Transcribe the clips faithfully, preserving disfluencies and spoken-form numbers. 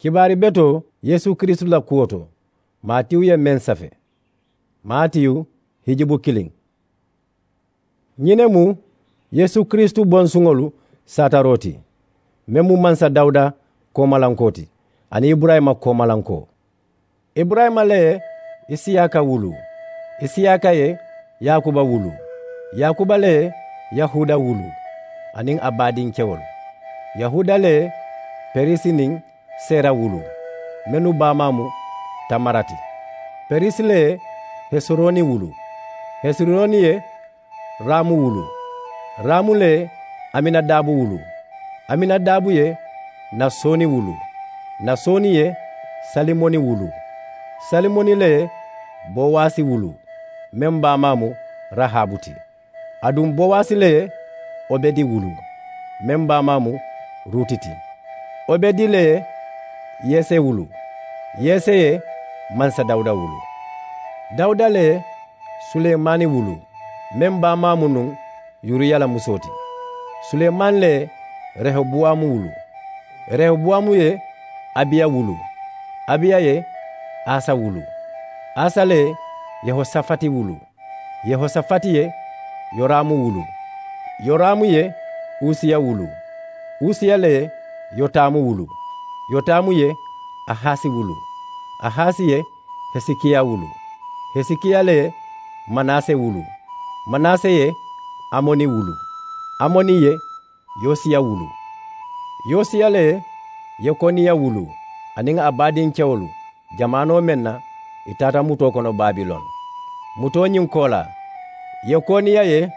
Kibaari betoo yeesu kiristu la kuwo to, maatiyu ye meŋ safe. Maatiyu hijibu kiliŋ. Ñiŋ ne mu yeesu kiristu bonsuŋolu saataroo ti, meŋ mu mansa dawuda koomalankoo ti, aniŋ iburayima koomalankoo. Iburayima le ye isiyaaka wuluu, isiyaaka ye yaakuba wuluu, yaakuba le ye yahuuda wuluu, aniŋ a baadinkewolu. Yahuuda le ye perisi niŋ sera wuluu, mennu baamaa mu tamara ti. Perisi le ye hesironi wuluu, hesironi ye raamu wuluu, raamu le ye aminadabu wuluu, aminadabu ye nasoni wuluu, nasoni ye salimoni wuluu, salimoni le ye bowasi wuluu, meŋ baamaa mu rahabu ti. Aduŋ bowasi le ye obedi wuluu, meŋ baamaa mu ruti ti. Obedi le ye yese wuluu, yese ye mansa dawuda wuluu. Dawuda le ye sulemaani wuluu, meŋ baamaa mu nuŋ yuriya la musoo ti. Sulemaani le ye rehobowamu wuluu, rehobowamu ye abiya wuluu, abiya ye asa wuluu, asa le ye yehosafati wuluu, yehosafati ye yoramu wuluu, yoramu ye usiya wuluu, usiya le ye yotamu wuluu, yotamu ye ahasi wuluu, ahasi ye hesikiya wuluu, hesikiya le ye manase wuluu, manase ye amoni wuluu, amoni ye yosiya wuluu, yosiya le ye yekoniya wuluu aniŋ a baadinkewolu jamaanoo meŋ na, ì taata mutoo kono babilon. Mutoo ñiŋ koolaa, yekoniya ye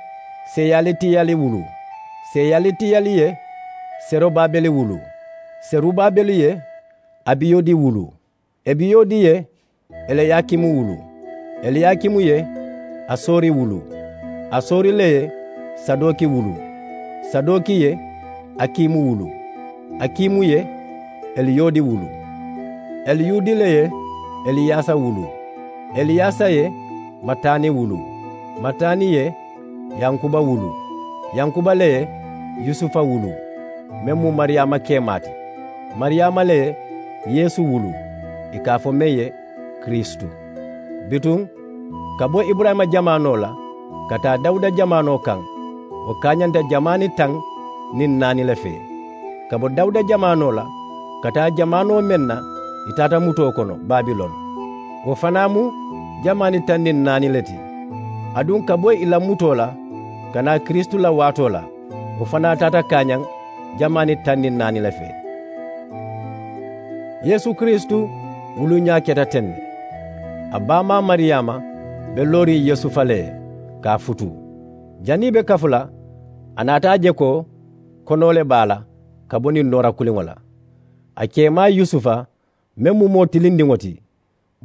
seyalitiyali wuluu, seyalitiyali ye serubabeli wuluu, serubabeli ye abiyudi wuluu, ebiyudi ye eliyakimu wuluu, eliyakimu ye asori wuluu, asori le ye sadoki wuluu, sadoki ye akimu wuluu, akimu ye eliyudi wuluu, eliyudi le ye eliyasa wuluu, eliyasa ye matani wuluu, matani ye yankuba wuluu, yankuba le ye yusufa wuluu, meŋ mu mariyaama keemaa ti, mariyaama le ye yeesu wuluu, ì ka a fo meŋ ye kiristu. Bituŋ ka bo iburayima jamaanoo la ka taa dawuda jamaanoo kaŋ, wo kaañanta jamaani taŋ niŋ naani le fee. Ka bo dawuda jamaanoo la ka taa jamaanoo meŋ na, ì taata mutoo kono babilon, wo fanaa mu jamaani taŋ niŋ naani le ti. Aduŋ ka bo ì la mutoo la ka naa kiristu la waatoo la, wo fanaa taata kaañaŋ jamaani taŋ niŋ naani le fee. Yeesu kiristu wuluuñaa keta teŋ ne. A baamaa mariyaama be looriŋ yusufa le ye ka a futuu. Janniŋ ì be kafu la, a naata a je ko konoo le be a la ka bo niŋ noora kuliŋo la. A keemaa yusufa, meŋ mu moo tilindiŋo ti,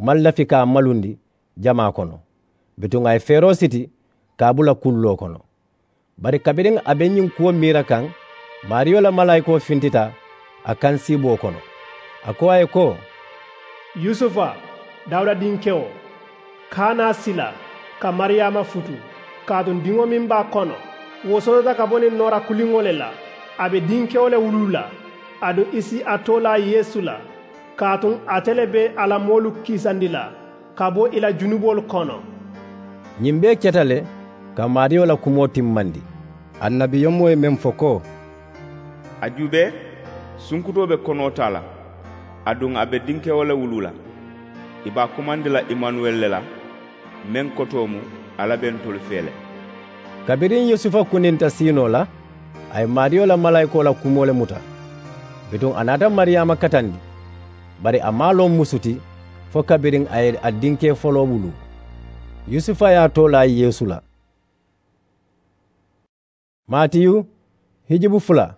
maŋ lafi ka a malundi jamaa kono. Bituŋ a ye feeroo siti ka a bula kulloo kono. Bari kabiriŋ a be ñiŋ kuwo miira kaŋ, maariyo la malaayikoo fintita a kaŋ siiboo kono. A ko a ye ko, yusufa, dawuda dinkewo, kaana sila ka mariyaama futu, kaatu diŋo meŋ be a kono, wo sotota ka bo niŋ noora kuliŋo le la. A be dinkewo le wuluu la, aduŋ ì si a too laa yeesu la, kaatu ate le be a la moolu kiisandi la ka bo ì la junuboolu kono. Ñiŋ bee keta le ka maariyo la kumoo timmandi. Annabiyomoo ye meŋ fo ko, a juubee, sunkutoo be konoo taa la, aduŋ a be dinkewo le wuluu la. Ì be a kumandi la imanuweli le la, meŋ kotoo mu, alla be ntolu fee le. Kabiriŋ yusufa kuninta siinoo la, a ye maariyo la malaayikoo la kumoo le muta. Bituŋ a naata mariyaama katandi, bari a maŋ a loŋ musu ti fo kabiriŋ a ye a dinkee foloo wuluu. Yusufa ye a too laa yeesu la. Maatiyu hijibu fula.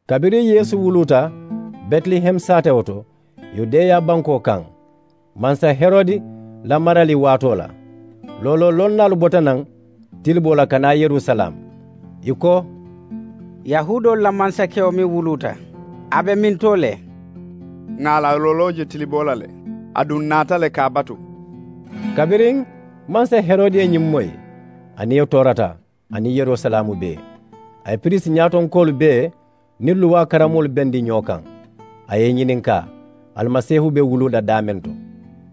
Kabiriŋ yeesu wuluuta betilehemu saatewo to, yudeya bankoo kaŋ, mansa herodi la marali waatoo la, looloo lonnaalu bota naŋ tiliboo la ka naa yerusalaamu. Ì ko, yahuudoolu la mansakewo meŋ wuluuta, a be mintoo le? Ŋà a la looloo je tiliboo la le, aduŋ ǹ naata le ka a batu. Kabiriŋ mansa herodi ye ñiŋ moyi, a niyo toorata, aniŋ yerusalaamu bee. A ye piriisi ñaatonkoolu bee niŋ luwaa karamoolu bendi ñoo kaŋ. A ye i ñininkaa, almaseehu be wuluu la daameŋ to?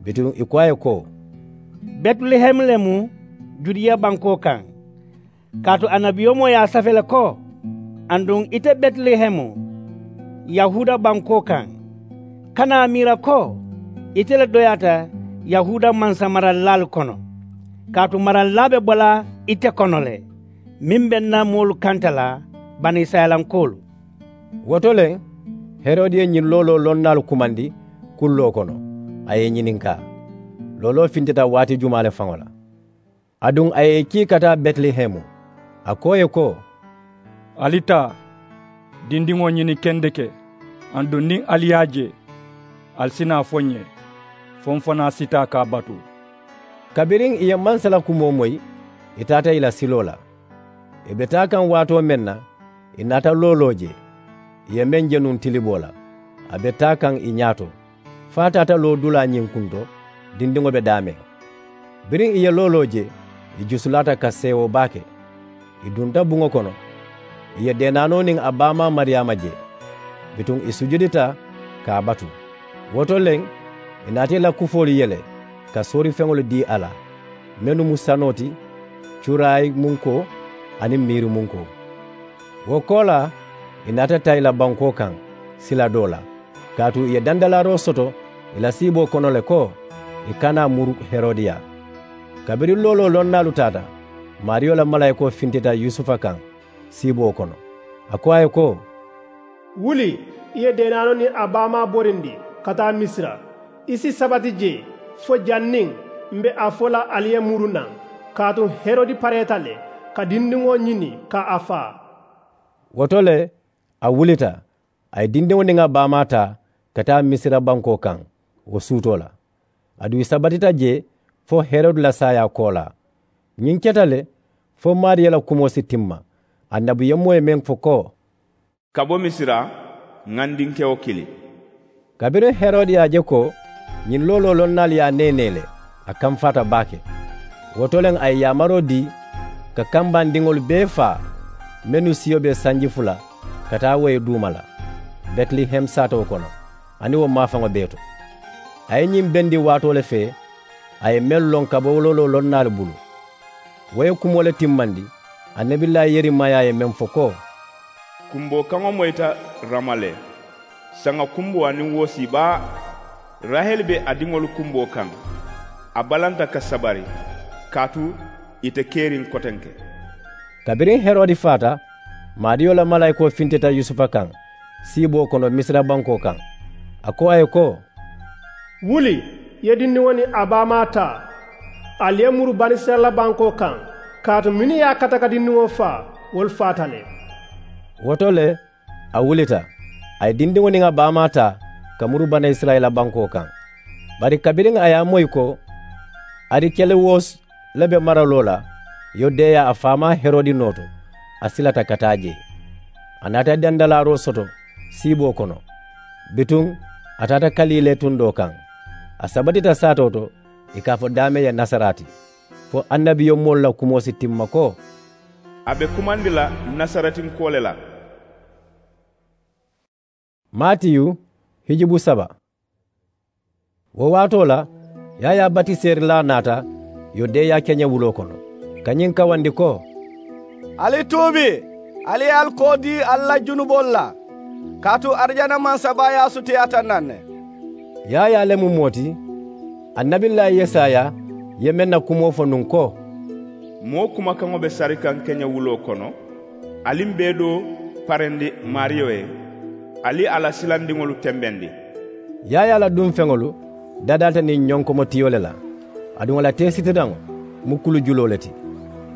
Bituŋ i ko a ye ko, betilehemu le mu judiya bankoo kaŋ. Kaatu annabiyomoo ye a safe le ko, aduŋ ite betilehemu, yahuuda bankoo kaŋ, kana a miira ko ite le doyaata yahuuda mansamarallaalu kono. Kaatu marallaa be bo la ite kono le, meŋ be ǹ na moolu kanta la banisirayilankoolu. Wo to le, herodi ye ñiŋ looloo lonnaalu kumandi kulloo kono, a ye i ñininkaa, looloo fintita waati jumaa le faŋo la? Aduŋ a ye i kii ka taa betilehemu, a ko ì ye ko, ali taa dindiŋo ñini kendeke, aduŋ niŋ ali ye a je, ali si naa a fo ǹ ye, fo m̀ fanaa si taa ka a batu. Kabiriŋ ì ye mansa la kumoo moyi, ì taata ì la siloo la. Ì be taa kaŋ waatoo meŋ na, ì naata looloo je, ì ye meŋ je nuŋ tiliboo la, a be taa kaŋ ì ñaato, fo a taata loodulaa ñiŋ kunto, dindiŋo be daameŋ. Biriŋ ì ye looloo je, ì jusulaata ka seewoo baa ke. Ì dunta buŋo kono, ì ye deenaanoo niŋ a baamaa mariyaama je. Bituŋ ì sujudita ka a batu. Wo to le, ì naata ì la kufoolu yele ka soorifeŋolu dii a la, mennu mu sanoo ti, cuuraayi munkoo aniŋ miiri munkoo. Wo koolaa, ì naata taa ì la bankoo kaŋ sila doo la, kaatu ì ye dandalaaroo soto ì la siiboo kono le ko ì kana a muru herodiya. Kabiriŋ looloo lonnaalu taata, maariyo la malaayikoo fintita yusufa kaŋ siiboo kono, a ko a ye ko, wuli, i ye deenaanoo niŋ a baamaa borindi ka taa misira. I si sabati jee fo janniŋ m̀ be a fo la ali ye muru naŋ, kaatu herodi pareeta le ka dindiŋo ñini ka a faa. Wo to le, a wulita, a ye dindiŋo niŋ a baamaa taa ka taa misira bankoo kaŋ wo suutoo la. Aduŋ ì sabatita jee fo herodi la saayaa koolaa. Ñiŋ keta le fo maariyo la kumoo si timma, annabiyomoo ye meŋ fo ko, ka bo misira, ŋà n dinkewo kili. Kabiriŋ herodi ye a je ko ñiŋ looloo lonnaalu ye a neenee le, a kamfaata baake. Wo to le a ye yaamaroo dii ka kambandiŋolu bee faa mennu siyo be sanji fula ka taa wo ye duuma la, betilehemu saatoo kono aniŋ wo maafaŋo bee to. A ye ñiŋ bendi waatoo le fee a ye mennu loŋ ka bo looloo lonnaalu bulu. Wo ye kumoo le timmandi annabillaahi yeremaya ye meŋ fo ko, kumboo kaŋo moyita rama le, saŋa kumboo aniŋ woosii baa. Raheli be a diŋolu kumboo kaŋ, a balanta ka sabari, kaatu ì te keriŋ kotenke. Kabiriŋ herodi faata, maariyo la malaayikoo fintita yusufa kaŋ siiboo kono misira bankoo kaŋ, a ko a ye ko, wuli, i ye dindiŋo niŋ a baamaa taa, ali ye muru banisirayila bankoo kaŋ, kaatu mennu ye a kata ka dindiŋo faa, wolu faata le. Wo to le, a wulita, a ye dindiŋo niŋ a baamaa taa ka muru banisirayila bankoo kaŋ. Bari kabiriŋ a ye a moyi ko arikeliwosi le be maraloo la yudeya a faamaa herodi noo to, a silata ka taa jee. A naata dandalaaroo soto siiboo kono. Bituŋ a taata kaliilee tundoo kaŋ, a sabatita saatoo to ì ka a fo daameŋ ye nasaraati, fo annabiyomoolu la kumoo si timma ko, a be kumandi la nasaretinkoo le la. Matiyu, hijubu saba. Wo waatoo la, yaayaa batiseerilaa naata yudeya keñewuloo kono, ka ñiŋ kawandi ko, ali tuubi, ali ye ali koo dii ali la junuboolu la, kaatu arijana mansabaayaa sutiyaata naŋ ne. Yaayaa le mu moo ti, annabillaahi yesaya ye meŋ na kumoo fo nuŋ ko, moo kumakaŋo be sarikaŋ keñewuloo kono, ali m bee doo parendi maariyo ye, ali a la silandiŋolu tembendi. Yaayaa la dunfeŋolu dadaata niŋ ñonkomotiyo le la, aduŋ a la teesitiraŋo mu kulujuloo le ti,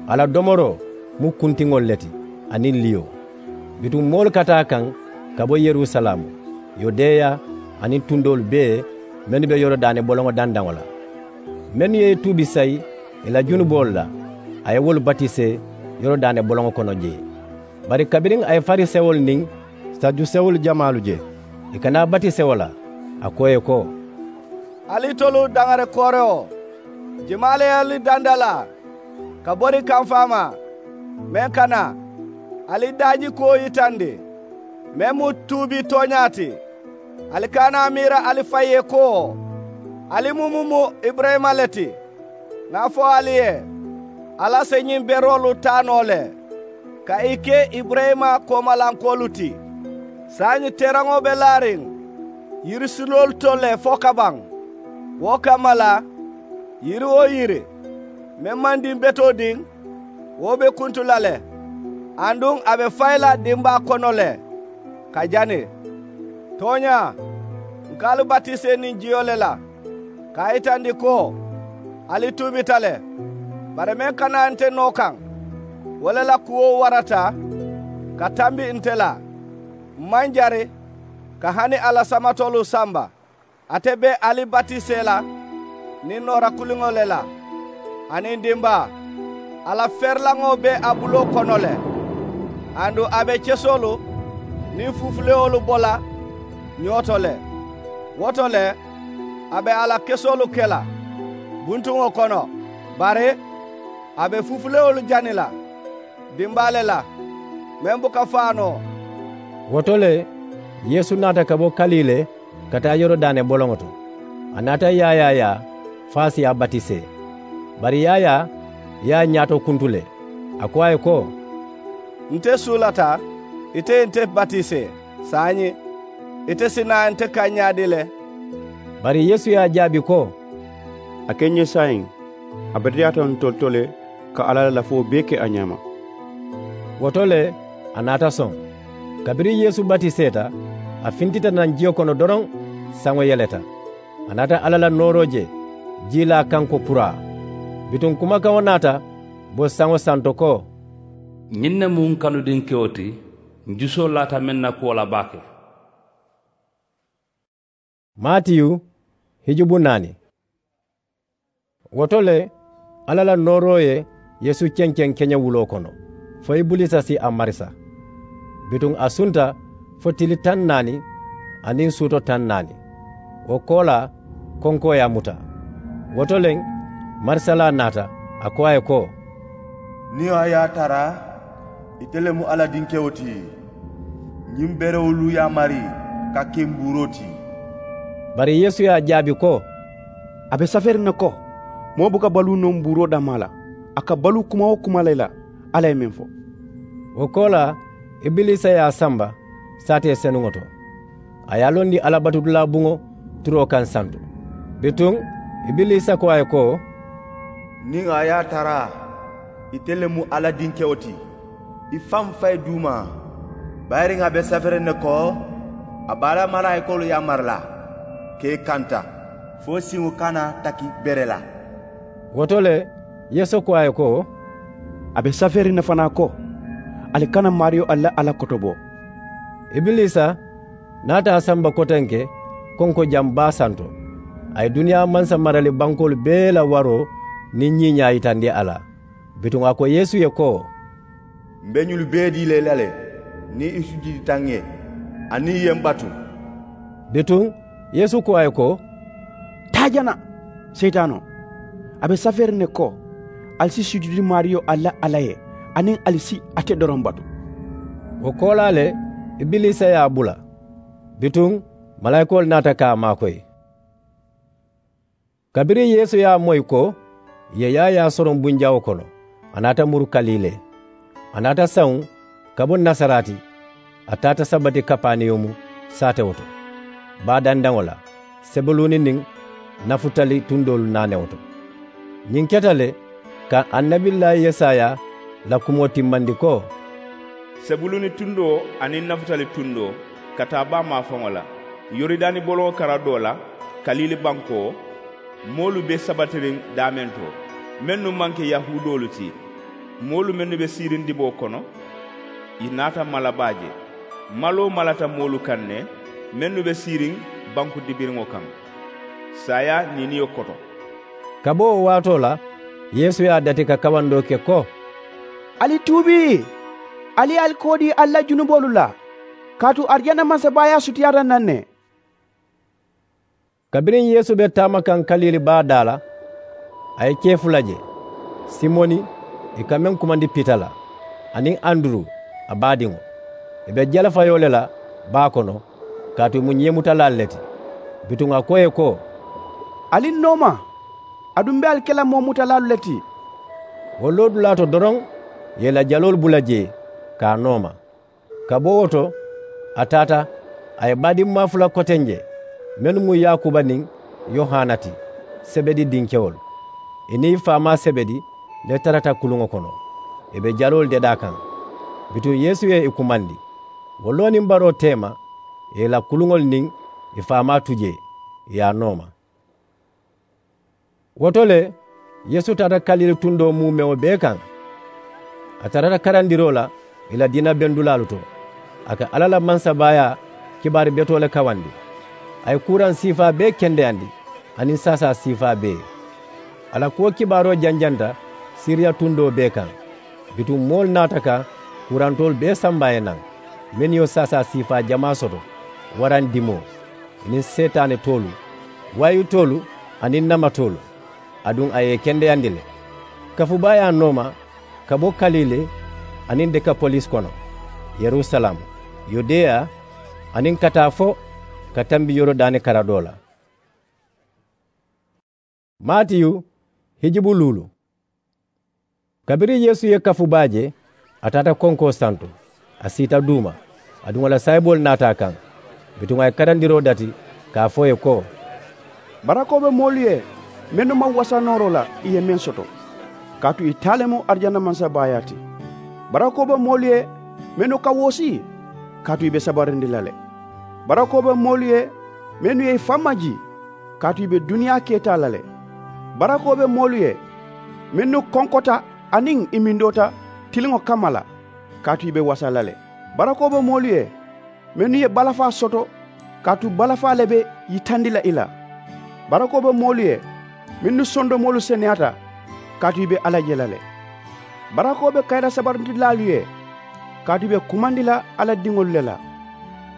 a la domoroo mu kuntiŋolu le ti, aniŋ liyo. Bituŋ moolu ka taa a kaŋ ka bo yerusalaamu, yudeya, aniŋ tundoolu bee mennu be yorodaani boloŋo dandaŋo la. Mennu ye i tuubi sayi ì la junuboolu la, a ye wolu batisee yorodaani boloŋo kono jee. Bari kabiriŋ a ye farisewolu niŋ sadusewolu jamaalu je ì ka naa batisewo la, a ko ì ye ko, ali tolu daŋari koorewo, jimaa le ye ali dandalaa ka bori kamfaamaa meŋ ka naa, ali daajikuwo yitandi meŋ mu tuubi tooñaa ti. Ali kana a miira ali faŋ ye ko ali mu mu mu iburayima le ti. Ŋà a fo ali ye, alla si ñiŋ beroolu taa noo le ka ì ke iburayima koomalankoolu ti. Saayiŋ teeraŋo be laariŋ yirisiloolu to le fo kabaŋ. Wo kamma la, yiri-wo-yiri meŋ maŋ diŋ betoo diŋ, wo be kuntu la le, aduŋ a be fayi la dimbaa kono le ka jani. Tooñaa, ǹ ka ali batisee niŋ jiyo le la ka a yitandi ko ali tuubita le. Bari meŋ ka naa nte noo kaŋ, wo le la kuwo warata ka tambi nte la. M̀ maŋ jari ka hani a la samatoolu samba. Ate be ali batisee la niŋ noora kuliŋo le la, aniŋ dimbaa, a la ferilaŋo be a buloo kono le. Aduŋ a be kesoolu niŋ fufulewolu bo la ñoo to le. Wo to le, a be a la kesoolu ke la buntuŋo kono, bari a be fufulewolu jani la dimbaa le la meŋ buka faa noo. Wo to le, yeesu naata ka bo kalile ka taa yorodaane boloŋo to. A naata yaayaa yaa fo a si a batisee. Bari yaayaa ye a ñaato kuntu le, a ko a ye ko, nte suulata ite ye nte batisee. Saayiŋ ite si naa nte kaŋ ñaadii le? Bari yeesu ye a jaabi ko, a ke n ye saayiŋ, a beteyaata ntolu to le ka alla la lafoo bee ke a ñaama. Wo to le, a naata soŋ. Kabiriŋ yeesu batiseeta, a fintita naŋ jiyo kono doroŋ, saŋo yeleta. A naata alla la nooroo je, jiilaa kaŋ ko puraa. Bituŋ kumakaŋo naata bo saŋo santo ko, ñiŋ ne mu ǹ kanudinkewo ti, ǹ jusoo laata meŋ na kuwo la baake. Maatiyu hijubu naani. Wo to le, alla la nooroo ye yeesu kenkeŋ keñewuloo kono, fo ibiliisa si a marisa. Bituŋ a sunta fo tili taŋ naani aniŋ suuto taŋ naani. Wo koolaa, konkoo ye a muta. Wo to le, marisalaa naata, a ko a ye ko, niŋ a ye a tara ite le mu alla dinkewo ti, ñiŋ berewolu yaamari ka ke mbuuroo ti. Bari yeesu ye a jaabi ko, a be safeeriŋ ne ko, moo buka baluu noo mbuuroo dammaa la, a ka baluu kuma-wo-kuma le la alla ye meŋ fo. Wo koolaa, ibiliisa ye a samba saatee senuŋo to, a ye a londi alla batudulaa buŋo turoo kaŋ santo. Bituŋ, ibiliisa ko a ye ko, niŋ a ye a tara ite le mu alla dinkewo ti, i faŋ fayi duuma. Bayiriŋ a be safeeriŋ ne ko, a be a la malaayikoolu yaamari la ka i kanta, fo siŋo kana taki bere la. Wo to le, yeesu ko a ye ko, a be safeeriŋ ne fanaa ko, ali kana maariyo alla la alla kotobo. Ibiliisa naata a samba kotenke konko jaŋ baa santo. A ye duniyaa mansa marali bankoolu bee la waroo niŋ ñiiñaa yitandi a la. Bituŋ a ko yeesu ye ko, m̀ be ñolu bee dii la i la le, niŋ i sujudita ǹ ye, aniŋ i ye m̀ batu. Bituŋ yeesu ko a ye ko, taa jana, seyitaanoo. A be safeeriŋ ne ko, ali si sujudi maariyo alla la alla ye, aniŋ ali si ate doroŋ batu. Wo koolaa le, ibiliisa ye a bula. Bituŋ malaayikoolu naata ka a maakoyi. Kabiriŋ yeesu ye a moyi ko ì ye yaayaa soroŋ bunjawo kono, a naata muru kaliilee. A naata sawuŋ ka bo nasaraati, a taata saba ti kapanewumu saatewo to. Baa dandaŋo la, sebuluuni niŋ nafutali tundoolu naanewo to. Ñiŋ keta le ka annabillaahi yesaya la kumoo timmandi ko, sebuluuni tundoo aniŋ nafutali tundoo, ka taa baa maafaŋo la, yoridaani boloŋo karadoo la, kaliili bankoo, moolu be sabatiriŋ daameŋ to, mennu maŋ ke yahuudoolu ti. Moolu mennu be siiriŋ diboo kono, ì naata mala baa je. Maloo malata moolu kaŋ ne, mennu be siiriŋ banku dibiriŋo kaŋ, saayaa niiniyo koto. Ka bo wo waatoo la, yeesu ye a dati ka kawandoo ke ko, ali tuubi, ali ye ali koo dii ali la junuboolu la, kaatu arijana mansabaayaa sutiyaata naŋ ne. Kabiriŋ yeesu be taama kaŋ kaliili baa daa la, a ye kee fula je, simoni, ì ka meŋ kumandi pita la, aniŋ anduru, a baadiŋo. Ì be jalafayoo le la baa kono, Kaatu ì mu ñeemutalaalu le ti. Bituŋ a ko ì ye ko, ali n nooma. Aduŋ m̀ be ali ke la moo mutalaalu le ti. Wo loodulaa to doroŋ, ì ye ì la jaloolu bula jee ka a nooma. Ka bo wo to, a taata, a ye baadimmaa fula koteŋ je, mennu mu yaakuba niŋ yohana ti, sebedi dinkewolu. Ì niŋ ì faamaa sebedi le tarata kuluŋo kono, ì be jaloolu dedaa kaŋ. Bituŋ yeesu ye ì kumandi. Wo loo niŋ baroo teema, ì ye ì la kuluŋolu niŋ ì faamaa tu jee, ì ye a nooma. Wo to le, yeesu taata kalili tundoo muumeŋo bee kaŋ. A tarata karandiroo la ì la diina bendulaalu to. A ka alla la mansabaayaa kibaari betoo le kawandi. A ye kuuraŋ siifaa bee kendeyandi, aniŋ saasaa siifaa bee. A la kuwo kibaaroo janjanta siriya tundoo bee kaŋ. Bituŋ moolu naata ka kuurantoolu bee samba a ye naŋ, mennu ye wo saasaa siifaa jamaa soto, waraŋ dimoo, ì niŋ seetaane toolu, waayitoolu, aniŋ namatoolu. Aduŋ a ye ì kendeyandi le. Kafubaayaa nooma ka bo kalili aniŋ dekapolisi kono, yerusalaamu, yudeya, aniŋ ka taa fo ka tambi yorodaani karadoo la. Maatiyu hijibu luulu. Kabiriŋ yeesu ye kafu baa je, a taata konkoo santo, a siita duuma. Aduŋ a la saayiboolu naata a kaŋ. Bituŋ a ye karandiroo dati ka a fo ì ye ko, barakoo be moolu ye mennu maŋ wasa nooroo la, ì ye meŋ soto, kaatu ì taa le mu arijana mansabaayaa ti. Barakoo be moolu ye mennu ka woosi, kaatu ì be sabarindi la le. Barakoo be moolu ye mennu ye ì faŋ majii, kaatu ì be duniyaa keetaa la le. Barakoo be moolu ye mennu konkota aniŋ ì mindoota tiliŋo kamma la, kaatu ì be wasa la le. Barakoo be moolu ye mennu ye balafaa soto, kaatu balafaa le be yitandi la ì la. Barakoo be moolu ye mennu sondomoolu seneyaata, kaatu ì be alla je la le. Barakoo be kayira sabarindilaalu ye, kaatu ì be kumandi la alla diŋolu le la.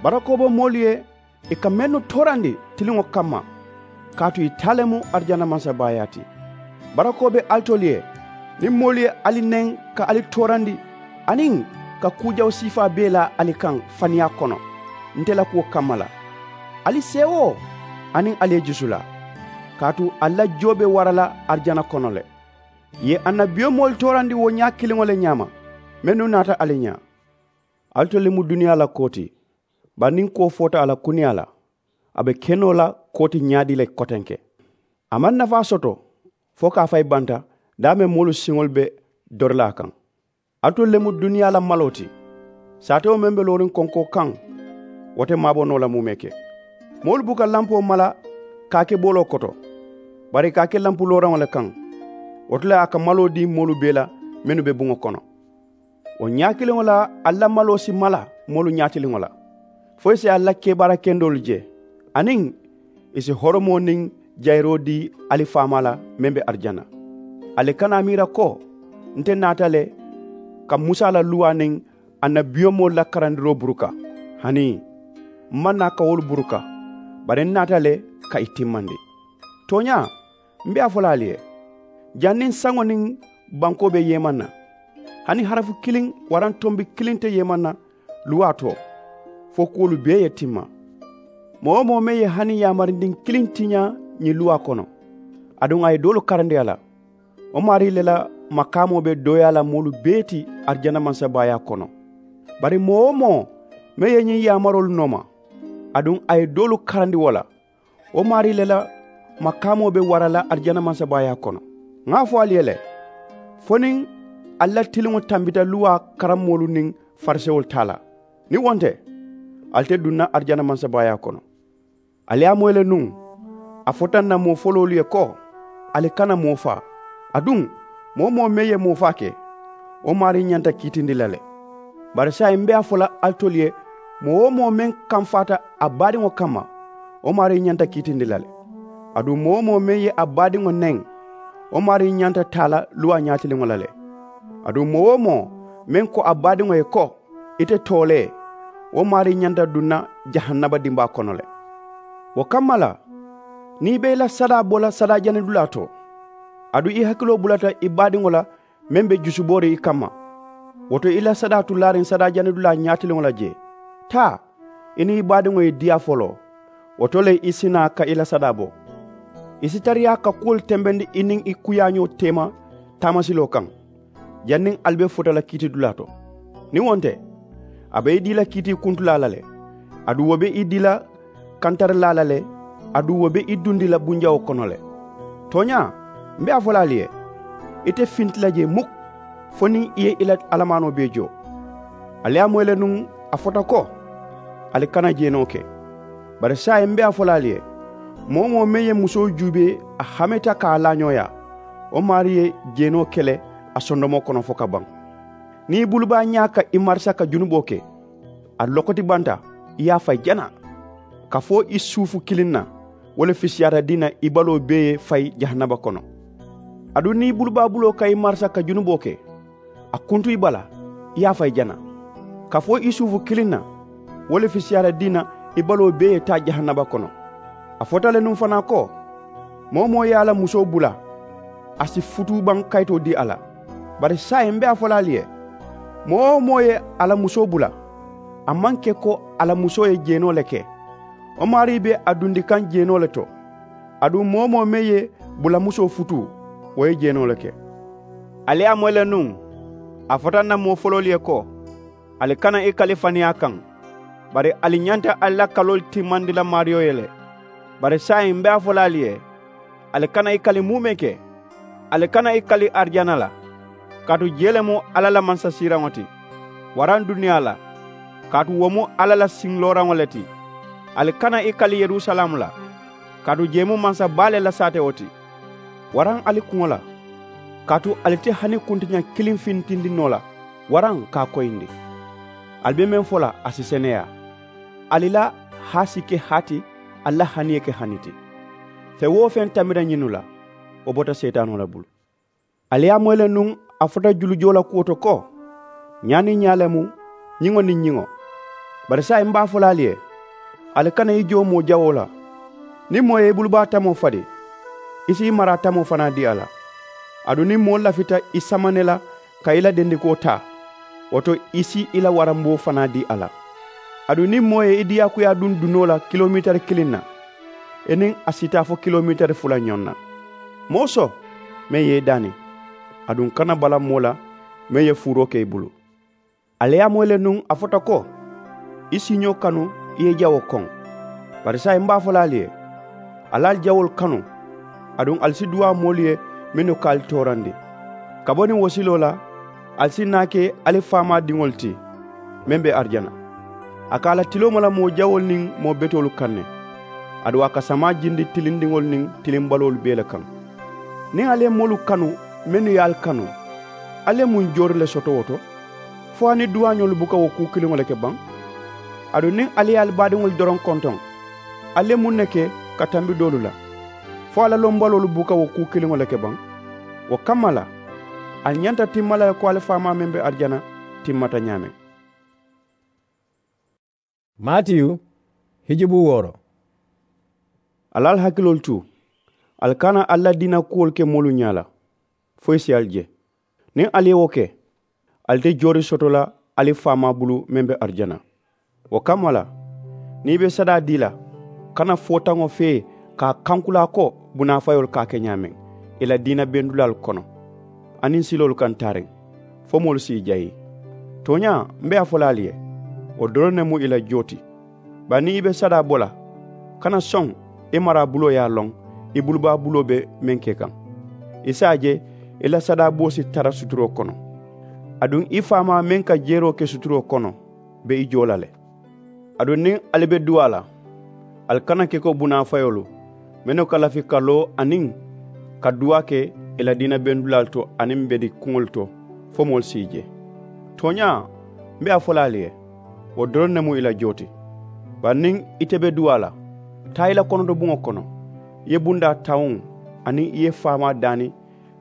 Barakoo be moolu ye ì ka mennu toorandi tiliŋo kamma, kaatu ì taa le mu arijana mansabaayaa ti. Barakoo be alitolu ye niŋ moolu ye ali neŋ ka ali toorandi, aniŋ ka kuu jawu siifaa bee la ali kaŋ faniyaa kono nte la kuwo kamma la. Ali seewoo aniŋ ali ye jusulaa, kaatu ali la jio be wara la arijana kono le. Ì ye annabiyomoolu toorandi wo ñaa kiliŋo le ñaama, mennu naata ali ñaa. Alitolu le mu duniyaa la koo ti. Bari niŋ koo foota a la kuniyaa la, a be ke noo la koo ti ñaadii le kotenke. A maŋ nafaa soto fo ka a fayi banta, daameŋ moolu siŋolu be dori la a kaŋ. Alitolu le mu duniyaa la maloo ti. Saatewo meŋ be looriŋ konkoo kaŋ, wo te maabo noo la muumee ke. Moolu buka lampoo mala ka a ke booloo koto, bari i ka a ke lampu looraŋo le kaŋ. Wo to le a ka maloo dii moolu bee la mennu be buŋo kono. Wo ñaa kiliŋo la ali la maloo si mala moolu ñaatiliŋo la, fo ì si ali la kebaara kendoolu je, aniŋ ì si horomoo niŋ jayiroo dii ali faamaa la meŋ be arijana. Ali kana a miira ko nte naata le ka musa la luwaa niŋ annabiyomoolu la karandiroo buruka. Hanii, m maŋ naa ka wolu buruka, bari n naata le ka ì timmandi. Tooñaa, m be a fo la ali ye, janniŋ saŋo niŋ bankoo be yeemaŋ na, hani harafu kiliŋ waraŋ tombi kiliŋ te yeemaŋ na luwaa to, fo kuwolu bee ye timma. Moo-wo-moo meŋ ye hani yaamarindin kiliŋ tiñaa ñiŋ luwaa kono, aduŋ a ye doolu karandi a la, wo maarii le la makaamoo be dooyaa la moolu bee ti arijana mansabaayaa kono. Bari moo-wo-moo meŋ ye ñiŋ yaamaroolu nooma, aduŋ a ye doolu karandi wo la, wo maarii le la makaamoo be wara la arijana mansabaayaa kono. Ŋa a fo ali ye le, fo niŋ ali la tiliŋo tambita luwaa karammoolu niŋ farisewolu taa la, niŋ wo nte, ali te duŋ na arijana mansabaayaa kono. Ali ye a moyi le nuŋ, a fota ǹ na moo foloolu ye ko, ali kana moo faa. Aduŋ, moo-wo-moo meŋ ye moo faa ke, wo maarii ñanta kiitindi la le. Bari saayiŋ m be a fo la alitolu ye, moo-wo-moo meŋ kamfaata a baadiŋo kamma, wo maarii ñanta kiitindi la le. Aduŋ moo-wo-moo meŋ ye a baadiŋo neŋ, wo maarii ñanta taa la luwaa ñaatiliŋo la le. Aduŋ moo-wo-moo meŋ ko a baadiŋo ye ko, ite toolee, wo maarii ñanta duŋ na jahannama dimbaa kono le. Wo kamma la, niŋ i be i la sadaa bo la sadaa janidulaa to, aduŋ i hakiloo bulata i baadiŋo la meŋ be jusubooriŋ i kamma, wo to i la sadaa tu laariŋ sadaa janidulaa ñaatiliŋo la jee. Taa, I niŋ i baadiŋo ye diyaa foloo, wo to le i si naa ka i la sadaa bo. I si tariyaa ka kuwolu tembendi i niŋ i kuyaañoo teema taamasiloo kaŋ, janniŋ ali be futa la kiitidulaa to. Niŋ wo nte, a be i dii la kiitii kuntulaa la le, aduŋ wo be i dii la kantarilaa la le, aduŋ wo be i dundi la bunjawoo kono le. Tooñaa, m be a fo la ali ye, ite finti la jee muk, fo niŋ i ye i la alamaanoo bee joo. Ali ye a moyi le nuŋ, a fota ko, ali kana jeenoo ke. Bari saayiŋ m be a fo la ali ye, moo-wo-moo meŋ ye musoo juubee a hameta ka a laañooyaa, wo maarii ye jeenoo ke le a sondomoo kono fo ka baŋ. Niŋ i bulubaa ñaa ka i marisa ka junuboo ke, a lokoti banta, i ye a fayi jana. Kafoo i suufu kiliŋ na, wo le fisiyaata dii na i baloo bee ye fayi jahannaba kono. Aduŋ niŋ i bulubaa buloo ka i marisa ka junuboo ke, a kuntu i bala, i ye a fayi jana. Kafoo i suufu kiliŋ na, wo le fisiyaata dii na i baloo bee ye taa jahannaba kono. A fota le nuŋ fanaa ko, moo-wo-moo ye a la musoo bula, a si futuu baŋ kayitoo dii a la. Bari saayiŋ m be a fo la ali ye, moo-wo-moo ye a la musoo bula, a maŋ ke ko a la musoo ye jeenoo le ke, wo maarii be a dundi kaŋ jeenoo le to. Aduŋ moo-wo-moo meŋ ye bulamusoo futuu, wo ye jeenoo le ke. Ali ye a moyi le nuŋ, a fota n na moo foloolu ye ko, ali kana i kali faniyaa kaŋ, bari ali ñanta ali la kaloolu timmandi la maariyo ye le. Bari saayiŋ m be a fo la ali ye, ali kana i kali muumee ke. Ali kana i kali arijana la, kaatu jee le mu alla la mansasiiraŋo ti, waraŋ duniyaa la, kaatu wo mu alla la siŋ looraŋo le ti. Ali kana i kali yerusalaamu la, kaatu jee mu mansa baa le la saatewo ti, waraŋ ali kuŋo la, kaatu ali te hani kuntiña kiliŋ fintindi noo la, waraŋ ka a koyindi. Ali be meŋ fo la a si seneyaa. Ali la haa si ke haa ti, ali la hani ye ke hani ti. Feŋ-wo-feŋ tambita ñinnu la, wo bota seetaanoo le bulu. Ali ye a moyi le nuŋ, a fota julujoo la kuwo to ko, ñaa niŋ ñaa le mu, ñiŋo niŋ ñiŋo. Bari saayiŋ m be a fo la ali ye, ali kana i joo moo jawoo la. Niŋ moo ye i bulubaa tamoo fadi, i si i maraa tamoo fanaa dii a la. Aduŋ niŋ moo lafita i sama ne la ka i la dendikoo taa, wo to i si i la waramboo fanaa dii a la. Aduŋ niŋ moo ye i diyaakuyaa duŋ dunoo la kilomeetari kiliŋ na, i niŋ a si taa fo kilomeetari fula ñoŋ na. Mooso, meŋ ye i daani, aduŋ kana bala moo la, meŋ ye fuuroo ke i bulu. Ali ye a moyi le nuŋ, a fota ko, i siiñoo kanu i ye i jawoo koŋ. Bari saayiŋ m be a fo la ali ye, ali ali jawoolu kanu. Aduŋ ali si duwaa moolu ye mennu ka ali toorandi. Ka bo niŋ wo siloo la, ali si naa ke ali faamaa diŋolu ti, meŋ be arijana. A ka a la tiloo mala moo jawoolu niŋ moo betoolu kaŋ ne. Aduŋ a ka samaa jindi tilindiŋolu niŋ tilimbaloolu bee le kaŋ. Niŋ ali ye moolu kanu mennu ye ali kanu, ali ye muŋ joori le soto wo to? Fo hani duwaañoolu buka wo kuu kiliŋo le ke baŋ? Aduŋ niŋ ali ye ali baadiŋolu doroŋ kontoŋ, ali ye muŋ ne ke ka tambi doolu la? Fo a la lombaloolu buka wo kuu kiliŋo le ke baŋ? Wo kamma la, ali ñanta timma la le ko ali faamaa meŋ be arijana timmata ñaameŋ. Matiyu, hijubu wooro. Ali ali hakiloolu tu, ali kana ali la diina kuwolu ke moolu ñaa la, fo i si ali je. Niŋ ali ye wo ke, ali te joori soto la ali faamaa bulu meŋ be arijana. Wo kamma la, niŋ i be sadaa dii la, kana footaŋo fee ka a kankulaa ko bunaafayoolu ka a ke ñaameŋ i la diina bendulaalu kono, aniŋ siloolu kaŋ taariŋ, fo moolu si i jayi. Tooñaa, m be a fo la ali ye, wo doroŋ ne mu i la joo ti. Bari niŋ i be sadaa bo la, kana soŋ i maraa buloo ye a loŋ i bulubaa buloo be meŋ ke kaŋ. I si a je i la sadaa boo si tara suturoo kono. Aduŋ i faamaa meŋ ka jeeroo ke suturoo kono be i joo la le. Aduŋ niŋ ali be duwaa la, ali kana ke ko bunaafayoolu mennu ka lafi ka loo aniŋ ka duwaa ke i la diina bendulaalu to aniŋ bedikuŋolu to, fo moolu si i je. Tooñaa, m be a fo la ali ye, wo doroŋ ne mu i la joo ti. Bari niŋ ite be duwaa la, taa i la konotobuŋo kono, i ye bundaa tawuŋ aniŋ i ye i faamaa daani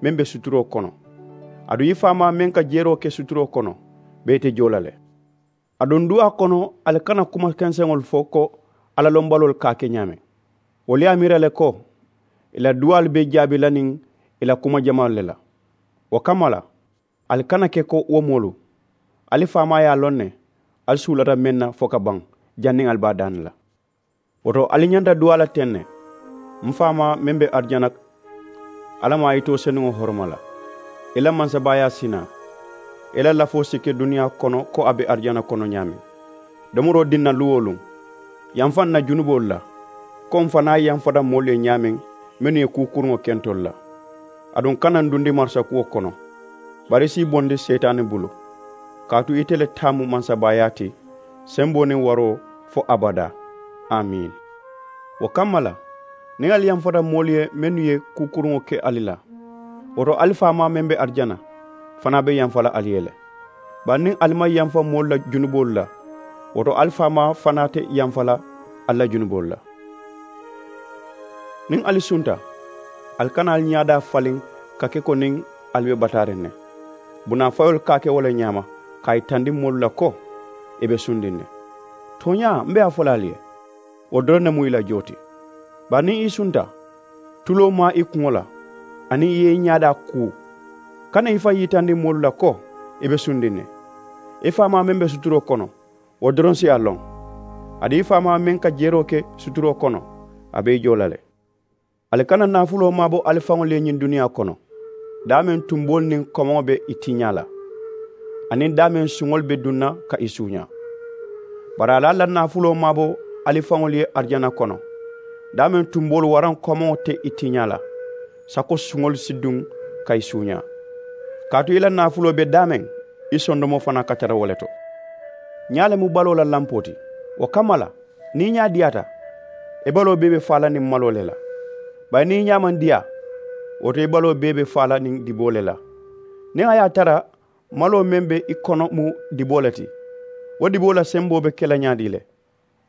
meŋ be suturoo kono. Aduŋ i faamaa meŋ ka jeeroo ke suturoo kono be ite joo la le. Aduŋ duwaa kono, ali kana kuma kenseŋolu fo ko alla lombaloolu ka a ke ñaameŋ. Wolu ye a miira le ko i la duwaalu be jaabi la niŋ i la kuma jamaalu le la. Wo kamma la, ali kana ke ko wo moolu. Ali faamaa ye a loŋ ne ali suulata meŋ na fo ka baŋ, janniŋ ali be a daani la. Wo to, ali ñanta duwaa la teŋ ne, m faamaa meŋ be arijana, alla maa yitoo senuŋo horoma la. I la mansabaayaa si naa, i la lafoo si ke duniyaa kono ko a be arijana kono ñaameŋ. Domoroo diŋ na luŋ-wo-luŋ, yamfa n na junuboolu la, ko m fanaa yamfata moolu ye ñaameŋ, mennu ye kuu kuruŋo ke ntolu la. Aduŋ kana n dundi marisakuwo kono, bari i si i bondi seetaani bulu. Kaatu ite le taa mu mansabaayaa ti, semboo niŋ waroo, fo abadaa. Amiini. Wo kamma la, niŋ ali yamfata moolu ye mennu ye kuu kuruŋo ke ali la, wo to ali faamaa meŋ be arijana fanaa be yamfa la ali ye le. Bari niŋ ali maŋ yamfa moolu la junuboolu la, wo to ali faamaa fanaa te yamfa la ali la junuboolu la. Niŋ ali sunta, ali kana ali ñaadaa faliŋ ka ke ko niŋ ali be bataariŋ ne. Bunaafayoolu ka a ke wo le ñaama, ka a yitandi moolu la ko i be sundiŋ ne. Tooñaa, m be a fo la ali ye, wo doroŋ ne mu i la joo ti. Bari niŋ i sunta, tuloo maa i kuŋo la, aniŋ i ye i ñaadaa kuu, kana i faŋ yitandi moolu la ko i be sundiŋ ne. I faamaa meŋ be suturoo kono, wo doroŋ si a loŋ. Aduŋ i faamaa meŋ ka jeroo ke suturoo kono, a be i joo la le. Ali kana naafuloo maabo ali faŋolu ye ñiŋ duniyaa kono, daameŋ tumboolu niŋ komoŋo be i tiiñaa la, aniŋ daameŋ suŋolu be duŋ na ka i suuñaa. Bari ali alla naafuloo maabo ali faŋolu ye arijana kono, daameŋ tumboolu waraŋ komoŋo te i tiiñaa la, sako suŋolu si duŋ ka i suuñaa. Kaatu i la naafuloo be daameŋ, i sondomoo fanaa ka tara wo le to. Ñaa le mu baloo la lampoo ti. Wo kamma la, niŋ i ñaa diyaata, i baloo bee be faa la niŋ maloo le la. Bari niŋ i ñaa maŋ diyaa, wo to i baloo bee be faa la niŋ diboo le la. Niŋ a ye a tara maloo meŋ be i kono mu diboo le ti, wo diboo la semboo be ke la ñaadii le?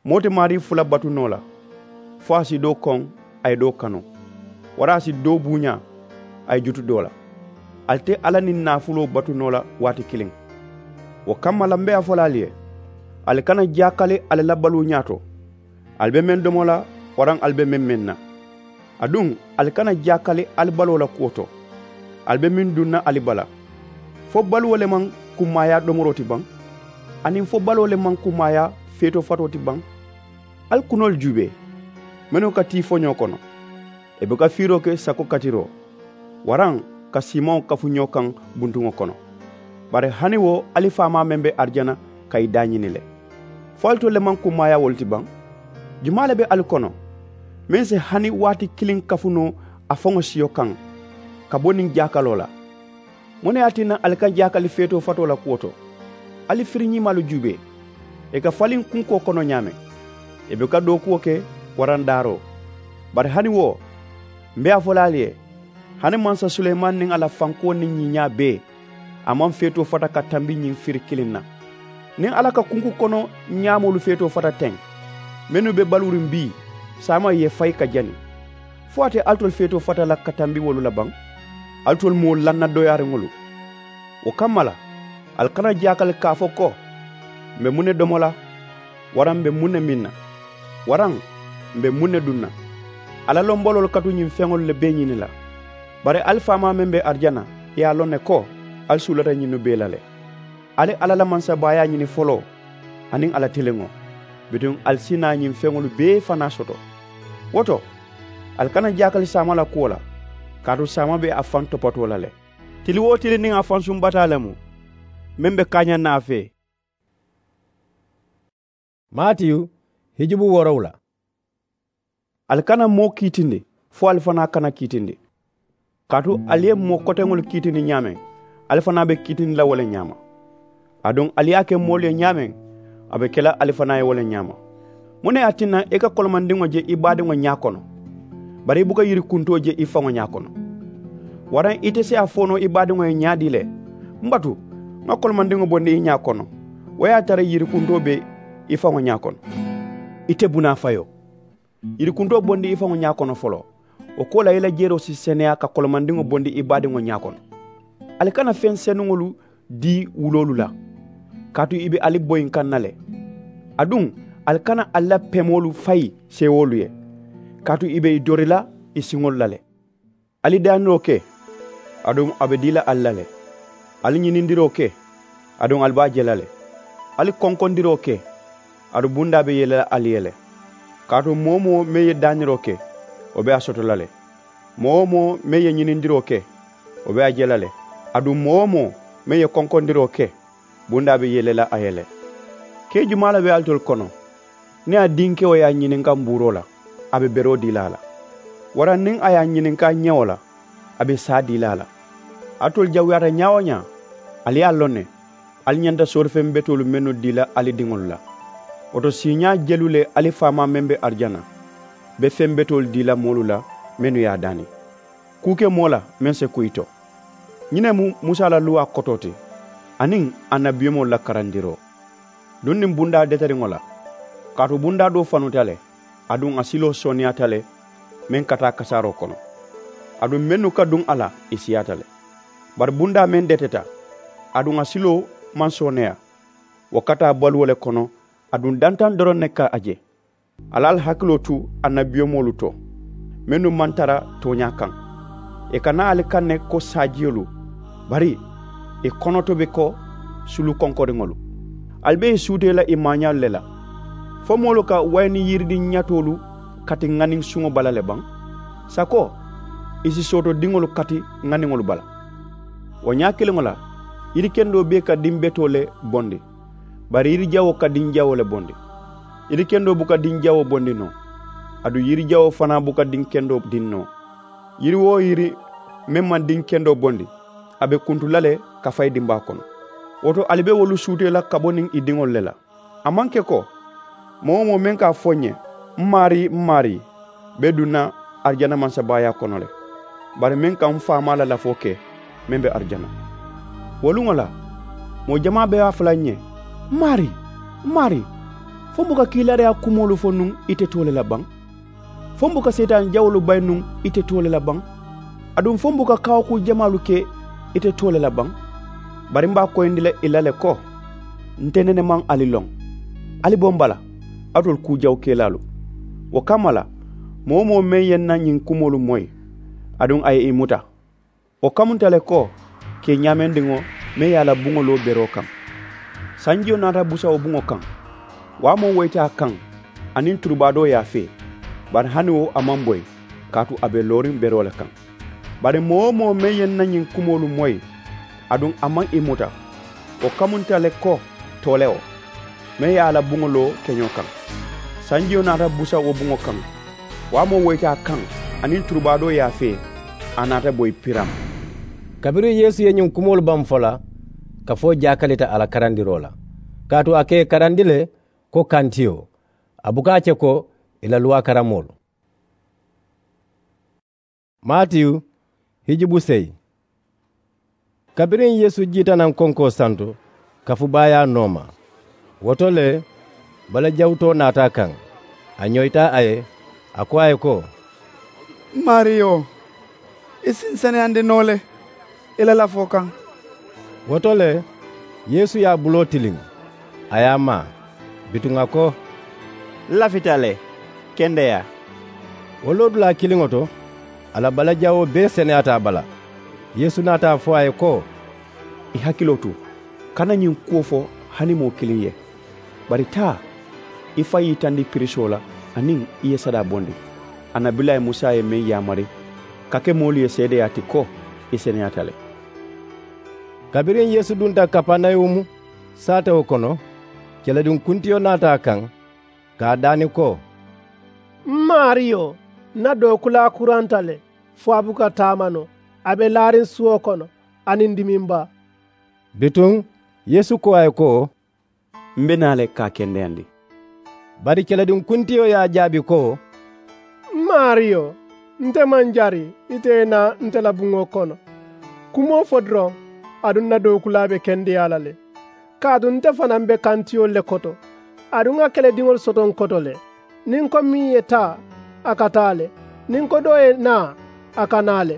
Moo te maarii fula batu noo la, fo a si doo koŋ, a ye doo kanu, waraŋ a si doo buuñaa, a ye jutu doo la. Ali te alla niŋ naafuloo batu noo la waati kiliŋ. Wo kamma la m be a fo la ali ye, ali kana jaakali ali la baluu ñaato, ali be meŋ domo la, waraŋ ali be meŋ meŋ na. Aduŋ, ali kana jaakali ali baloo la kuwo to, ali be meŋ duŋ na ali bala. Fo baluwo le maŋ kummaayaa domoroo ti baŋ? Aniŋ fo baloo le maŋ kummaayaa feetoo fatoo ti baŋ? Ali kunoolu juubee, mennu ka tii foñoo kono, i buka fiiroo ke sako katiroo, waraŋ ka siimaŋo kafu ñoo kaŋ buntuŋo kono. Bari hani wo ali faamaa meŋ be arijana ka i daañini le. Fo alitolu le maŋ kummaayaa wolu ti baŋ? Jumaa le be ali kono, meŋ si hani waati kiliŋ kafu noo a faŋo siyo kaŋ, ka bo niŋ jaakaloo la? Muŋ ne ye a tinna ali ka jaakali feetoo fatoo la kuwo to? Ali firiñiimaalu juubee, i ka faliŋ kunkoo kono ñaameŋ, i buka dookuwo ke waraŋ daaroo. Bari hani wo, m be a fo la ali ye, hani mansa suleymaani niŋ a la fankuwo niŋ ñiiñaa bee, a maŋ feetoo fata ka tambi ñiŋ firi kiliŋ na. Niŋ alla ka kunku kono ñaamoolu feetoo fata teŋ, mennu be baluuriŋ bii, saama ye fayi ka jani, fo a te alitolu feetoo fata la ka tambi wolu la baŋ? Alitolu mu wo lanna doyaariŋolu. Wo kamma la, ali kana jaakali ka a fo ko, m be muŋ ne domo la, waraŋ m be muŋ ne miŋ na, waraŋ m be muŋ ne duŋ na? Alla lombaloolu ka tu ñiŋ feŋolu le bee ñini la. Bari ali faamaa meŋ be arijana, ì ye a loŋ ne ko ali suulata ñinnu bee la le. Ali alla la mansabaayaa ñini foloo, aniŋ a la tiliŋo, bituŋ ali si naa ñiŋ feŋolu bee fanaa soto. Wo to, ali kana jaakali saama la kuwo la, kaatu saama be a faŋ topatoo la le. Tili-wo-tili niŋ a fansuŋ bataa le mu, meŋ be kaañaŋ na a fee. Matiyu, hijubu woorowula. Ali kana moo kiitindi, fo ali fanaa kana kiitindi. Kaatu ali ye moo koteŋolu kiitindi ñaameŋ, ali fanaa be kiitindi la wo le ñaama. Aduŋ ali ye a ke moolu ye ñaameŋ, a be ke la ali fanaa ye wo le ñaama. Muŋ ne ye a tinna i ka kolomandiŋo je i baadiŋo ñaa kono, bari i buka yirikuntoo je i faŋo ñaa kono? Waraŋ ite si a fo noo i baadiŋo ye ñaadii le, m batu, ŋa kolomandiŋo bondi i ñaa kono, wo ye a tara yirikuntoo be i faŋo ñaa kono? Ite bunaafayoo, yirikuntoo bondi i faŋo ñaa kono foloo, wo ko la i la jeroo si seneyaa ka kolomandiŋo bondi i baadiŋo ñaa kono. Ali kana feŋ senuŋolu dii wuloolu la, kaatu i be ali boyinkaŋ na le. Aduŋ, ali kana ali la pemoolu fayi seewoolu ye, kaatu i be i dori la i siŋolu la le. Ali daaniroo ke, aduŋ a be dii la ali la le. Ali ñinindiroo ke, aduŋ ali be a je la le. Ali konkondiroo ke, Aduŋ bundaa be yele la ali ye le. Kaatu moo-wo-moo meŋ ye daaniroo ke, wo be a soto la le. Moo-wo-moo meŋ ye ñinindiroo ke, wo be a je la le. Aduŋ moo-wo-moo meŋ ye konkondiroo ke, bundaa be yele la a ye le. Kee jumaa le be alitolu kono? Niŋ a dinkewo ye a ñininka mbuuroo la, a be beroo dii la a la? Waraŋ niŋ a ye a ñininka ñewo la, a be saa dii la a la? Alitolu jawuyaata ñaa-wo-ñaa, ali ye a loŋ ne, ali ñanta soorifeŋ betoolu mennu dii la ali diŋolu la. Wo to siiñaa jelu le ali faamaa meŋ be arijana be feŋ betoolu dii la moolu la mennu ye a daani. Kuu ke moo la meŋ si kuyi to. Ñiŋ ne mu musa la luwaa kotoo ti, aniŋ annabiyomoolu la karandiroo. Duŋ niŋ bundaa detariŋo la, kaatu bundaa doo fanuta le, aduŋ a siloo sooneyaata le meŋ ka taa kasaaroo kono. Aduŋ mennu ka duŋ a la, ì siyaata le. Bari bundaa meŋ deteta, aduŋ a siloo maŋ sooneya, wo ka taa baluwo le kono, aduŋ dantaŋ doroŋ ne ka a je. Ali ali hakiloo tu annabiyomoolu to, mennu maŋ tara tooñaa kaŋ. Ì ka naa ali kaŋ ne ko saajiyolu, bari ì konoto be ko sulu konkoriŋolu. Ali be ì suutee la ì maañaalu le la. Fo moolu ka wayini yiridiŋ ñatoolu kati ŋaniŋ suŋo bala le baŋ? Sako ì si sootodiŋolu kati ŋaniŋolu bala? Wo ñaa kiliŋo la, yirikendoo bee ka diŋ betoo le bondi, bari yirijawoo ka diŋ jawoo le bondi. Yirikendoo buka diŋ jawoo bondi noo, aduŋ yirijawoo fanaa buka diŋ kendoo diŋ noo. Yiri-wo-yiri meŋ maŋ diŋ kendoo bondi, a be kuntu la le ka fayi dimbaa kono. Wo to ali be wolu suutee la ka bo niŋ ì diŋolu le la. A maŋ ke ko moo-wo-moo meŋ ka a fo n ye, m maarii, m maarii, be duŋ na arijana mansabaayaa kono le, bari meŋ ka m faamaa la lafoo ke meŋ be arijana. Wo luŋo la, moo jamaa be a fo la n ye, m maarii, m maarii, fo m buka kiilaariyaa kumoolu fo nuŋ ite too le la baŋ? Fo m buka seetaani jawoolu bayi nuŋ ite too le la baŋ? Aduŋ fo m buka kaawakuu jamaalu ke ite too le la baŋ? Bari m be a koyindi la ì la le ko, nte nene maŋ ali loŋ. Ali bo m bala, alitolu kuu jawukelaalu. Wo kamma la, moo-wo-moo meŋ ye n na ñiŋ kumoolu moyi, aduŋ a ye ì muta, wo kamunta le ko kee ñaamendiŋo meŋ ye a la buŋo loo beroo kaŋ. Sanjiyo naata busa wo buŋo kaŋ, waamoo woyita a kaŋ, aniŋ turubaadoo ye a fee, bari hani wo a maŋ boyi, kaatu a be looriŋ beroo le kaŋ. Bari moo-wo-moo meŋ ye n na ñiŋ kumoolu moyi, aduŋ a maŋ ì muta, wo kamunta le ko toolewo meŋ ye a la buŋo loo keñoo kaŋ. Sanjiyo naata busa wo buŋo kaŋ, waamoo woyita a kaŋ, aniŋ turubaadoo ye a fee, a naata boyi piraŋ. Kabiriŋ yeesu ye ñiŋ kumoolu baŋ fo la, kafoo jaakalita a la karandiroo la, kaatu a ka ì karandi le ko kantiyo, a buka a ke ko ì la luwaa karamoolu. Maatiyu hijibu seyi. Kabiriŋ yeesu jiita naŋ konkoo santo, kafubaayaa nooma. Wo to le, balajawutoo naata a kaŋ, a ñoyita a ye, a ko a ye ko, m maariyo, i si n seneyandi noo le i la lafoo kaŋ. Wo to le, yeesu ye a buloo tiliŋ, a ye a maa, bituŋ a ko, n lafita le, kendeyaa. Wo loodulaa kiliŋo to, a la balajawoo bee seneyaata a bala. Yeesu naata a fo a ye ko, i hakiloo tu, kana ñiŋ kuwo fo hani moo kiliŋ ye, bari taa, i faŋ yitandi pirisoo la, aniŋ i ye sadaa bondi, annabilayi musa ye meŋ yaamari ka ke moolu ye seedeyaa ti ko i seneyaata le. Kabiriŋ yeesu dunta kapanawumu saatewo kono, kelediŋ kuntiyo naata a kaŋ, ka a daani ko, m maariyo, n na dookulaa kuranta le, fo a buka taama noo, a be laariŋ suwo kono aniŋ dimiŋ baa. Bituŋ yeesu ko a ye ko, m be naa le ka a kendeyandi. Bari kelediŋ kuntiyo ye a jaabi ko, m maariyo, nte maŋ jari ite ye naa nte la buŋo kono. Kumoo fo doroŋ, aduŋ n na dookulaa be kendeyaa la le. Kaatu nte fanaa m be kantiyolu le koto, aduŋ ŋa kelediŋolu soto n koto le. Niŋ n ko meŋ ye taa, a ka taa le. Niŋ n ko doo ye naa, a ka naa le.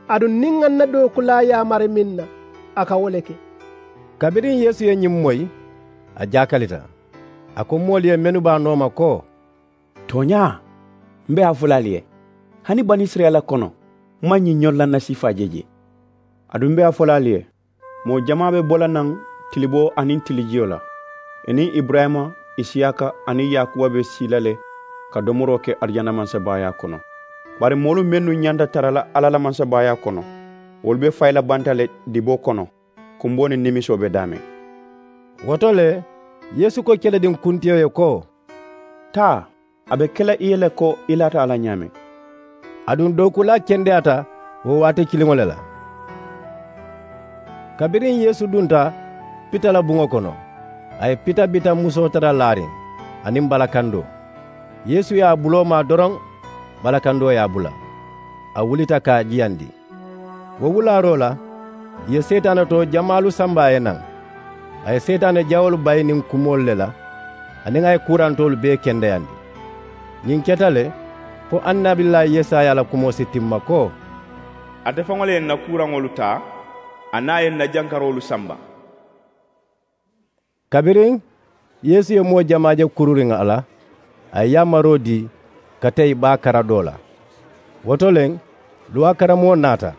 Aduŋ niŋ ŋa n na dookulaa yaamari meŋ na, a ka wo le ke. Kabiriŋ yeesu ye ñiŋ moyi, a jaakalita. A ko moolu ye mennu be a nooma ko, tooñaa, m be a fo la ali ye, hani banisirayila kono, m maŋ ñiŋ ñorilannasiifaa je jee. Aduŋ m be a fo la ali ye, moo jamaa be bo la naŋ tiliboo aniŋ tilijiyo la, ì niŋ iburayima Isiyaaka aniŋ yaakuba be sii la le ka domoroo ke arijana mansabaayaa kono. Bari moolu mennu ñanta tara la alla la mansabaayaa kono, wolu be fayi la banta le diboo kono, kumboo niŋ nimisoo be daameŋ. Wo to le, yeesu ko kelediŋ kuntiyo ye ko, taa, a be ke la i ye le ko i laata a la ñaameŋ. Aduŋ dookuulaa kendeyaata wo waati kiliŋo le la. Kabiriŋ yeesu dunta pita la buŋo kono, a ye pita bita musoo tara laariŋ aniŋ balakandoo. Yeesu ye a buloo maa doroŋ, balakandoo ye a bula, a wulita ka a jiyandi. Wo wulaaroo la, ì ye seetaane too jamaalu samba a ye naŋ. A ye seetaane jawoolu bayi niŋ kumoolu le la, aniŋ a ye kuurantoolu bee kendeyandi. Ñiŋ keta le fo annabillaahi yesaya la kumoo si timma ko, ate faŋo le ye ǹ na kuuraŋolu taa, aniŋ a ye ǹ na jankaroolu samba. Kabiriŋ yeesu ye moo jamaa je kururiŋ a la, a ye yaamaroo dii ka teyi baa kara doo la. Wo to le luwaa karamoo naata,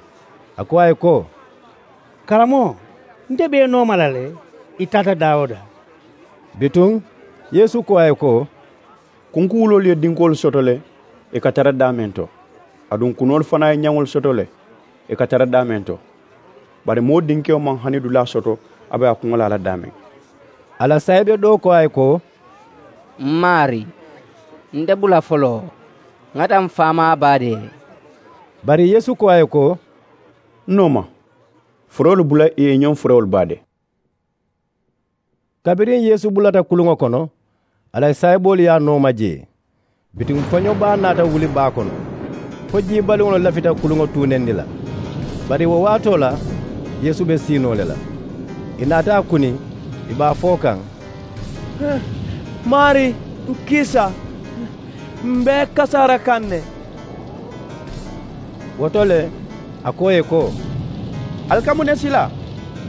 a ko a ye ko, karamoo, nte be i nooma la le. I taata daawoda. Bituŋ yeesu ko a ye ko, kunkuwuloolu ye dinkoolu soto le, ì ka tara daameŋ to. Aduŋ kunoolu fanaa ye ñaŋolu soto le, ì ka tara daameŋ to. Bari moo dinkewo maŋ hani dulaa soto a be a kuŋo la a la daameŋ. A la saayibe doo ko a ye ko, m maarii, nte bula foloo, ŋa taa m faamaa baadee. Bari yeesu ko a ye ko, n nooma, furoolu bula ì ye i ñoŋ furowolu baade. Kabiriŋ yeesu bulata kuluŋo kono, a la saayiboolu ye a nooma jee. Bituŋ foño baa naata wuli baa kono, fo jii baliŋolu lafita kuluŋo tuunendi la. Bari wo waatoo la yeesu be siinoo le la. Ì naata a kuni, ì be a fo kaŋ, maarii, n kiisa, m be kasaara kaŋ ne. Wo to le a ko ì ye ko, ali ka muŋ ne sila,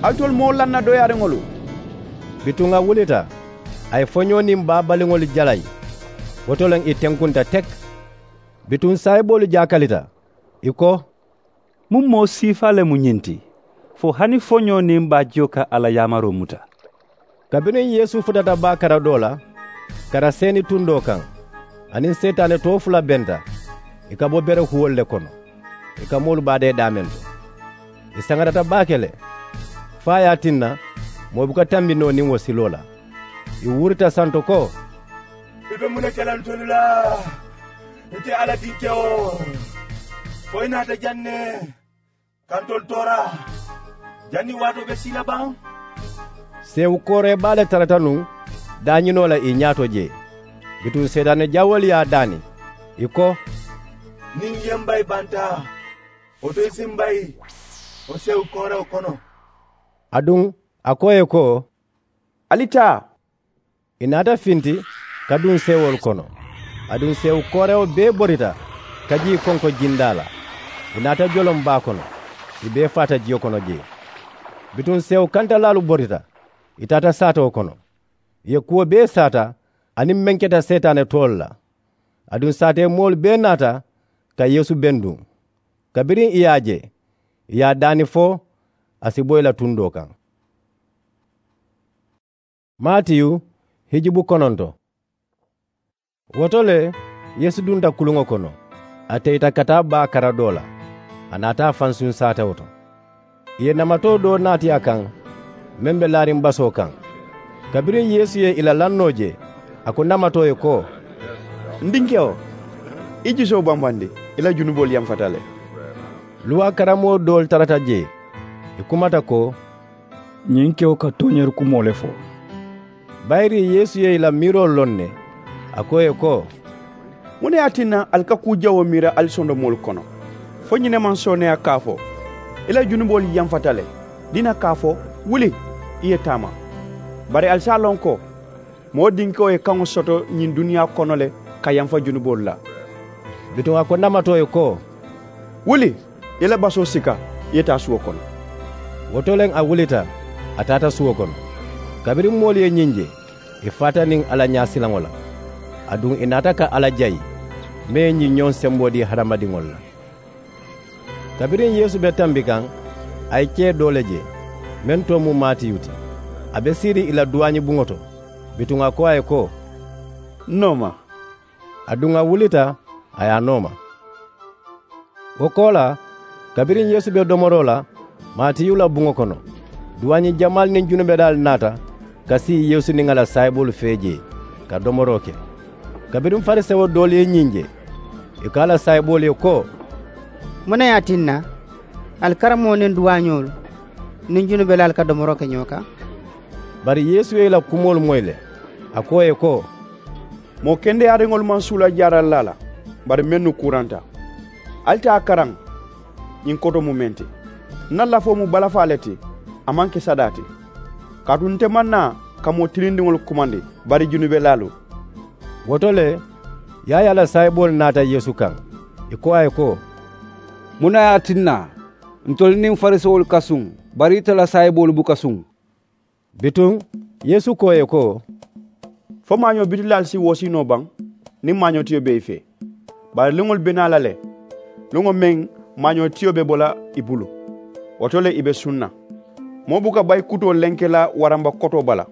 alitolu moo lanna dooyaariŋolu? Bituŋ a wulita, a ye foñoo niŋ baa baliŋolu jalayi. Wo to le ì tenkunta teki. Bituŋ saayiboolu jaakalita, ì ko, muŋ moo siifaa le mu ñiŋ ti, fo hani foñoo niŋ baajiyo ka a la yaamaroo muta? Kabiriŋ yeesu futata baa kara doo la, kara seeni tundoo kaŋ, a niŋ seetaane too fula benta, ì ka bo bere huwolu le kono, ì ka moolu baadee daameŋ to. Ì saŋarata baake le, fo a ye a tinna moo buka tambi noo niŋ wo siloo la. Ì wuurita santo ko, i be muŋ ne ke la ntolu la? Nte alla dinkewo, fo i naata jaŋ ne ka ntolu toora? Janniŋ waatoo be sii la baŋ? Seewu kooree baa le tarata nuŋ daañinoo la ì ñaato jee. Bituŋ seetaane jawoolu ye a daani, ì ko, niŋ i ye m bayi banta, wo to i si m bayi wo seewu koorewo kono. Aduŋ a ko ì ye ko, ali taa. Ì naata finti ka duŋ seewoolu kono. Aduŋ seewu koorewo bee borita ka jii konko jindaa la. Ì naata joloŋ baa kono, ì bee faata jiyo kono jee. Bituŋ seewu kantalaalu borita, ì taata saatoo kono, ì ye kuwo bee saata aniŋ meŋ keta seetaane toolu la. Aduŋ saatee moolu bee naata ka yeesu benduŋ. Kabiriŋ ì ye a je, ì ye a daani fo a si bo ì la tundoo kaŋ. Maatiyu hijubu kononto. Wo to le yeesu dunta kuluŋo kono, a teyita ka taa baa kara doo la. A naata a fansuŋ saatewo to. Ì ye namatoo doo naati a kaŋ, meŋ be laariŋ basoo kaŋ. Kabiriŋ yeesu ye ì la lannoo je, a ko namatoo ye ko, n dinkewo, i jusoo bambandi, i la junuboolu yamfata le. Luwaa karamoo doolu tarata jee, ì kumata ko, ñiŋ kewo ka tooñeeri kumoo le fo. Bayiri yeesu ye ì la miiroo loŋ ne, a ko ì ye ko, muŋ ne ye a tinna ali ka kuu jawoo miira ali sondomoolu kono? Fo ñiŋ ne maŋ sooneeyaa ka a fo, i la junuboolu yamfata le, diina ka a fo, wuli, i ye taama? Bari ali si a loŋ ko moo dinkewo ye kaŋo soto ñiŋ duniyaa kono le ka yamfa junuboolu la. Bituŋ a ko namatoo ye ko, wuli, i ye i la basoo sika, i ye taa suwo kono. Wo to le a wulita, a taata suwo kono. Kabiriŋ moolu ye ñiŋ je, ì faata niŋ a la ñaasilaŋo la. Aduŋ ì naata ka alla jayi, meŋ ye ñiŋ ñoŋ semboo dii hadamadiŋolu la. Kabiriŋ yeesu be tambi kaŋ, a ye kee doo le je, meŋ too mu maatiyu ti. A be siiriŋ ì la duwaañi buŋo to. Bituŋ a ko a ye ko, N nooma. Aduŋ a wulita, a ye a nooma. Wo koolaa, kabiriŋ yeesu be domoroo la, maatiyu la buŋo kono, duwaañi jamaalu niŋ junubelaalu naata ka sii yeesu niŋ a la saayiboolu fee jee, ka domoroo ke. Kabiriŋ farisewo doolu ye ñiŋ je, ì ko a la saayiboolu ye ko, muŋ ne ye a tinna ali karamoo niŋ duwaañoolu niŋ junubelaalu ka domoroo ke ñoo kaŋ? Bari yeesu ye ì la kumoolu moyi le, a ko ì ye ko, moo kendeyaariŋolu maŋ suula jaaralilaa la, bari mennu kuuranta. Ali taa a karaŋ ñiŋ koto mu meŋ ti. N na lafoo mu balafaa le ti, a maŋ ke sadaa ti. Kaatu nte maŋ naa ka moo tilindiŋolu kumandi, bari junubelaalu. Wo to le, yaayaa la saayiboolu naata yeesu kaŋ, ì ko a ye ko, muŋ ne ye a tinna ntolu niŋ farisewolu ka suŋ, bari ite la saayiboolu buka suŋ? Bituŋ yeesu ko ì ye ko, fo maañoo bitilaalu si woosii noo baŋ niŋ maañoo tiyo be ì fee? Bari luŋolu be naa la le, luŋo meŋ maañoo tiyo be bo la ì bulu, wo to le ì be suŋ na. Moo buka bayi kutoo lenke la waramba kotoo bala,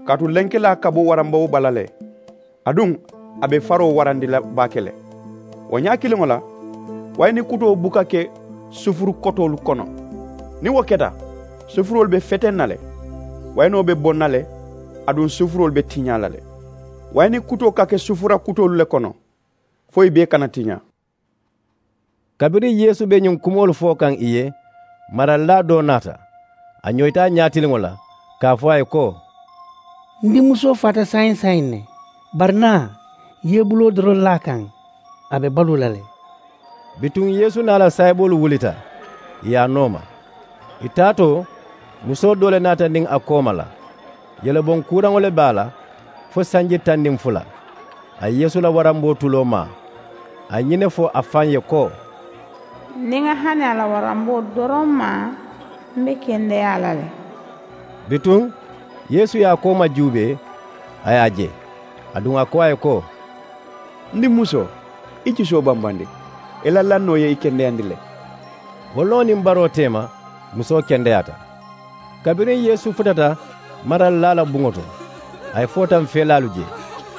kaatu lenkelaa ka bo waramboo bala le. Aduŋ a be faroo warandi la baake le. Wo ñaa kiliŋo la, wayini kutoo buka ke sufuru kotoolu kono. Niŋ wo keta, sufuroolu be feteŋ na le, wayinoo be boŋ na le, aduŋ sufuroolu be tiñaa la le. Wayini kutoo ka ke sufura kutoolu le kono, fo ì bee kana tiñaa. Kabiriŋ yeesu be ñiŋ kumoolu fo kaŋ ì ye, maralilaa doo naata. A ñoyita a ñaatiliŋo la, ka a fo a ye ko, n dimmusoo faata saayiŋ saayiŋ ne, bari naa, i ye i buloo doroŋ laa a kaŋ, a be baluu la le. Bituŋ yeesu niŋ a la saayiboolu wulita, ì ye a nooma. Ì taatoo, musoo doo le naata niŋ a kooma la. Yeleboŋ kuuraŋo le be a la, fo sanji taŋ niŋ fula. A ye yeesu la waramboo tuloo maa. A ye ñiŋ ne fo a faŋ ye ko, niŋ ŋa hani a la waramboo doroŋ maa, m be kendeyaa la le. Bituŋ yeesu ye a kooma juubee, a ye a je. Aduŋ a ko a ye ko, n dimmusoo, i jusoo bambandi. I la lannoo ye i kendeyandi le. Wo loŋo niŋ baroo teema, musoo kendeyaata. Kabiriŋ yeesu futata maralilaa la buŋo to, a ye footaŋ feelaalu je,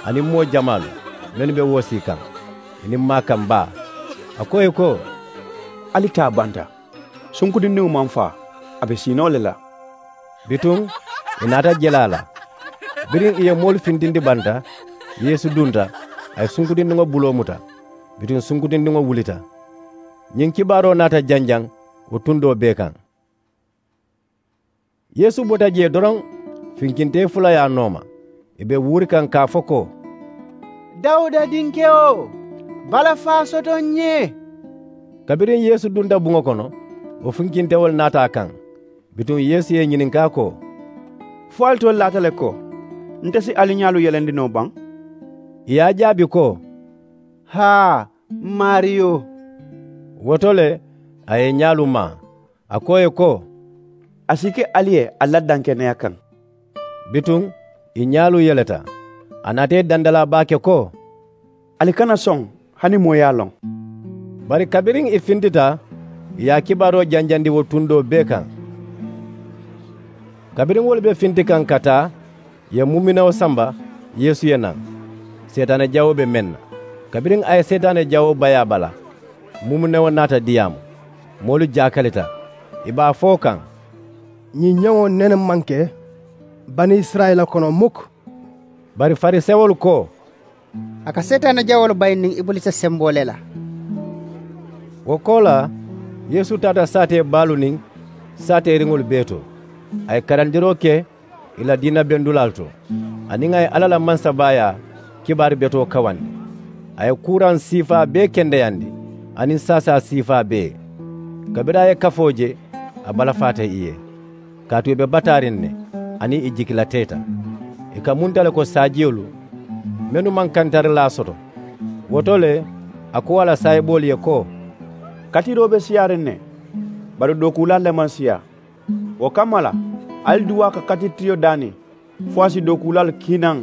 aniŋ moo jamaalu mennu be woosii kaŋ, aniŋ maakaŋ baa. A ko ì ye ko, ali taa banta. Sunkutindiŋo maŋ faa, a be siinoo le la. Bituŋ ì naata jelaa la. Biriŋ ì ye moolu fintindi banta, yeesu dunta, a ye sunkutindiŋo buloo muta. Bituŋ sunkutindiŋo wulita. Ñiŋ kibaaroo naata janjaŋ wo tundoo bee kaŋ. Yeesu bota jee doroŋ, finkintee fula ye a nooma. Ì be wuuri kaŋ ka a fo ko, dawuda dinkewo, balafaa soto n ye. Kabiriŋ yeesu dunta buŋo kono, wo finkintewolu naata a kaŋ. Bituŋ yeesu ye ì ñininkaa ko, fo alitolu laata le ko, nte si ali ñaalu yelendi noo baŋ? Ì ye a jaabi ko, haa, m maariyo. Wo to le, a ye ì ñaalu maa, a ko ì ye ko, a si ke ali ye ali la dankeneya kaŋ. Bituŋ ì ñaalu yeleta. A naata ì dandalaa baake ko, ali kana soŋ hani moo ye a loŋ. Bari kabiriŋ ì fintita, ì ye a kibaaroo janjandi wo tundoo bee kaŋ. Kabiriŋ wolu be finti kaŋ ka taa, ì ye mumunewo samba, yeesu ye naŋ, seetaane jawoo be meŋ na. Kabiriŋ a ye seetaane jawoo bayi a bala, mumunewo naata diyaamu. Moolu jaakalita, ì be a fo kaŋ, ñiŋ ñeŋo nene maŋ ke banisirayila kono mukk. Bari farisewolu ko, a ka seetaane jawoolu bayi niŋ ibulisa semboo le la. Wo koolaa, yeesu taata saatee baalu niŋ saateeriŋolu bee to. A ye karandiroo ke ì la diina bendulaalu to, aniŋ a ye alla la mansabaayaa kibaari betoo kawandi. A ye kuuraŋ siifaa bee kendeyandi, aniŋ saasaa siifaa bee. Kabiriŋ a ye kafoo je, a balafaata ì ye, kaatu ì be bataariŋ ne, aniŋ ì jikilateeta. Ì ka munta le ko saajiyolu mennu maŋ kantarilaa soto. Wo to le, a ko a la saayiboolu ye ko, katiroo be siyaariŋ ne, bari dookuulaalu le maŋ siyaa. Wo kamma la, ali duwaa ka katiri tiyo daani, fo a si dookuulaalu kiinaŋ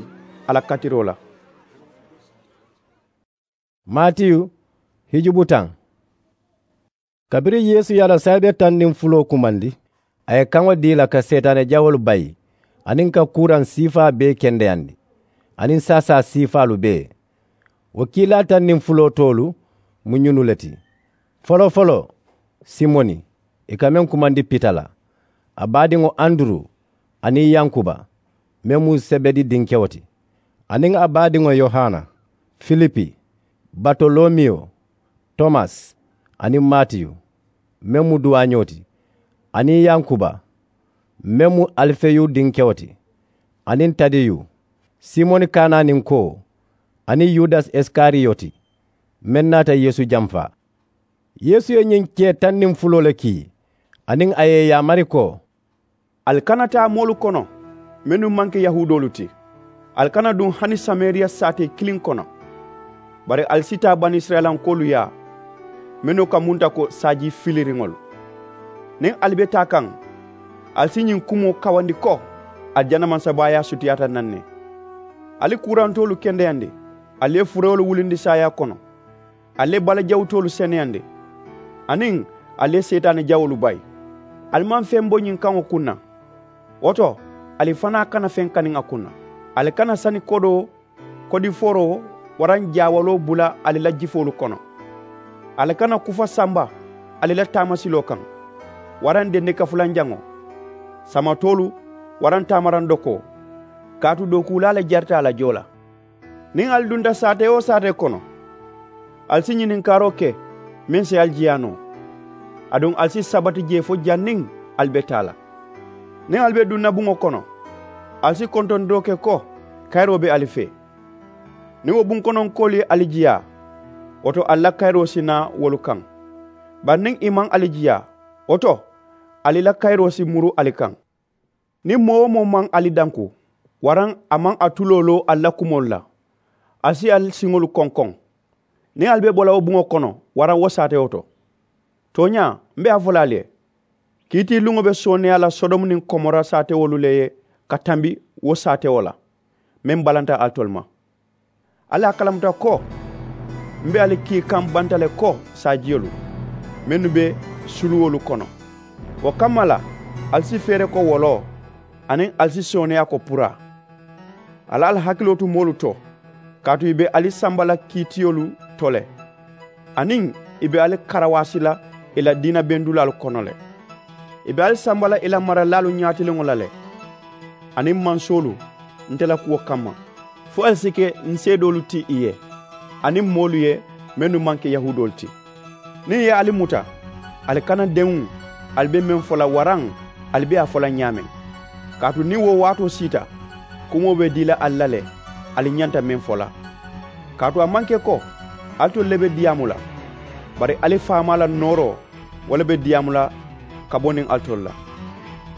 a la katiroo la. Maatiyu, hijubu taŋ. Kabiriŋ yeesu ye a la saayibe taŋ niŋ fuloo kumandi, a ye kaŋo dii ì la ka seetaane jawoolu bayi, aniŋ ka kuuraŋ siifaa bee kendeyandi. aniŋ saasaa siifaalu bee. Wo kiilaa taŋ niŋ fuloo toolu mu ñunu le ti. Foloo-foloo, simoni, i ka meŋ kumandi pita la, a baadiŋo anduru, aniŋ yankuba, meŋ mu sebedi dinkewo ti, aniŋ a baadiŋo yohana, filipi, batolomiyo, tomasi, aniŋ matiyu, meŋ mu duwaañoo ti, aniŋ yankuba, meŋ mu alifeyu dinkewo ti, aniŋ tadiyu, simoni kanaaninko, aniŋ yudasi isikariyoti, meŋ naata yeesu jamfaa. Yeesu ye ñiŋ kee taŋ niŋ fuloo le kii, aniŋ a ye ì yaamari ko, ali kana taa moolu kono, mennu maŋ ke yahuudoolu ti. Ali kana duŋ hani samariya saatee kiliŋ kono. Bari ali si taa banisirayilankoolu yaa, mennu ka munta ko saaji filiriŋolu. Niŋ ali be taa kaŋ, ali si ñiŋ kumoo kawandi ko, alijana mansabaayaa sutiyaata naŋ ne. Ali ye kuurantoolu kendeyandi, ali ye furewolu wulindi saayaa kono, ali ye balajawutoolu seneyandi, aniŋ ali ye seetaani jawoolu bayi. Ali maŋ feŋ bo ñiŋ kaŋo kuŋ na. Wo to, ali fanaa kana feŋ kaniŋ a kuŋ na. Ali kana sani kodoo, kodifooroo, waraŋ jaawaloo bula ali la jifoolu kono. Ali kana kufa samba ali la taamasiloo kaŋ, waraŋ dendika fulanjaŋo, samatoolu, waraŋ taamaraŋ dokoo. Kaatu dookuulaa le jarita a la joo la. Niŋ ali dunta saatee-wo-saatee kono, ali si ñininkaaroo ke meŋ si ali jiyaa noo. Aduŋ ali si sabati jee fo janniŋ ali be taa la. Niŋ ali be duŋ na buŋo kono, ali si kontontoo ke ko kayiroo be ali fee. Niŋ wo bunkononkoolu ye ali jiyaa, wo to ali la kayiroo si naa wolu kaŋ. Bari niŋ ì maŋ ali jiyaa, wo to ali la kayiroo si muru ali kaŋ. Niŋ moo-wo-moo maŋ ali danku, waraŋ a maŋ a tuloo loo ali la kumoolu la, ali si ali siŋolu konkoŋ niŋ ali be bo la wo buŋo kono waraŋ wo saatewo to. Tooñaa, m be a fo la ali ye, kiitiiluŋo be sooneeyaa la sodomu niŋ komora saatewolu le ye ka tambi wo saatewo la, meŋ balanta alitolu ma. Ali a kalamuta ko m be ali kii kaŋ banta le ko saajiyolu mennu be suluwolu kono. Wo kamma la, ali si feere ko woloo, aniŋ ali si sooneeyaa ko puraa. Ali ali hakiloo tu moolu to, kaatu ì be ali samba la kiitiyolu to le, aniŋ ì be ali karawaasi la ì la diina bendulaalu kono le. Ì be ali samba la ì la maralaalu ñaatiliŋo la le, aniŋ mansoolu, nte la kuwo kamma, fo ali si ke n seedoolu ti ì ye, aniŋ moolu ye mennu maŋ ke yahuudoolu ti. Niŋ ì ye ali muta, ali kana dewuŋ ali be meŋ fo la waraŋ ali be a fo la ñaameŋ. Kaatu niŋ wo waatoo siita, kumoo be dii la ali la le, ali ñanta meŋ fo la. Kaatu a maŋ ke ko alitolu le be diyaamu la, bari ali faamaa la nooroo, wo le be diyaamu la ka bo niŋ alitolu la.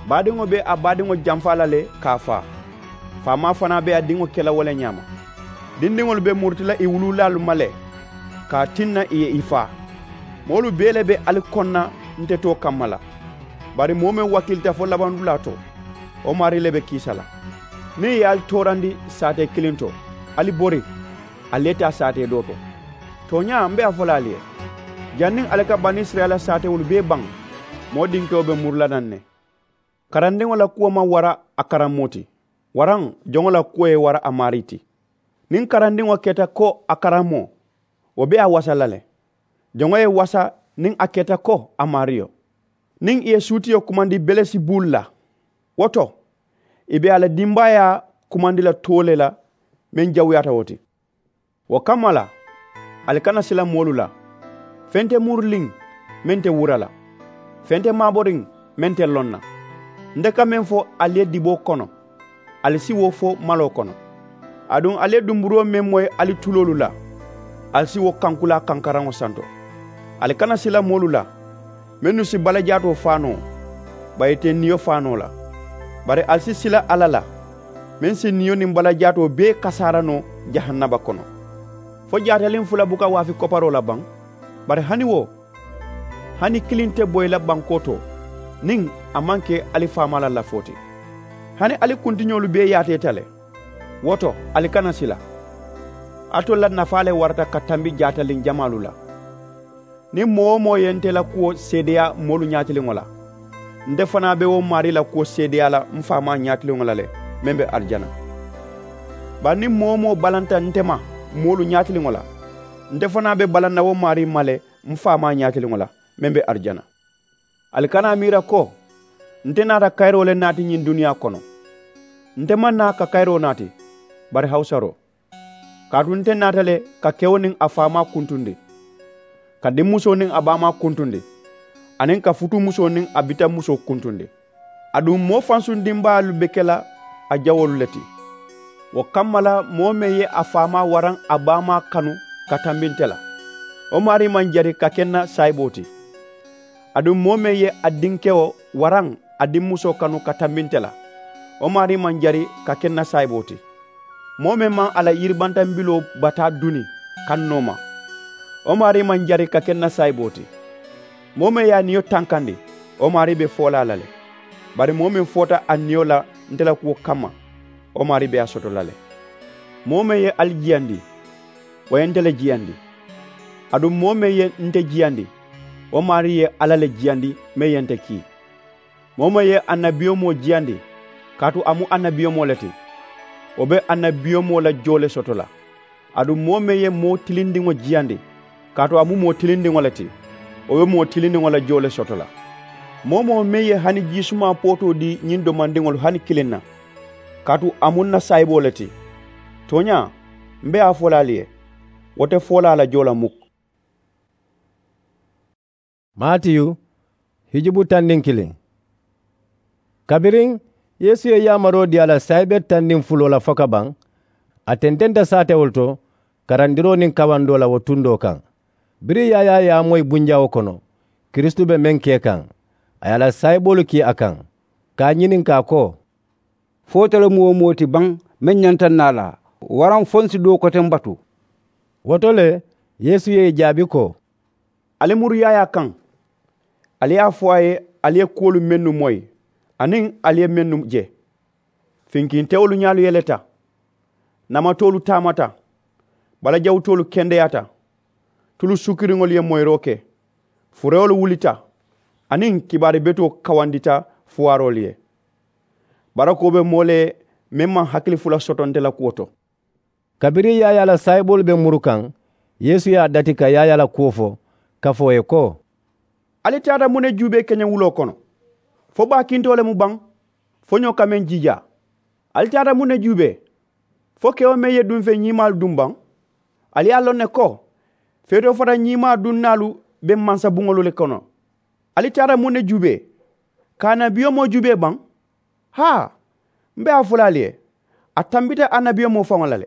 Baadiŋo be a baadiŋo jamfaa la le ka a faa. Faamaa fanaa be a diŋo ke la wo le ñaama. Dindiŋolu be muruti la ì wuluulaalu ma le, ka a tinna ì ye ì faa. Moolu bee le be ali koŋ na nte too kamma la. Bari moo meŋ wakiilita fo labandulaa to, wo maarii le be kiisa la. Niŋ ì ye ali toorandi saatee kiliŋ to, ali bori, ali ye taa saatee doo to. Tooñaa, m be a fo la ali ye, janniŋ ali ka banisirayila saatewolu bee baŋ, moo dinkewo be muru la naŋ ne. Karandiŋo la kuwo maŋ wara a karammoo ti, waraŋ joŋo la kuwo ye wara a maarii ti. Niŋ karandiŋo keta ko a karammoo, wo be a wasa la le. Joŋo ye wasa niŋ a keta ko a maariyo. Niŋ ì ye suutiyo kumandi belesibuulu la, wo to ì be a la dimbaayaa kumandi la too le la, meŋ jawuyaata wo ti. Wo kamma la, ali kana sila moolu la, feŋ te muriliŋ meŋ te wura la, feŋ te maaboriŋ meŋ te loŋ na. Nte ka meŋ fo ali ye diboo kono, ali si wo fo maloo kono. Aduŋ ali ye dumburoo meŋ moyi ali tuloolu la, ali si wo kankulaa kankaraŋo santo. Ali kana sila moolu la, mennu si balajaatoo faa noo, bari ì te niyo faa noo la. Bari ali si sila alla la, meŋ si niyo niŋ balajaatoo bee kasaara noo jahannaba kono. Fo jaataliŋ fula buka waafi koparoo la baŋ? Bari hani wo, hani kiliŋ te boyi la bankoo to, niŋ a maŋ ke ali faamaa la lafoo ti. Hani ali kuntiñoolu bee yaateeta le. Wo to, ali kana sila. Alitolu la nafaa le warata ka tambi jaataliŋ jamaalu la. Niŋ moo-wo-moo ye nte la kuwo seedeyaa moolu ñaatiliŋo la, nte fanaa be wo maarii la kuwo seedeyaa la m faamaa ñaatiliŋo la le, meŋ be arijana. Bari niŋ moo-wo-moo balanta nte ma moolu ñaatiliŋo la, nte fanaa be balanna wo maarii ma le m faamaa ñaatiliŋo la, meŋ be arijana. Ali kana a miira ko nte naata kayiroo le naati ñiŋ duniyaa kono. Nte maŋ naa ka kayiroo naati, bari hawusaroo. Kaatu nte naata le ka kewo niŋ a faamaa kuntundi, ka dimmusoo niŋ a baamaa kuntundi, aniŋ ka futuumusoo niŋ a bitamusoo kuntundi. Aduŋ moo fansuŋ dimbaalu be ke la a jawoolu le ti. Wo kamma la, moo meŋ ye a faamaa waraŋ a baamaa kanu ka tambi nte la, wo maarii maŋ jari ka ke n na saayiboo ti. Aduŋ moo meŋ ye a dinkewo waraŋ a dimmusoo kanu ka tambi nte la, wo maarii maŋ jari ka ke n na saayiboo ti. Moo meŋ maŋ a la yiribantambiloo bataa duni kannoo ma, wo maarii maŋ jari ka ke n na saayiboo ti. Moo meŋ ye a niyo tankandi, wo maarii be foolaa la le. Bari moo meŋ foota a niyo la nte la kuwo kamma, wo maarii be a soto la le. Moo meŋ ye ali jiyandi, wo ye nte le jiyandi. Aduŋ moo meŋ ye nte jiyandi, wo maarii ye alla le jiyandi meŋ ye nte kii. Moo meŋ ye annabiyomoo jiyandi, kaatu a mu annabiyomoo le ti, wo be annabiyomoo la joo le soto la. Aduŋ moo meŋ ye moo tilindiŋo jiyandi, kaatu a mu moo tilindiŋo le ti, wo be moo tilindiŋo la joo le soto la. Moo-wo-moo meŋ ye hani jiisumaa pootoo dii ñiŋ domandiŋolu hani kiliŋ na, kaatu a mu n na saayiboo le ti, tooñaa, m be a fo la ali ye, wo te foolaa la joo la muk. Maatiyu, hijubu taŋ niŋ kiliŋ. Kabiriŋ yeesu ye yaamaroo dii a la saayibee taŋ niŋ fuloo la fo ka baŋ, a tententa saatewolu to karandiroo niŋ kawandoo la wo tundoo kaŋ. Biriŋ yaayaa ye a moyi bunjawo kono kiristu be meŋ ke kaŋ, a ye a la saayiboolu kii a kaŋ, ka a ñininkaa ko, fo itelu mu wo moo ti baŋ meŋ ñanta n naa la, waraŋ fo n si doo koteŋ batu? Wo to le, yeesu ye ì jaabi ko, ali muru yaayaa kaŋ, ali ye a fo a ye ali ye kuwolu mennu moyi, aniŋ ali ye mennu je. Finkintewolu ñaalu yeleta, namatoolu taamata, balajawutoolu kendeyaata, tulu sukiriŋolu ye moyiroo ke, furewolu wulita, aniŋ kibaari betoo kawandita fuwaaroolu ye. Barakoo be moo le ye meŋ maŋ hakili fula soto nte la kuwo to. Kabiriŋ yaayaa la saayiboolu be muru kaŋ, yeesu ye a dati ka yaayaa la kuwo fo, kafoo ye ko, ali taata muŋ ne juubee keñewuloo kono? Fo baakintoo le mu baŋ? Foñoo ka meŋ jiijaa. Ali taata muŋ ne juubee? Fo kewo meŋ ye duŋ feŋ ñiimaalu duŋ baŋ? Ali ye a loŋ ne ko feetoo fota ñiimaa dunnaalu be mansa buŋolu le kono. Ali taata muŋ ne juubee? Ka annabiyomoo juubee baŋ? Haa, m be a fo la ali ye, a tambita annabiyomoo faŋo la le.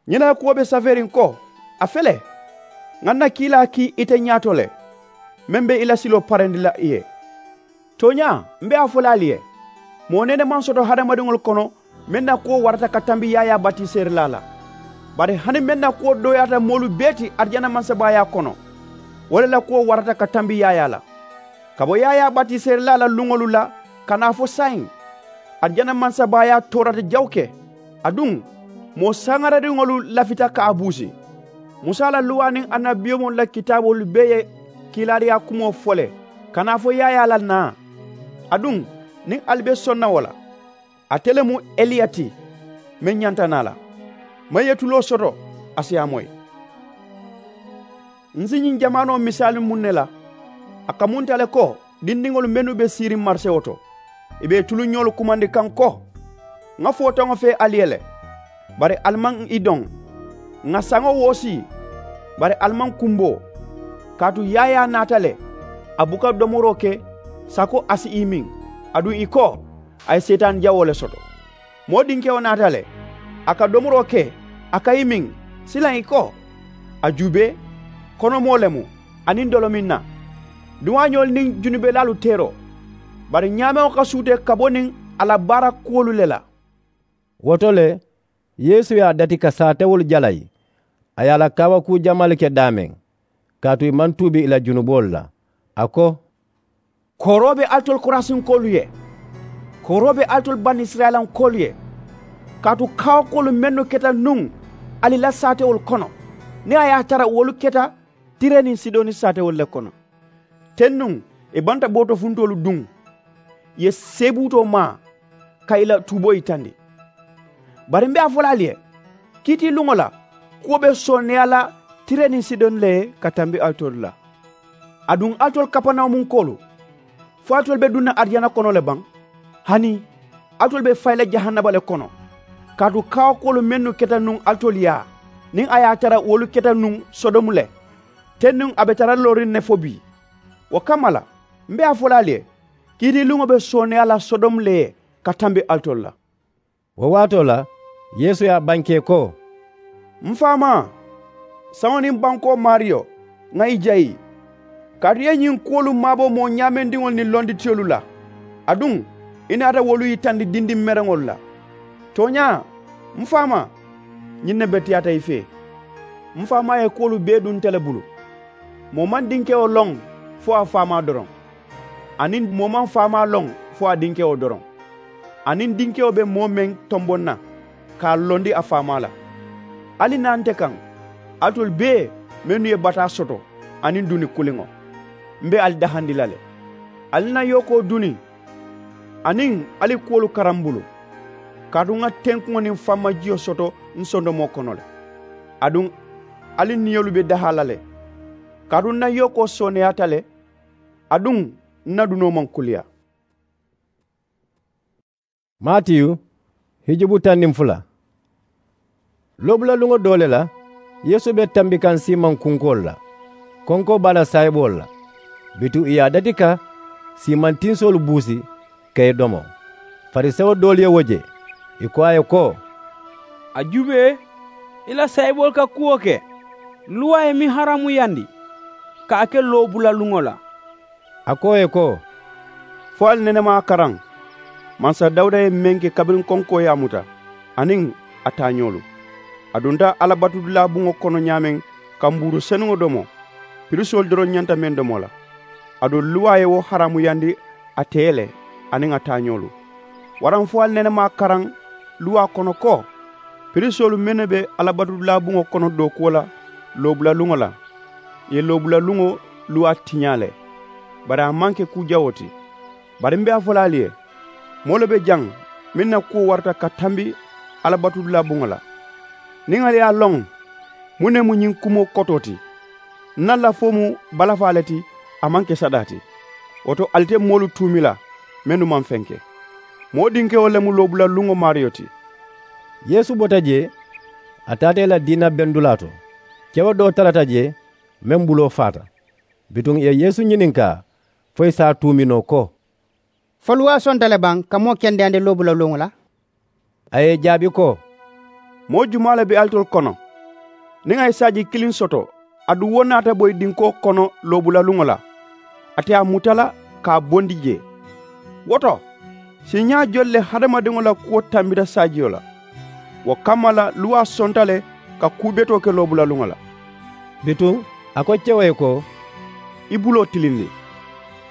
Ñiŋ na kuwo be safeeriŋ ko, a fele, ŋa n na kiilaa kii ite ñaato le, meŋ be i la siloo parendi la i ye. Tooñaa, m be a fo la ali ye, moo nene maŋ soto hadamadiŋolu kono meŋ na kuwo warata ka tambi yaayaa batiseerilaa la. Bari hani meŋ na kuwo dooyaata moolu bee ti arijana mansabaayaa kono, wo le la kuwo warata ka tambi yaayaa la. Ka bo yaayaa batiseerilaa la luŋolu la ka naa fo saayiŋ, arijana mansabaayaa toorata jawuke. Aduŋ, moo saŋaradiŋolu lafita ka a buusi. Musa la luwaa niŋ annabiyomoolu la kitaaboolu bee ye kiilaariyaa kumoo fo le ka naa fo yaayaa la naa. Aduŋ, niŋ ali be soŋ na wo la, ate le mu eliya ti meŋ ñanta naa la. Meŋ ye tuloo soto, a si a moyi. N si ñiŋ jamaanoo misaali muŋ ne la, a kamunta le ko dindiŋolu mennu be siiriŋ marisewo to, ì be ì tuluñoolu kumandi kaŋ ko, ŋa footaŋo fee ali ye le, bari ali maŋ ì doŋ. Ŋa saŋo woosii, bari ali maŋ kumboo. Kaatu yaayaa naata le, a buka domoroo ke sako a si ì miŋ. Aduŋ ì ko, a ye seetaani jawoo le soto. Moo dinkewo naata le, a ka domoroo ke, a ka ì miŋ. Silaŋ ì ko, a juubee, konomoo le mu, aniŋ dolomiŋ na, duwaañoolu niŋ junubelaalu teeroo. Bari ñaamewo ka suutee ka bo niŋ a la baara kuwolu le la. Wo to le, yeesu ye a dati ka saatewolu jalayi, a ye a la kaawakuu jamaalu ke daameŋ, kaatu ì maŋ tuubi ì la junuboolu la. A ko, kooroo be alitolu korasinkoolu ye, kooroo be alitolu banisirayilankoolu ye. Kaatu kaawakuwolu mennu keta nuŋ ali la saatewolu kono, niŋ a ye a tara wolu keta tire niŋ sidoni saatewolu le kono. Teŋ nuŋ, ì banta bootofuntoolu duŋ, ì ye seebuutoo maa ka ì la tuuboo yitandi. Bari m be a fo la ali ye, Kiitiiluŋo la kuwo be sooneeyaa la tire niŋ sidoni le ye ka tambi alitolu la. Aduŋ alitolu kapanawumunkoolu, fo alitolu be duŋ na arijana kono le baŋ? Hani alitolu be fayi la jahannama le kono? Kaatu kaawakuwolu mennu keta nuŋ alitolu yaa niŋ a ye a tara wolu keta nuŋ sodomu le, teŋ nuŋ a be tara looriŋ ne fo bii. Wo kamma la, m be a fo la ali ye, kiitiiluŋo be sooneeyaa la sodomu le ye ka tambi alitolu la. Wo waatoo la, yeesu ye a bankee ko, m faamaa, saŋo niŋ bankoo maariyo, ŋà i jayi. Kaatu i ye ñiŋ kuwolu maabo moo ñaamendiŋolu niŋ londitiyolu la, aduŋ i naata wolu yitandi dindiŋ mereŋolu la. Tooñaa, m faamaa, ñiŋ ne beteyaata i fee. M faamaa ye kuwolu bee duŋ nte le bulu. Moo maŋ dinkewo loŋ fo a faamaa doroŋ, aniŋ moo maŋ faamaa loŋ fo a dinkewo doroŋ. Aniŋ dinkewo be moo meŋ tomboŋ na ka a londi a faamaa la. Ali naa nte kaŋ, alitolu bee mennu ye bataa soto aniŋ duni kuliŋo, m be ali dahandi la le. Ali na yookoo duni, aniŋ ali kuwolu karaŋ m bulu, kaatu ŋa tenkuŋo niŋ fammajiyo soto m sondomoo kono le. Aduŋ ali niyolu be dahaa la le, kaatu n na yookoo sooneyaata le, aduŋ n na dunoo maŋ kuliyaa. Matiyu, hijubu taŋ niŋ fula. Loobulaluŋo doo le la, yeesu be tambi kaŋ siimaŋ kunkoolu la. Konkoo be a la saayiboolu la. Bituŋ ì ye a dati ka siimaŋ tinsoolu buusi ka i domo. Farisewo doolu ye wo je, ì ko a ye ko, a juubee, i la saayiboolu ka kuwo ke luwaa ye meŋ haraamuyandi, ka a ke loobulaluŋo la. A ko ì ye ko, fo ali nene maŋ a karaŋ mansa dawuda ye meŋ ke kabiriŋ konkoo ye a muta, aniŋ a taañoolu? A dunta alla batudulaa buŋo kono ñaameŋ ka mbuuru senuŋo domo, pirisoolu doroŋ ñanta meŋ domo la. Aduŋ luwaa ye wo haraamuyandi a tee le, aniŋ a taañoolu. Waraŋ fo ali nene maŋ a karaŋ luwaa kono ko, pirisoolu mennu be alla batudulaa buŋo kono dookuwo la loobulaluŋo la, ì ye loobulaluŋo luwaa tiñaa le. Bari a maŋ ke kuu jawoo ti. Bari m be a fo la ali ye, moo le be jaŋ meŋ na kuwo warata ka tambi alla batudulaa buŋo la. Niŋ ali ye a loŋ, muŋ ne mu ñiŋ kumoo kotoo ti? N na lafoo mu balafaa le ti, a maŋ ke sadaa ti. Wo to ali te moolu tuumi la mennu maŋ feŋ ke. Moo dinkewo le mu loobulaluŋo maariyo ti. Yeesu bota jee, a taata ì la diina bendulaa to. Kewo doo tarata jee, meŋ buloo faata. Bituŋ ì ye yeesu ñininkaa fo ì si a tuumi noo ko, fo luwaa sonta le baŋ ka moo kendeyandi loobulaluŋo la? A ye ì jaabi ko, moo jumaa le be alitolu kono, niŋ a ye saaji kiliŋ soto, aduŋ wo naata boyi dinkoo kono loobulaluŋo la, ate ye a muta la ka a bondi jee? Wo to, siiñaa joli le hadamadiŋo la kuwo tambita saajiyo la? Wo kamma la luwaa sonta le ka kuu betoo ke loobulaluŋo la. Bituŋ a ko kewo ye ko, i buloo tilindi.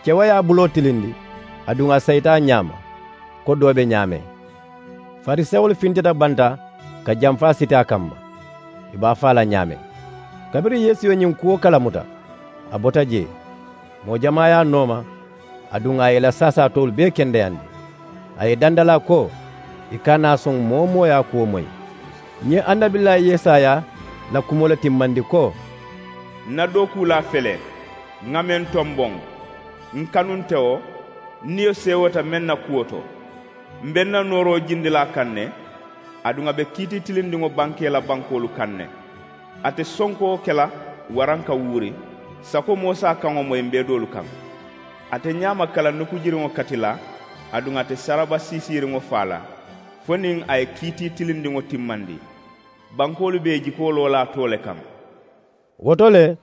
Kewo ye a buloo tilindi, aduŋ a sayita a ñaama ko doo be ñaameŋ. Farisewolu fintita banta ka jamfaa siti a kamma, ì be a faa la ñaameŋ. Kabiriŋ yeesu ye ñiŋ kuwo kalamuta, a bota jee. Moo jamaa ye a nooma, aduŋ a ye ì la saasaa toolu bee kendeyandi. A ye ì dandalaa ko, ì kana a soŋ moo-wo-moo ye a kuwo moyi. Ǹ ye annabilaa yesaya la kumoo le timmandi ko, ǹ na dookuulaa fele, ŋà meŋ tomboŋ, ǹ kanunte wo, ǹ niyo seewoota meŋ na kuwo to. M̀ be ǹ na nooroo jindi la a kaŋ ne, aduŋ a be kiitii tilindiŋo bankee la bankoolu kaŋ ne. A te sonkoo ke la waraŋ ka wuuri, sako moo si a kaŋo moyi m̀ be doolu kaŋ. A te ñaama kala nukujiriŋo kati la, aduŋ a te saraba siisiiriŋo faa la, fo niŋ a ye kiitii tilindiŋo timmandi. Bankoolu be ì jikoo loo la a too le kaŋ. Wo to le,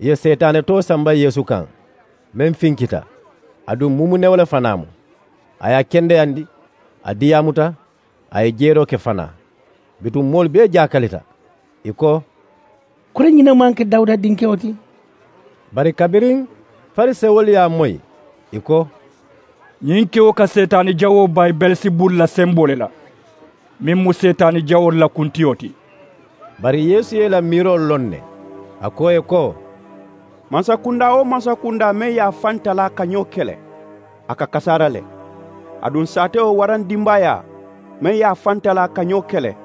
ì ye seetaane too samba yeesu kaŋ, meŋ finkita, aduŋ mumunewo le fanaa mu. A ye a kendeyandi, a diyaamuta, a ye jeeroo ke fanaa. Bituŋ moolu bee jaakalita, ì ko, kuri ñiŋ ne maŋ ke dawuda dinkewo ti? Bari kabiriŋ farisewolu ye a moyi, ì ko, ñiŋ kewo ka seetaani jawoo bayi beelisebulu la semboo le la, meŋ mu seetaani jawoolu la kuntiyo ti. Bari yeesu ye ì la miiroo loŋ ne, a ko ì ye ko, mansakundaa-wo-mansakundaa meŋ ye a faŋ talaa ka ñoo kele, a ka kasaara le. Aduŋ saatewo waraŋ dimbaayaa meŋ ye a faŋ talaa ka ñoo kele,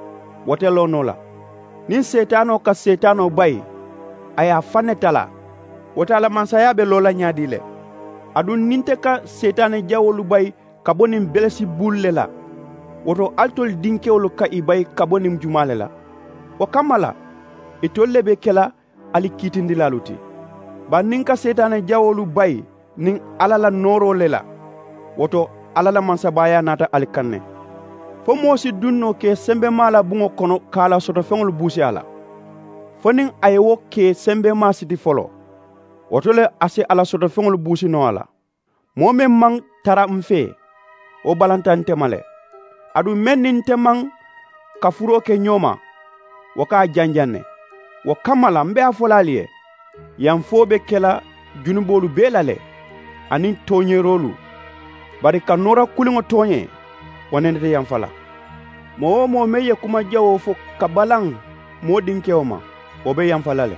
wo te loo noo la. Niŋ seetaanoo ka seetaanoo bayi, a ye a faŋ ne talaa. Wo to a la mansaayaa be loo la ñaadii le? Aduŋ niŋ nte ka seetaane jawoolu bayi ka bo niŋ belesibulu le la, wo to alitolu dinkewolu ka ì bayi ka bo niŋ jumaa le la? Wo kamma la, itolu le be ke la ali kiitindilaalu ti. Bari niŋ n ka seetaane jawoolu bayi niŋ alla la nooroo le la, wo to alla la mansabaayaa naata ali kaŋ ne. Fo moo si duŋ noo ke sembemaa la buŋo kono ka a la sotofeŋolu buusi a la? Fo niŋ a ye wo ke sembemaa siti foloo, wo to le a si a la sotofeŋolu buusi noo a la. Moo meŋ maŋ tara m fee, wo balanta nte ma le. Aduŋ meŋ niŋ nte maŋ kafuroo ke ñoo ma, wo ka a janjaŋ ne. Wo kamma la m be a fo la ali ye, yamfoo be ke la junuboolu bee la le, aniŋ tooñeeroolu. Bari ka noora kuliŋo tooñee, wo nene te yamfa la. Moo-wo-moo meŋ ye kuma jawoo fo ka balaŋ moo dinkewo ma, wo be yamfa la le.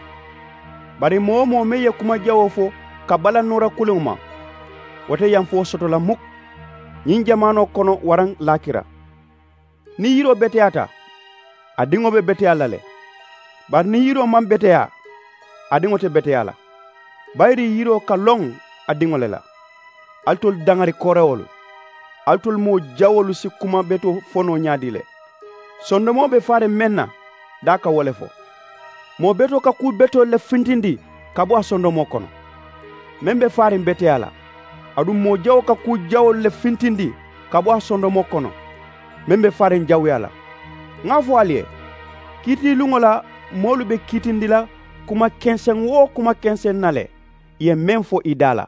Bari moo-wo-moo meŋ ye kuma jawoo fo ka balaŋ noora kuliŋo ma, wo te yamfoo soto la muk, ñiŋ jamaanoo kono waraŋ laakira. Niŋ yiroo beteyaata, a diŋo be beteyaa la le. Bari niŋ yiroo maŋ beteyaa, a diŋo te beteyaa la. Bayiri yiroo ka loŋ a diŋo le la. Alitolu daŋari koorewolu, alitolu moo jawoolu si kuma betoo fo noo ñaadii le? Sondomoo be faariŋ meŋ na, daa ka wo le fo. Moo betoo ka kuu betoolu le fintindi ka bo a sondomoo kono, meŋ be faariŋ beteyaa la. Aduŋ moo jawoo ka kuu jawoolu le fintindi ka bo a sondomoo kono, meŋ be faariŋ jawuyaa la. Ŋa a fo ali ye, kiitiiluŋo la moolu be kiitindi la kuma kenseŋ-wo-kuma kenseŋ na le, ì ye meŋ fo ì daa la.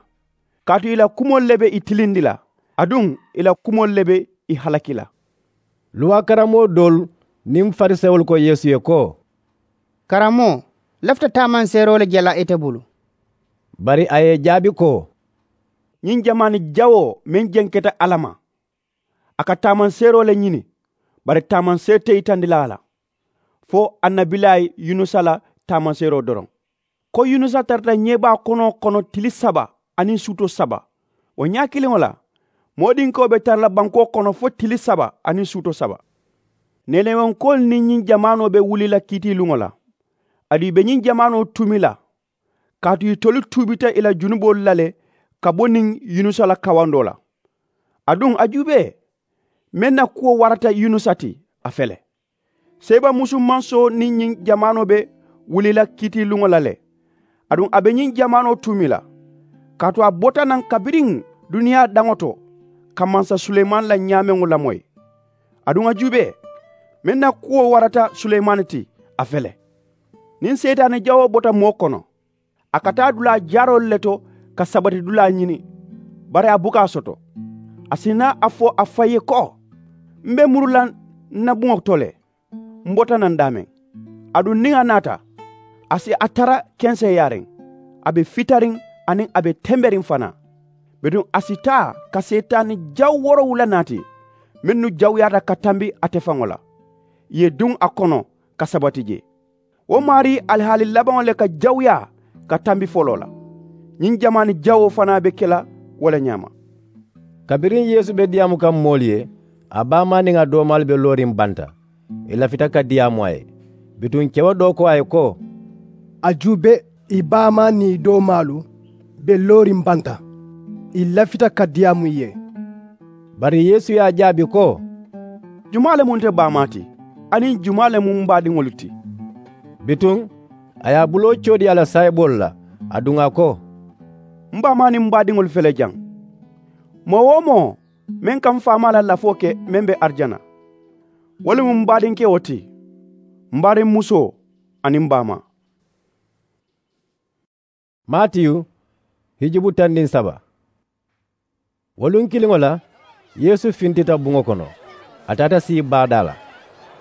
Kaatu ì la kumoolu le be ì tilindi la, aduŋ ì la kumoolu le be ì halaki la. Luwaa karammoo doolu niŋ farisewolu ko yeesu ye ko, karammoo, n lafita taamanseeroo le je la ite bulu. Bari a ye ì jaabi ko, ñiŋ jamaani jawoo meŋ jenketa alla ma, a ka taamanseeroo le ñini, bari taamanseeri te yitandi la a la, fo annabilaayi yunusa la taamanseeroo doroŋ, ko yunusa tarata ñeebaa konoo kono tili saba aniŋ suutoo saba. Wo ñaa kiliŋo la, moodinkewo be tara la bankoo kono fo tili saba aniŋ suutoo saba. Neelewenkoolu niŋ ñiŋ jamaanoo be wuli la kiitiiluŋo la, aduŋ ì be ñiŋ jamaanoo tuumi la, kaatu itolu tuubita ì la junuboolu la le ka bo niŋ yunusa la kawandoo la. Aduŋ a juubee, meŋ na kuwo warata yunusa ti, a fele. Seeba musumansoo niŋ ñiŋ jamaanoo be wuli la kiitiiluŋo la le, aduŋ a be ñiŋ jamaanoo tuumi la, kaatu a bota naŋ kabiriŋ duniyaa daŋo to ka mansa suleyimaani la ñaameŋo lamoyi. Aduŋ a juubee, meŋ na kuwo warata suleyimaani ti, a fele. Niŋ seetaani jawoo bota moo kono, a ka taa dulaa jaaroolu le to ka sabatidulaa ñini, bari a buka a soto. A si naa a fo a faŋ ye ko, m be muru la n na buŋo to le, m bota naŋ daameŋ. Aduŋ niŋ a naata, a si a tara kenseeyaariŋ, a be fitariŋ, aniŋ a be temberiŋ fanaa. Bituŋ a si taa ka seetaani jaw woorowula naati, mennu jawuyaata ka tambi ate faŋo la, ì ye duŋ a kono ka sabati jee. Wo maarii alihaali labaŋo le ka jawuyaa ka tambi foloo la. Ñiŋ jamaani jawoo fanaa be ke la wo le ñaama. Kabiriŋ yeesu be diyaamu kaŋ moolu ye, a baamaa niŋ a doomaalu be looriŋ banta, ì lafita ka diyaamu a ye. Bituŋ kewo doo ko a ye ko, a juubee, ì baamaa niŋ ì doomaalu be looriŋ banta, ì lafita ka diyaamu ì ye. Bari yeesu ye a jaabi ko, jumaa le mu nte baamaa ti, aniŋ jumaa le mu m baadiŋolu ti? Bituŋ a ye a buloo coodi a la saayiboolu la, aduŋ a ko, m baamaa niŋ m baadiŋolu fele jaŋ. Moo-wo-moo meŋ ka m faamaa la lafoo ke meŋ be arijana, wo le mu m baadinkewo ti, m baadinmusoo, aniŋ m baamaa. Maatiyu, hijubu taŋ niŋ saba. Wo luŋ kiliŋo la, yeesu fintita buŋo kono, a taata sii baadaa la.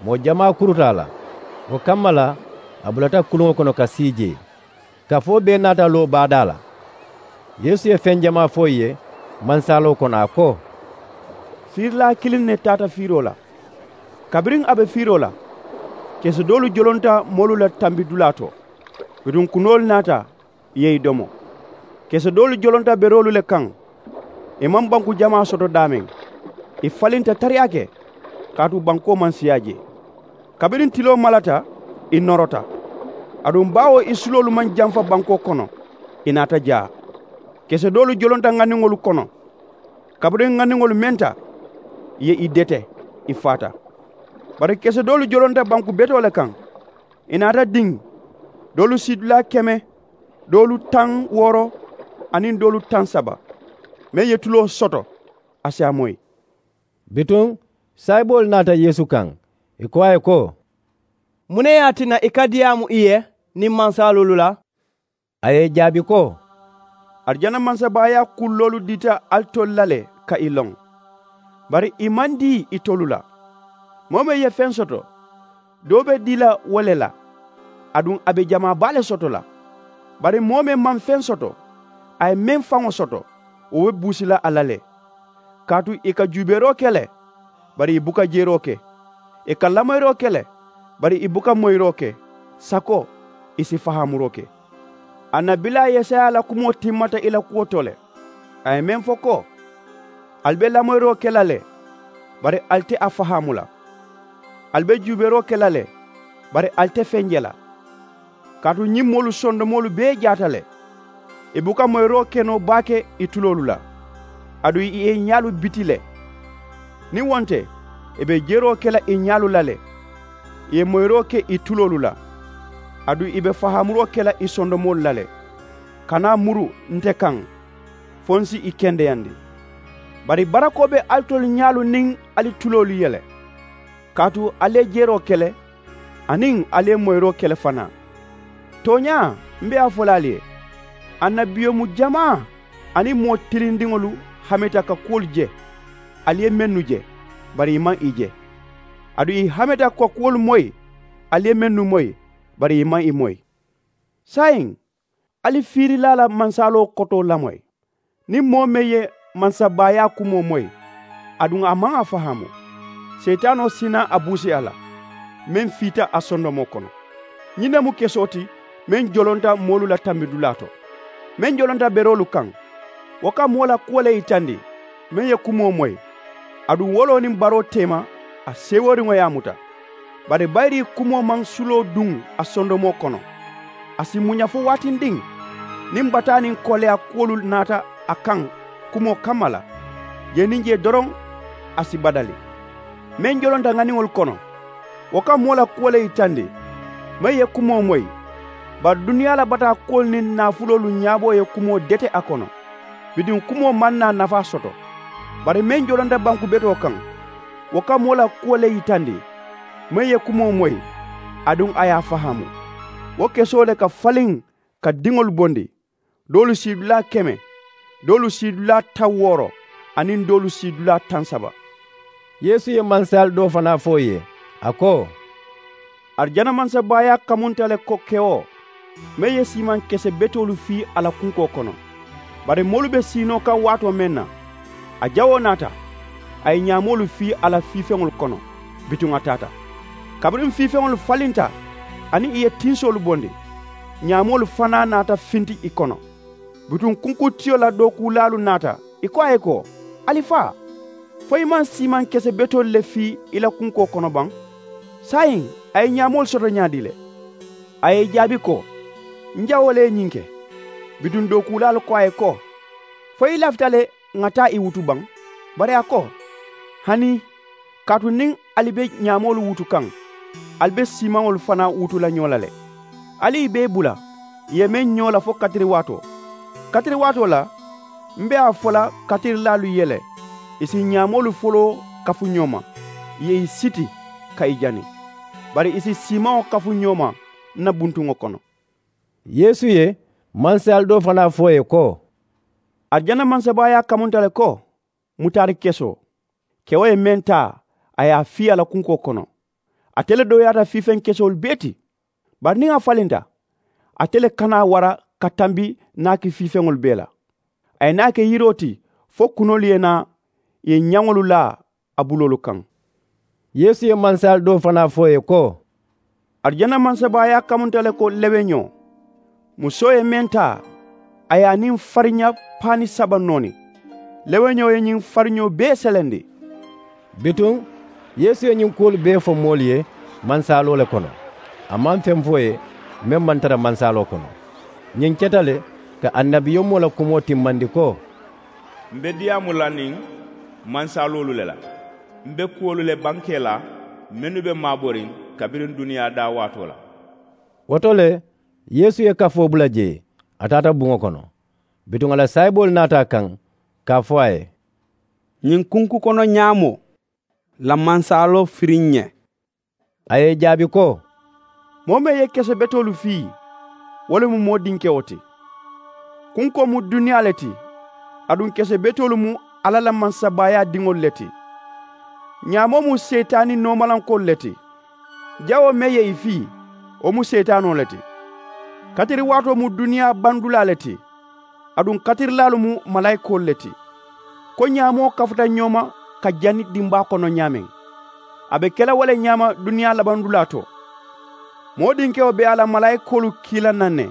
Moo jamaa kuruta a la. Wo kamma la, a bulata kuluŋo kono ka sii jee. Kafoo bee naata loo baadaa la. Yeesu ye feŋ jamaa fo ì ye mansaaloo kono, a ko, fiirilaa kiliŋ ne taata fiiroo la. Kabiriŋ a be fiiroo la, kesedoolu jolonta moolu la tambidulaa to. Bituŋ kunoolu naata, ì ye ì domo. Kesedoolu jolonta beroolu le kaŋ. Ì maŋ banku jamaa soto daameŋ. Ì falinta tariyaake, kaatu bankoo maŋ siyaa jee. Kabiriŋ tiloo malata, I norota. Aduŋ baawo i suloolu maŋ jamfa bankoo kono, i naata jaa. Kese doolu jolonta ŋaniŋolu kono. Kabiriŋ ŋaniŋolu menta, i ye i dete, i faata. Bari kese doolu jolonta banku betoo le kaŋ. I naata diŋ, doolu siidulaa keme, doolu taŋ wooro, aniŋ doolu taŋ saba. Meŋ ye tuloo soto, a si a moyi. Bituŋ saayiboolu naata Yeesu kaŋ, i ko a ye ko, muŋ ne ye a tinna i ka diyaamu i ye niŋ mansaaloolu la? A ye i jaabi ko, arijana mansabaayaa kulloolu dita alitolu la le ka i loŋ, bari i maŋ dii itolu la. Moo meŋ ye feŋ soto, doo be dii la wo le la, aduŋ a be jamaa baa le soto la. Bari moo meŋ maŋ feŋ soto, a ye meŋ faŋo soto, wo be buusi la a la le. Kaatu i ka juubeeroo ke le, bari i buka jeeroo ke. I ka lamoyiroo ke le, bari i buka moyiroo ke. Sako, i si fahaamuroo ke. Annabilaa yesaya la kumoo timmata i la kuwo to le. A ye meŋ fo ko, ali be lamoyiroo ke la le, bari ali te a fahaamu la. Ali be juubeeroo ke la le, bari ali te feŋ je la. Kaatu ñiŋ moolu sondomoolu bee jaata le. I buka moyiroo ke noo baake i tuloolu la, aduŋ i ye i ñaalu biti le. Niŋ wo nte, i be jeroo ke la i ñaalu la le. I ye moyiroo ke i tuloolu la, aduŋ i be fahaamuroo ke la i sondomoolu la le. Kana muru nte kaŋ, fo n si i kendeyandi. Bari barakoo be alitolu ñaalu niŋ ali tuloolu ye le. Kaatu ali ye jeroo ke le, aniŋ ali ye moyiroo ke le fanaa. Tooñaa, m be a fo la ali ye, annabiyomu jamaa aniŋ moo tilindiŋolu hameta ka kuwolu je, ali ye mennu je, bari i maŋ i je. Aduŋ i hameta ka kuwolu moyi, ali ye mennu moyi, bari i maŋ i moyi. Saayiŋ, ali fiirilaa la mansaaloo kotoo lamoyi. Niŋ moo meŋ ye mansabaayaa kumoo moyi, aduŋ a maŋ a fahaamu, seetaanoo si naa a buusi a la, meŋ fiita a sondomoo kono. Ñiŋ ne mu kesoo ti meŋ jolonta moolu la tambidulaa to, meŋ jolonta beroolu kaŋ. Wo ka moo la kuwo le yitandi, meŋ ye kumoo moyi, aduŋ woloo niŋ baroo teema, a seeworiŋo ye a muta. Bari bayiri kumoo maŋ suloo duŋ a sondomoo kono. A si muña fo waatindiŋ, niŋ bataa niŋ koleyaa kuwolu naata a kaŋ kumoo kamma la, jee niŋ jee doroŋ, a si badali. Meŋ jolonta ŋaniŋolu kono, wo ka moo la kuwo le yitandi, meŋ ye kumoo moyi. Bari duniyaa la bataa kuwolu niŋ naafuloolu ñaaboo ye kumoo dete a kono, bituŋ kumoo maŋ naa nafaa soto. Bari meŋ jolonta banku betoo kaŋ, wo ka moo la kuwo le yitandi, meŋ ye kumoo moyi, aduŋ a ye a fahaamu. Wo kesoo le ka faliŋ ka diŋolu bondi, doolu siidulaa keme, doolu siidulaa taŋ wooro, aniŋ doolu siidulaa taŋ saba. Yeesu ye mansayaalu doo fanaa fo ì ye, a ko, arijana mansabaayaa kamunta le ko kewoo meŋ ye siimaŋ kese betoolu fii a la kunkoo kono. Bari moolu be siinoo kaŋ waatoo meŋ na, a jawoo naata, a ye ñaamoolu fii a la fiifeŋolu kono, bituŋ a taata. Kabiriŋ fiifeŋolu falinta aniŋ ì ye tinsoolu bondi, ñaamoolu fanaa naata finti ì kono. Bituŋ kunkuntiyo la dookuulaalu naata, ì ko a ye ko, alifaa, fo i maŋ siimaŋ kese betoolu le fii i la kunkoo kono baŋ? Saayiŋ a ye ñaamoolu soto ñaadii le? A ye ì jaabi ko, n jawoo le ye ñiŋ ke. Bituŋ dookuulaalu ko a ye ko, fo i lafita le ŋà taa ì wutu baŋ? Bari a ko, hanii, kaatu niŋ ali be ñaamoolu wutu kaŋ, ali be siimaŋolu fanaa wutu la ñoo la le. Ali ì be ì bula ì ye meŋ ñoo la fo katiriwaatoo. Katiriwaatoo la, m be a fo la katirilaalu ye le, ì si ñaamoolu foloo kafu ñoo ma, ì ye ì siti ka ì jani, bari ì si siimaŋo kafu ñoo ma n na buntuŋo kono. Yeesu ye mansayaalu doo fanaa fo ì ye ko, arijana mansabaayaa kamunta le ko mutaari kesoo. Kewo ye meŋ taa, a ye a fii a la kunkoo kono. Ate le dooyaata fiifeŋ kesoolu bee ti. Bari niŋ a falinta, ate le kana a wara ka tambi naaki fiifeŋolu bee la. A ye naa ke yiroo ti fo kunoolu ye naa ì ye ñaŋolu laa a buloolu kaŋ. Yeesu ye mansayaalu doo fanaa fo ì ye ko, arijana mansabaayaa kamunta le ko leweñoo. Musoo ye meŋ taa, a ye a niŋ fariña paani saba nooni. Leweñoo ye ñiŋ fariñoo bee selendi. Bituŋ yeesu ye ñiŋ kuwolu bee fo moolu ye mansaaloo le kono. A maŋ feŋ fo ì ye meŋ maŋ tara mansaaloo kono. Ñiŋ keta le ka annabiyomoo la kumoo timmandi ko, m be diyaamu la niŋ mansaaloolu le la, m be kuwolu le bankee la mennu be maaboriŋ kabiriŋ duniyaa daawaatoo la. Wo to le, yeesu ye kafoo bula jee, a taata buŋo kono. Bituŋ a la saayiboolu naata a kaŋ ka a fo a ye, ñiŋ kunku kono ñaamoo la mansaaloo firiŋ ǹ ye. A ye ì jaabi ko, moo meŋ ye kese betoolu fii, wo le mu moo dinkewo ti. Kunkoo mu duniyaa le ti, aduŋ kese betoolu mu alla la mansabaayaa diŋolu le ti. Ñaamoo mu seyitaani noomalankoolu le ti. Jawoo meŋ ye ì fii, wo mu seyitaanoo le ti. Katiriwaatoo mu duniyaa bandulaa le ti, aduŋ katirilaalu mu malaayikoolu le ti. Ko ñaamoo kafuta ñoo ma ka jani dimbaa kono ñaameŋ, a be ke la wo le ñaama duniyaa labandulaa to. Moo dinkewo be a la malaayikoolu kii la naŋ ne,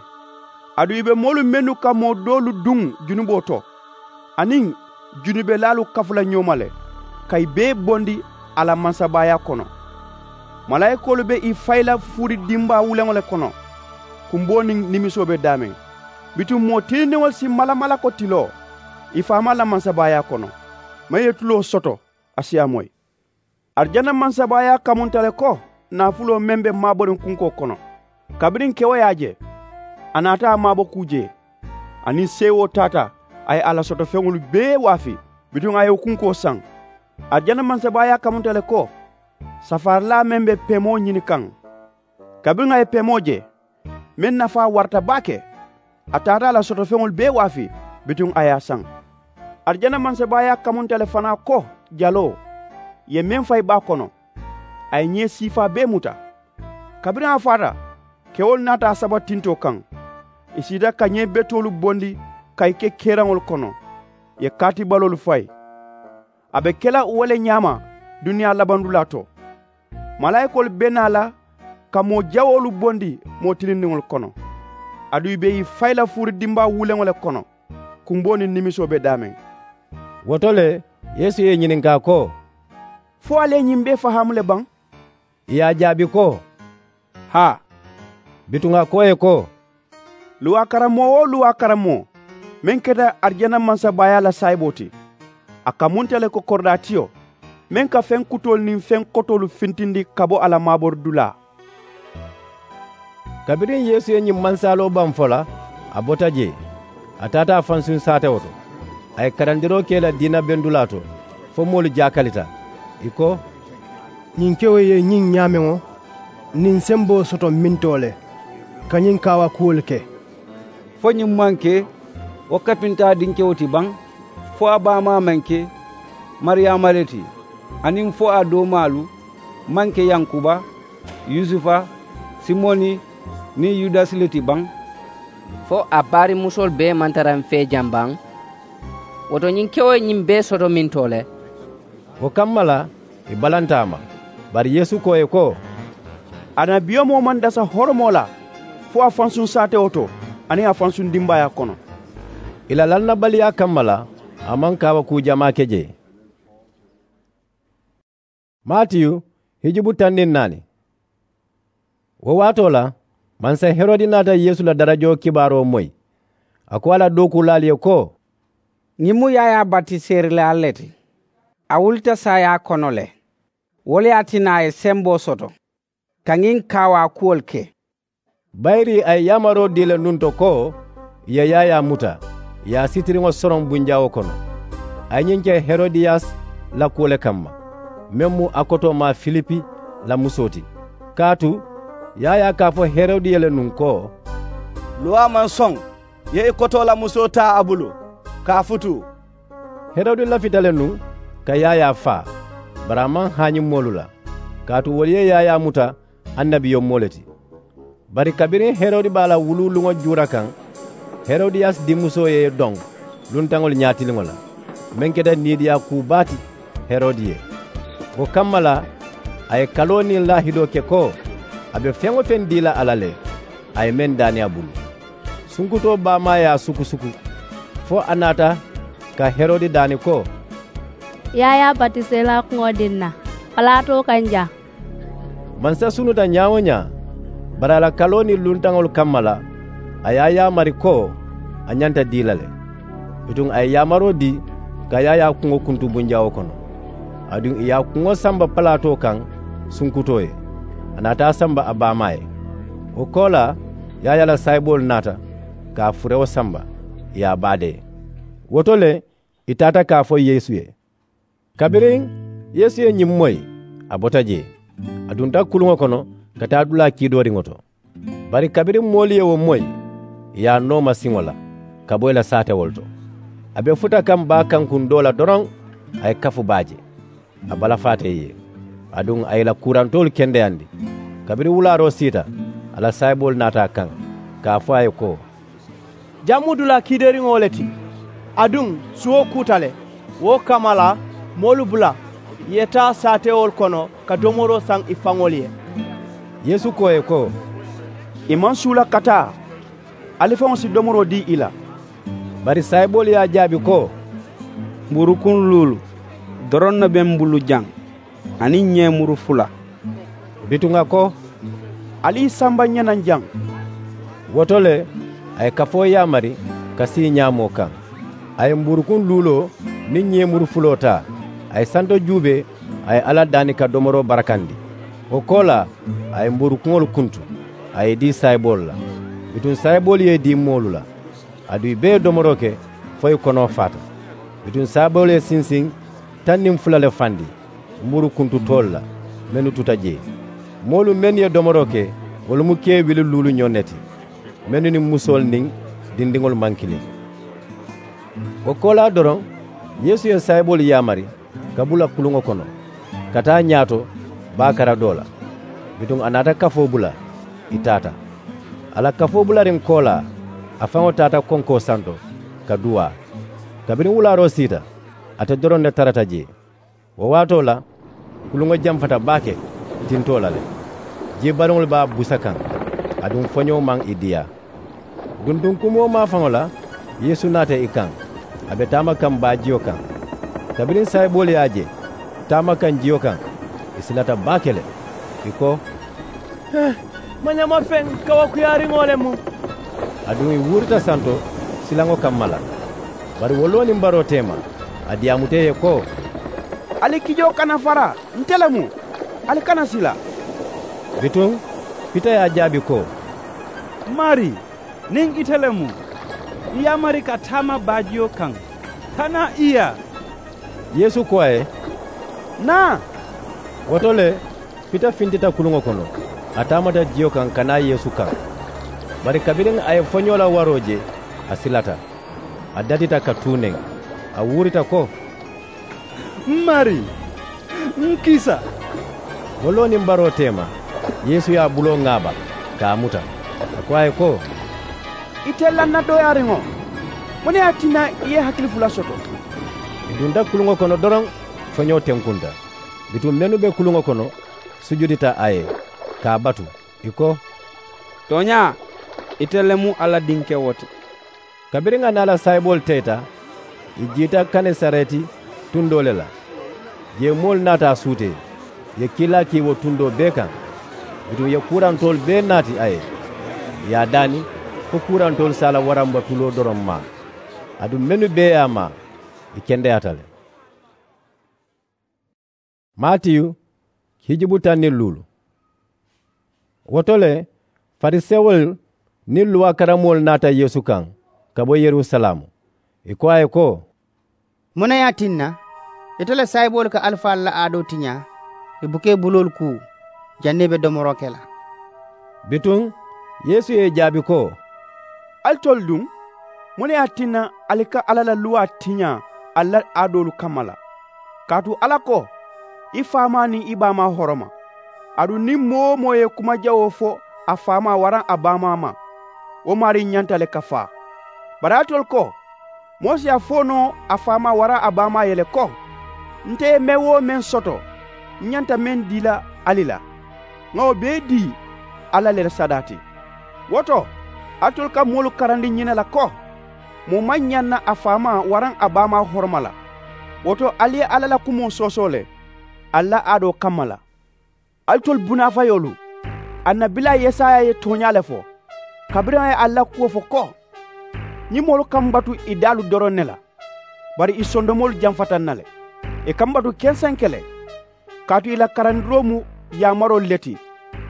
aduŋ ì be moolu mennu ka moo doolu duŋ junuboo to, aniŋ junubelaalu kafu la ñoo ma le, ka ì bee bondi a la mansabaayaa kono. Malaayikoolu be ì fayi la fuuri dimbaa wuleŋo le kono, kumboo niŋ nimisoo be daameŋ. Bituŋ moo tilindiŋolu si malamalako tiloo ì faamaa la mansabaayaa kono. Meŋ ye tuloo soto, a si a moyi. Arijana mansabaayaa kamunta le ko naafuloo meŋ be maaboriŋ kunkoo kono. Kabiriŋ kewo ye a je, a naata a maabo kuu jee. A niŋ seewoo taata, a ye a la sotofeŋolu bee waafi, bituŋ a ye wo kunkoo saŋ. Arijana mansabaayaa kamunta le ko safaarilaa meŋ be peemoo ñini kaŋ. Kabiriŋ a ye peemoo je, meŋ nafaa warata baake, a taata a la sotofeŋolu bee waafi, bituŋ a ye a saŋ. Arijana mansabaayaa kamunta le fanaa ko jaloo, ì ye meŋ fayi baa kono, a ye ñee siifaa bee muta. Kabiriŋ a faata, kewolu naata a saba tintoo kaŋ. Ì siita ka ñee betoolu bondi ka ì ke keeraŋolu kono, ì ye kaatibaloolu fayi. A be ke la wo le ñaama duniyaa labandulaa to. Malaayikoolu be naa la ka moo jawoolu bondi moo tilindiŋolu kono, aduŋ ì be ì fayi la fuuri dimbaa wuleŋo le kono, kumboo niŋ nimisoo be daameŋ. Wo to le, yeesu ye ì ñininkaa ko, fo ali ye ñiŋ bee fahaamu le baŋ? Ì ye a jaabi ko, haa. Bituŋ a ko ì ye ko, luwaa karammoo-wo-luwaa karammoo meŋ keta arijana mansabaayaa la saayiboo ti, a kamunta le ko koridaatiyo meŋ ka feŋ kutoolu niŋ feŋ kotoolu fintindi ka bo a la maaboridulaa. Kabiriŋ yeesu ye ñiŋ mansaaloo baŋ fo la, a bota jee, a taata a fansuŋ saatewo to. A ye karandiroo ke ì la diina bendulaa to fo moolu jaakalita, ì ko, ñiŋ kewo ye ñiŋ ñaameŋo niŋ semboo soto mintoo le ka ñiŋ kaawakuwolu ke? Fo ñiŋ maŋ ke wo kapintaa dinkewo ti baŋ? Fo a baamaa maŋ ke mariyaama le ti, aniŋ fo a doomaalu maŋ ke yankuba, yusufa, simoni, niŋ yudasi le ti baŋ? Fo a baarimusoolu bee maŋ tara m fee jaŋ baŋ? Wo to ñiŋ kewo ye ñiŋ bee soto mintoo le? Wo kamma la, ì balanta a ma. Bari yeesu ko ì ye ko, annabiyomoo maŋ dasa horomoo la fo a fansuŋ saatewo to aniŋ a fansuŋ dimbaayaa kono. Ì la lannabaliyaa kamma la, a maŋ kaawakuu jamaa ke jee. Matiyu, hijubu taŋ niŋ naani. Wo waatoo la, mansa herodi naata yeesu la darajoo kibaaroo moyi. A ko a la dookuulaalu ye ko, ñiŋ mu yaayaa batiseerilaalu le ti. A wulita saayaa kono le. Wo le ye a tinna a ye semboo soto ka ñiŋ kaawaa kuwolu ke. Bayiri a ye yamaroo dii le nuŋ to ko ì ye yaayaa muta, ì ye a sitiriŋo soroŋ bunjawoo kono. A ye ñiŋ ke herodiyasi la kuwo le kamma, meŋ mu a kotoomaa filipi la musoo ti. Kaatu yaayaa ka a fo herodi ye le nuŋ ko, luwaa maŋ soŋ ì ye i kotoo la musoo taa a bulu ka a futuu. Herodi lafita le nuŋ ka yaayaa faa, bari a maŋ haañi moolu la, kaatu wolu ye yaayaa muta annabiyomoo le ti. Bari kabiriŋ herodi be a la wuluuluŋo juura kaŋ, herodiyasi dinmusoo ye i doŋ luntaŋolu ñaatiliŋo la, meŋ keta niidiyaa kuu baa ti herodi ye. Wo kamma la, a ye kaloo niŋ laahidoo ke ko a be feŋ-wo-feŋ dii la a la le, a ye meŋ daani a bulu. Sunkutoo baamaa ye a sukusuku fo a naata ka herodi daani ko, yaayaa batiseelaa kuŋo dii n na, palaatoo ka n jaa. Mansa sunuta ñaa-wo-ñaa, Bari a la kaloo niŋ luntaŋolu kamma la, a ye a yaamari ko a ñanta dii la le. Bituŋ a ye yaamaroo dii ka yaayaa kuŋo kuntu bunjawoo kono. Aduŋ ì ye a kuŋo samba palaatoo kaŋ sunkutoo ye, a naata a samba a baamaa ye. Wo koolaa, yaayaa la saayiboolu naata ka a furewo samba, ì ye a baadee. Wo to le, ì taata ka a fo yeesu ye. Kabiriŋ yeesu ye ñiŋ moyi, a bota jee, a dunta kuluŋo kono ka taa dulaa kiidooriŋo to. Bari kabiriŋ moolu ye wo moyi, ì ye a nooma siŋo la ka bo ì la saatewolu to. A be futa kaŋ baa kankuŋ doo la doroŋ, a ye kafu baa je. A balafaata ì ye, aduŋ a ye ì la kuurantoolu kendeyandi. Kabiriŋ wulaaroo siita, a la saayiboolu naata a kaŋ ka a fo a ye ko, jaŋ mu dulaa kiideeriŋo le ti, aduŋ suwo kuuta le. Wo kamma la, moolu bula ì ye taa saatewolu kono ka domoroo saŋ ì faŋolu ye. Yeesu ko ì ye ko, ì maŋ suula ka taa. Ali faŋo si domoroo dii ì la. Bari saayiboolu ye a jaabi ko, mbuurukuŋ luulu doroŋ ne be m bulu jaŋ, aniŋ ñeemuru fula. Bituŋ a ko, ali ì samba ǹ ye naŋ jaŋ. Wo to le, a ye kafoo yaamari ka sii ñaamoo kaŋ. A ye mbuurukuŋ luuloo niŋ ñeemuru fuloo taa, a ye santo juubee, a ye alla daani ka domoroo barakandi. Wo koolaa, a ye mbuurukuŋolu kuntu, a ye ì dii saayiboolu la. Bituŋ saayiboolu ye ì dii moolu la, aduŋ ì bee ye domoroo ke fo ì konoo faata. Bituŋ saayiboolu ye sinsiŋ taŋ niŋ fula le fandi mbuuru kuntu toolu la, mennu tuta jee. Moolu mennu ye domoroo ke, wolu mu kee wili luuluñoŋ ne ti, mennu niŋ musoolu niŋ dindiŋolu maŋ kiliŋ. Wo koolaa doroŋ, yeesu ye saayiboolu yaamari ka bula kuluŋo kono ka taa ñaato baa kara doo la. Bituŋ a naata kafoo bula, ì taata. A la kafoo bulariŋ koolaa, a faŋo taata konkoo santo ka duwaa. Kabiriŋ wulaaroo siita, ate doroŋ ne tarata jee. Wo waatoo la, kuluŋo jamfata baake tintoo la le. Jii baliŋolu be a busa kaŋ, aduŋ foñoo maŋ ì diyaa. Duntuŋ kumoo maafaŋo la, yeesu naata ì kaŋ, a be taama kaŋ baajiyo kaŋ. Kabiriŋ saayiboolu ye a je taama kaŋ jiyo kaŋ, ì silata baake le. Ì ko, mañamafeŋ kawakuyaariŋo le mu. Aduŋ ì wuurita santo silaŋo kamma la. Bari wo loo niŋ baroo teema, a diyaamuta ì ye ko, ali kijoo kana fara, nte le mu, ali kana sila. Bituŋ pita ye a jaabi ko, maarii, niŋ ite le mu, ǹ yaamari ka taama baajiyo kaŋ ka naa ì yaa. Yeesu ko a ye, naa. Wo to le, pita fintita kuluŋo kono, a taamata jiyo kaŋ ka naa yeesu kaŋ. Bari kabiriŋ a ye foñoo la waroo je, a silata, a datita ka tuu neŋ, a wuurita ko, m maarii, n kiisa. Wo loo niŋ baroo teema, yeesu ye a buloo ŋaaba ka a muta, a ko a ye ko, ite lannadooyaariŋo, muŋ ne ye a tinna i ye hakili fula soto? Ì dunta kuluŋo kono doroŋ, foñoo tenkunta. Bituŋ mennu be kuluŋo kono sujudita a ye, ka a batu, ì ko, tooñaa, ite le mu alla dinkewo ti. Kabiriŋ a niŋ a la saayiboolu teeta, ì jiita genesareti tundoo le la. Jee moolu naata a suutee, ì ye kiilaa kii wo tundoo bee kaŋ. Bituŋ ì ye kuurantoolu bee naati a ye, ì ye a daani fo kuurantoolu si a la waramba tuloo doroŋ maa. Aduŋ mennu bee ye a maa, ì kendeyaata le. Maatiyu, hijubu taŋ niŋ luulu. Wo to le, farisewolu niŋ luwaa karammoolu naata yeesu kaŋ ka bo yerusalaamu. Ì ko a ye ko, muŋ ne ye a tinna ite la saayiboolu ka alifaalu la aadoo tiñaa, ì buka ì buloolu kuu janniŋ ì be domoroo ke la? Bituŋ yeesu ye ì jaabi ko, alitolu duŋ, muŋ ne ye a tinna ali ka alla la luwaa tiñaa ali la aadoolu kamma la? Kaatu alla ko, i faamaa niŋ i baamaa horoma. Aduŋ niŋ moo-wo-moo ye kuma jawoo fo a faamaa waraŋ a baamaa ma, wo maarii ñanta le ka faa. Bari alitolu ko, moo si a fo noo a faamaa waraŋ a baamaa ye le ko, nte ye meŋ-wo-meŋ meŋ soto, ǹ ñanta meŋ dii la ali la, ŋa wo bee dii alla le la sadaa ti. Wo to, alitolu ka moolu karandi ñiŋ ne la ko, moo maŋ ñaŋ na a faamaa waraŋ a baamaa horoma la. Wo to, ali ye alla la kumoo soosoo le ali la aadoo kamma la. Alitolu bunaafayoolu, Annabilaa yesaya ye tooñaa le fo, kabiriŋ a ye alla la kuwo fo ko, ñiŋ moolu ka m batu ì daalu doroŋ ne la, bari ì sondomoolu jamfata n na le. Ì ka m batu kenseŋ ke le, kaatu ì la karandiroo mu yaamaroolu le ti,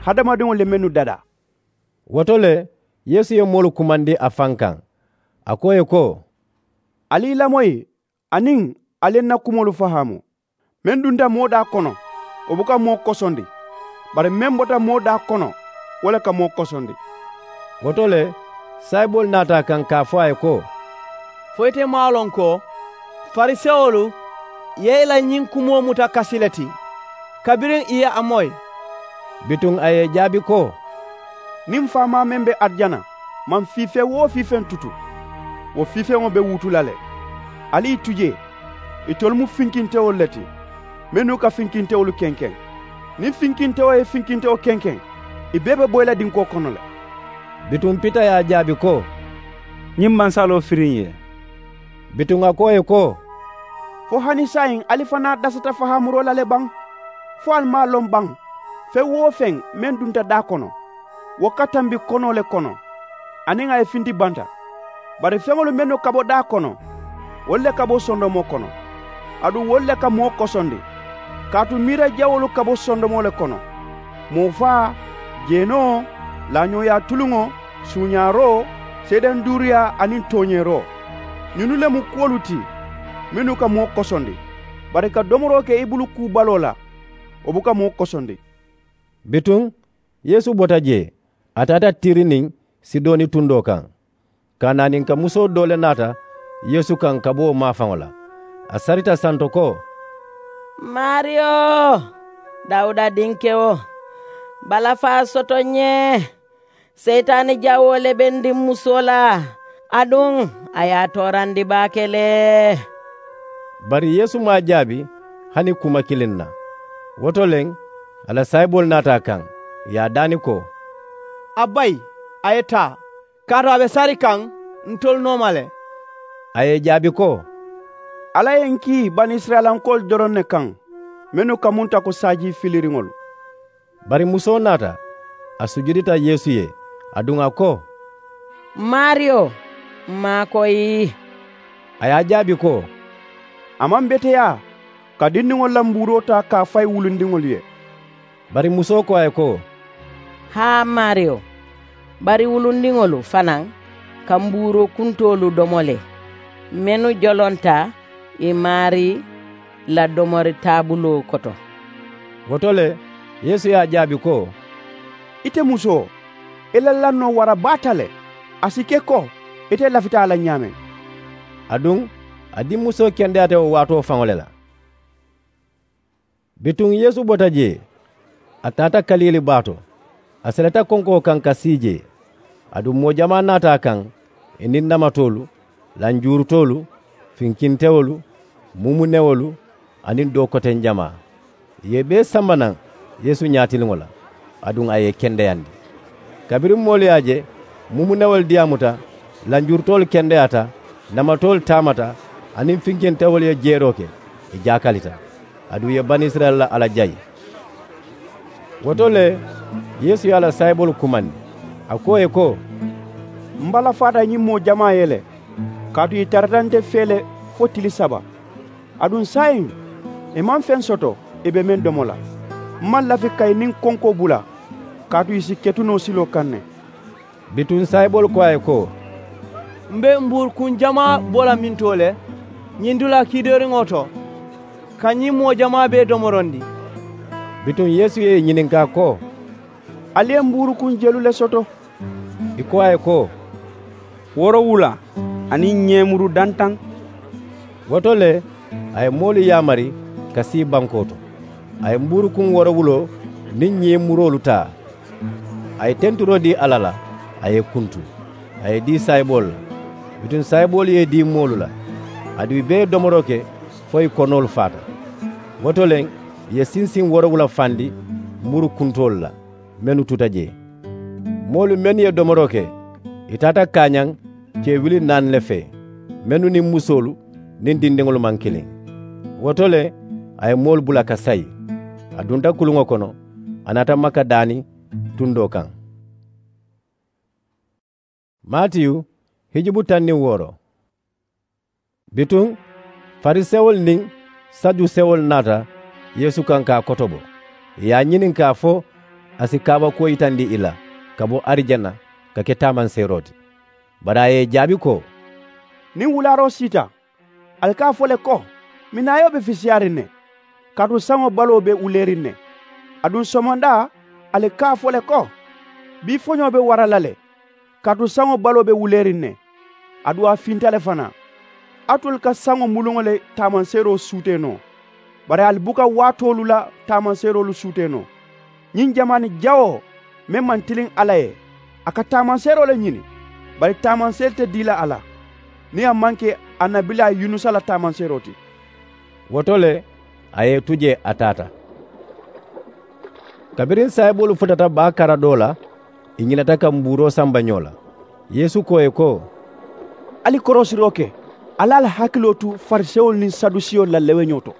hadamadiŋolu ye mennu dadaa. Wo to le, yeesu ye moolu kumandi a faŋ kaŋ, a ko ì ye ko, ali ì lamoyi, aniŋ ali ye n na kumoolu fahaamu. Meŋ dunta moo daa kono, wo buka moo kosondi, bari meŋ bota moo daa kono, wo le ka moo kosondi. Wo to le, saayiboolu naata a kaŋ ka a fo a ye ko, fo ite maŋ a loŋ ko farisewolu ye i la ñiŋ kumoo muta kasi le ti, kabiriŋ i ye a moyi? Bituŋ a ye ì jaabi ko, niŋ m faamaa meŋ be arijana maŋ fii feŋ-wo-fii feŋ tutu, wo fii feŋo be wutu la le. Ali ì tu jee, itolu mu finkintewolu le ti, mennu ka finkintewolu kenkeŋ. Niŋ finkintewo ye finkintewo kenkeŋ, ì bee be boyi la dinkoo kono le. Bituŋ pita ye a jaabi ko, ñiŋ maŋ saloo firi n ye. Bituŋ a ko ì ye ko, fo hani saayiŋ ali fanaa dasata fahaamuroo la le baŋ? Fo ali maŋ a loŋ baŋ, feŋ-wo-feŋ meŋ dunta daa kono, wo ka tambi konoo le kono, aniŋ a ye finti banta. Bari feŋolu mennu ka bo daa kono, wolu le ka bo sondomoo kono, aduŋ wolu le ka moo kosondi. Kaatu miira jawoolu ka bo sondomoo le kono, moo faa, jeenoo, laañooyaa tuluŋo, suuñaaroo, seedenduuriyaa aniŋ tooñeeroo. Ñinnu le mu kuwolu ti mennu ka moo kosondi. Bari ka domoroo ke i bulu kuu baloo la, wo buka moo kosondi. Bituŋ yeesu bota jee, a taata tiri niŋ sidoni tundoo kaŋ. Kaanaaninka musoo doo le naata yeesu kaŋ ka bo wo maafaŋo la. A sarita santo ko, maariyo, dawuda dinkewo, balafaa soto n ye. Seyitaani jawoo le be n diŋ musoo la, aduŋ a ye a toorandi baake le. Bari yeesu maŋ a jaabi hani kuma kiliŋ na. Wo to le, a la saayiboolu naata a kaŋ, ì ye a daani ko, a bayi, a ye taa, kaatu a be sari kaŋ ntolu nooma le. A ye ì jaabi ko, alla ye ǹ kii banisirayilankoolu doroŋ ne kaŋ, mennu kamunta ko saajii filiriŋolu. Bari musoo naata, a sujudita yeesu ye, aduŋ a ko, m maariyo, m maakoyi. A ye a jaabi ko, a maŋ beteyaa ka dindiŋolu la mbuuroo taa ka a fayi wulundiŋolu ye. Bari musoo ko a ye ko, haa m maariyo, bari wulundiŋolu fanaa ka mbuuroo kuntoolu domo le, mennu jolonta ì maarii la domori taabuloo koto. Wo to le, yeesu ye a jaabi ko, ite musoo, i la lannoo wara baata le. A si ke ko ite lafita a la ñaameŋ. Aduŋ a diŋ musoo kendeyaata wo waatoo faŋo le la. Bituŋ yeesu bota jee, a taata kaliili baa to, a seleta konkoo kaŋ ka sii jee. Aduŋ moo jamaa naata a kaŋ, ì niŋ namatoolu, lanjuurutoolu, finkintewolu, mumunewolu, aniŋ doo koteŋ jamaa. Ì ye ì bee samba naŋ yeesu ñaatiliŋo la, aduŋ a ye ì kendeyandi. Kabiriŋ moolu ye a je, mumunewolu diyaamuta, lanjuurutoolu kendeyaata, namatoolu taamata, aniŋ finkintewolu ye jeeroo ke, ì jaakalita. Aduŋ ì ye banisirayila la alla jayi. Wo to le, yeesu ye a la saayiboolu kumandi, a ko ì ye ko, m balafaata ñiŋ moo jamaa ye le, kaatu ì tarata nte fee le fo tili saba. Aduŋ saayiŋ, ì maŋ feŋ soto ì be meŋ domo la. M maŋ lafi ka ì niŋ konkoo bula, kaatu ì si ketu noo siloo kaŋ ne. Bituŋ saayiboolu ko a ye ko, m be mbuurukuŋ jamaa bo la mintoo le ñiŋ dulaa kiidooriŋo to, ka ñiŋ moo jamaa bee domorondi? Bituŋ yeesu ye ì ñininkaa ko, ali ye mbuurukuŋ jelu le soto? Ì ko a ye ko, woorowula aniŋ ñeemuru dantaŋ. Wo to le, a ye moolu yaamari ka sii bankoo to. A ye mbuurukuŋ woorowuloo niŋ ñeemuroolu taa, a ye tenturoo dii alla la, a ye ì kuntu, a ye ì dii saayiboolu la. Bituŋ saayiboolu ye ì dii moolu la, aduŋ ì bee ye domoroo ke fo ì konoolu faata. Wo to le, ì ye sinsiŋ woorowula fandi muru kuntoolu la mennu tuta jee. Moolu mennu ye domoroo ke, ì taata kaañaŋ kee wuli naani le fee, mennu niŋ musoolu niŋ dindiŋolu maŋ kiliŋ. Wo to le, a ye moolu bula ka sayi. A dunta kuluŋo kono, a naata makka daani, tundoo kaŋ. Maatiyu hijubu taŋ niŋ wooro. Bituŋ farisewolu niŋ sajusewolu naata yeesu kaŋ ka a kotobo, ì ye a ñininkaa fo a si kaabakuwo yitandi ì la ka bo arijana ka ke taamanseeroo ti. Bari a ye ì jaabi ko, niŋ wulaaroo siita, ali ka a fo le ko, minnaayoo be fisiyaariŋ ne, kaatu saŋo baloo be wuleeriŋ ne. Aduŋ somondaa ali ka a fo le ko, bii foñoo be wara la le, kaatu saŋo baloo be wuleeriŋ ne. Aduŋ a finta le fanaa. Alitolu ka saŋo muluŋo le taamanseeroo suutee noo, bari ali buka waatoolu la taamanseeroolu suutee noo. Ñiŋ jamaani jawoo meŋ maŋ tiliŋ alla ye, a ka taamanseeroo le ñini, bari taamanseeri te dii la a la niŋ a maŋ ke annabilaa yunusa la taamanseeroo ti. Wo to le a ye ì tu jee a taata. Kabiriŋ saayiboolu futata baa kara doo la, ì ñinata ka mbuuroo samba ñoo la. Yeesu ko ì ye ko, ali koroosiroo ke, ali ali hakiloo tu farisewolu niŋ sadusewolu la leweñoo to.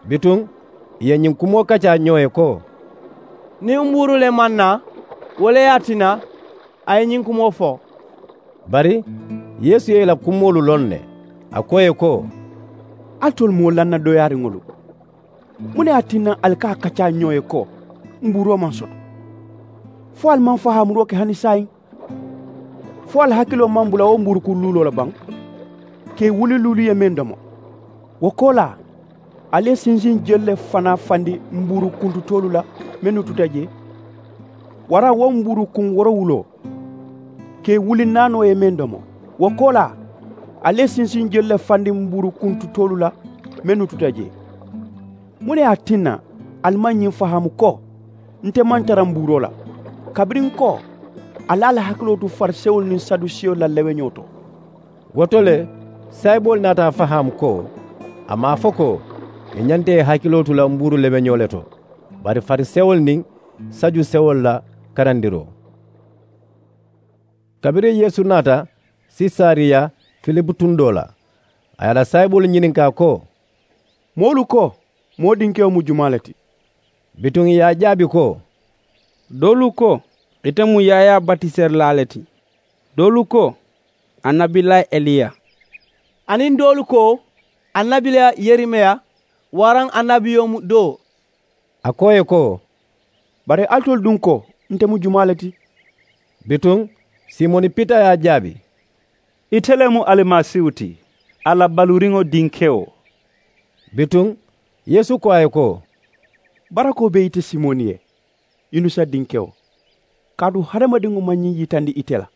Bituŋ ì ye ñiŋ kumoo kaccaa ñoo ye ko, niŋ mbuuru le maŋ naa, wo le ye a tinna a ye ñiŋ kumoo fo. Bari yeesu ye ì la kumoolu loŋ ne. A ko ì ye ko, alitolu moo lanna dooyaariŋolu, muŋ ne ye a tinna ali ka a kaccaa ñoo ye ko mbuuroo maŋ soto? Fo ali maŋ fahaamuroo ke hani saayiŋ? Fo ali hakiloo maŋ bula wo mbuurukuŋ luuloo la baŋ? Ke wuli luulu ye meŋ domo, wo koolaa ali ye sinsiŋ jelu le fanaa fandi mbuuru kuntutoolu la mennu tuta jee? Waraŋ wo mbuuru kuŋ woorowuloo, ke wuli naanoo ye meŋ domo, wo koolaa ali ye sinsiŋ jelu le fandi mbuuru kuntutoolu la mennu tuta jee? Muŋ ne ye a tinna ali maŋ ñiŋ fahaamu ko nte maŋ tara mbuuroo la, kabiriŋ ko ali ali hakiloo tu farisewolu niŋ sadusewolu la leweñoo to? Wo to le saayiboolu naata a fahaamu ko a maŋ a fo ko ì ñanta ì hakiloo tu la mbuuru leweñoo le to, bari farisewolu niŋ sajusewolu la karandiroo. Kabiriŋ yeesu naata sesariya filipu tundoo la, a ye a la saayiboolu ñininkaa ko, moolu ko moo dinkewo mu jumaa le ti? Bituŋ ì ye a jaabi ko, doolu ko ite mu yaayaa batiserilaa le ti, doolu ko annabilaa eliya, aniŋ doolu ko annabilaa yerimeya, waraŋ annabiyo mu doo. A ko ì ye ko, bari alitolu duŋ ko nte mu jumaa le ti? Bituŋ simoni pita ye a jaabi, ite le mu alimasiihu ti, alla baluuriŋo dinkewo. Bituŋ yeesu ko a ye ko, barakoo be ite simoni ye, yunusa dinkewo, kaatu hadamadiŋo maŋ ñiŋ yitandi ite la,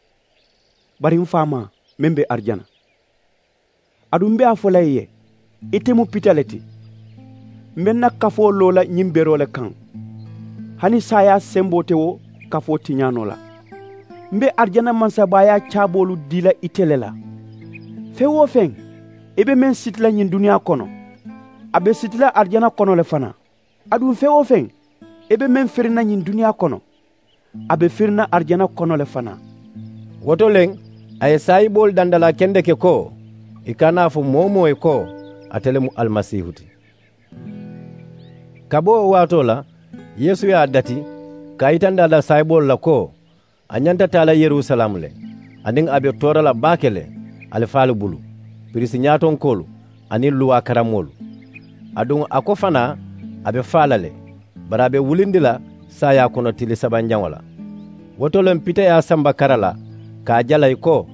bari m faamaa meŋ be arijana. Aduŋ m be a fo la i ye, ite mu pita le ti. M be n na kafoo loo la ñiŋ beroo le kaŋ, hani saayaa semboo te wo kafoo tiñaa noo la. M be arijana mansabaayaa caaboolu dii la ite le la. Feŋ-wo-feŋ i be meŋ siti la ñiŋ duniyaa kono, a be siti la arijana kono le fanaa. Aduŋ feŋ-wo-feŋ i be meŋ firi na ñiŋ duniyaa kono, a be firi na arijana kono le fanaa. Wo to le a ye saayiboolu dandalaa kendeke ko, ì kana a fo moo-wo-moo ye ko ate le mu alimasiihu ti. Ka bo wo waatoo la yeesu ye a dati ka a yitandi a la saayiboolu la ko a ñanta taa la yerusalaamu le, aniŋ a be toora la baake le alifaalu bulu, piriisi ñaatonkoolu aniŋ luwaa karammoolu. Aduŋ a ko fanaa a be faa la le, bari a be wulindi la saayaa kono tili sabanjaŋo la. Wo to le m pita ye a samba kara la ka a jala ì ko,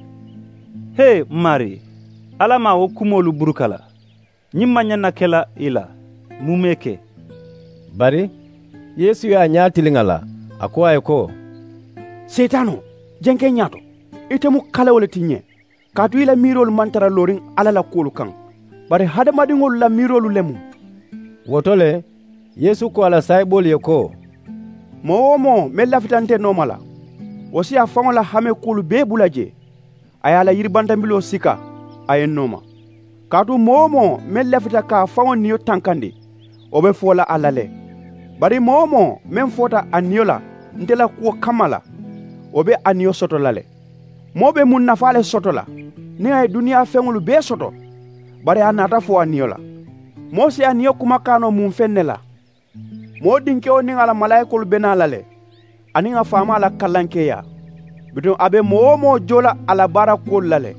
hee m maarii, alla maŋ a wo kumoolu buruka la. Ñiŋ maŋ ñaŋ na ke la i la. Muumee ke? Bari yeesu ye a ñaa tiliŋ a la, a ko a ye ko, seetaanoo, jenke n ñaato. Ite mu kalewo le ti n ye, kaatu i la miiroolu maŋ tara looriŋ alla la kuwolu kaŋ, bari hadamadiŋolu la miiroolu le mu. Wo to le yeesu ko a la saayiboolu ye ko, moo-wo-moo meŋ lafita nte nooma la, wo si a faŋo la hamee kuwolu bee bula jee, a ye a la yiribantambiloo sika, a ye n nooma. Kaatu moo-wo-moo meŋ lafita ka a faŋo niyo tankandi, wo be foo la a la le. Bari moo-wo-moo meŋ foota a niyo la nte la kuwo kamma la, wo be a niyo soto la le. Moo be muŋ nafaa le soto la niŋ a ye duniyaa feŋolu bee soto, bari a naata fo a niyo la? Moo si a niyo kumakaanoo muŋ feŋ ne la? Moo dinkewo niŋ a la malaayikoolu be naa la le, aniŋ a faamaa la kalankeeyaa. Bituŋ a be moo-wo-moo joo la a la baara kuwolu la le.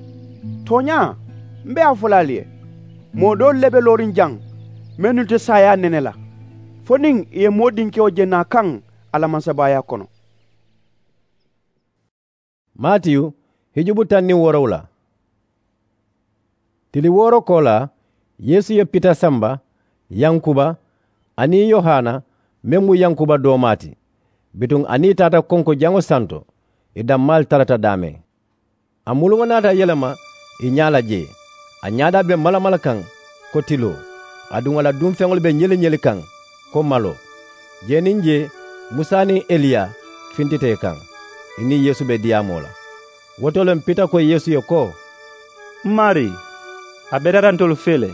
Tooñaa, m be a fo la ali ye, moo doolu le be looriŋ jaŋ mennu te saayaa nene la, fo niŋ ì ye moo dinkewo je naa kaŋ a la mansabaayaa kono. Maatiyu, hijubu taŋ niŋ woorowula. Tili wooro koolaa, yeesu ye pita samba, yankuba, aniŋ yohana, meŋ mu yankuba doomaa ti. Bituŋ a niŋ ì taata konko jaŋo santo, ì dammaalu tarata daameŋ. A muluŋo naata yelema ì ñaa la jee. A ñaadaa be malamala kaŋ ko tiloo, aduŋ a la dunfeŋolu be ñeli-ñeli kaŋ ko maloo. Jee niŋ jee, musa niŋ eliya fintita ì kaŋ, ì niŋ yeesu be diyaamoo la. Wo to le m pita ko yeesu ye ko, m maarii, a betata ntolu fee le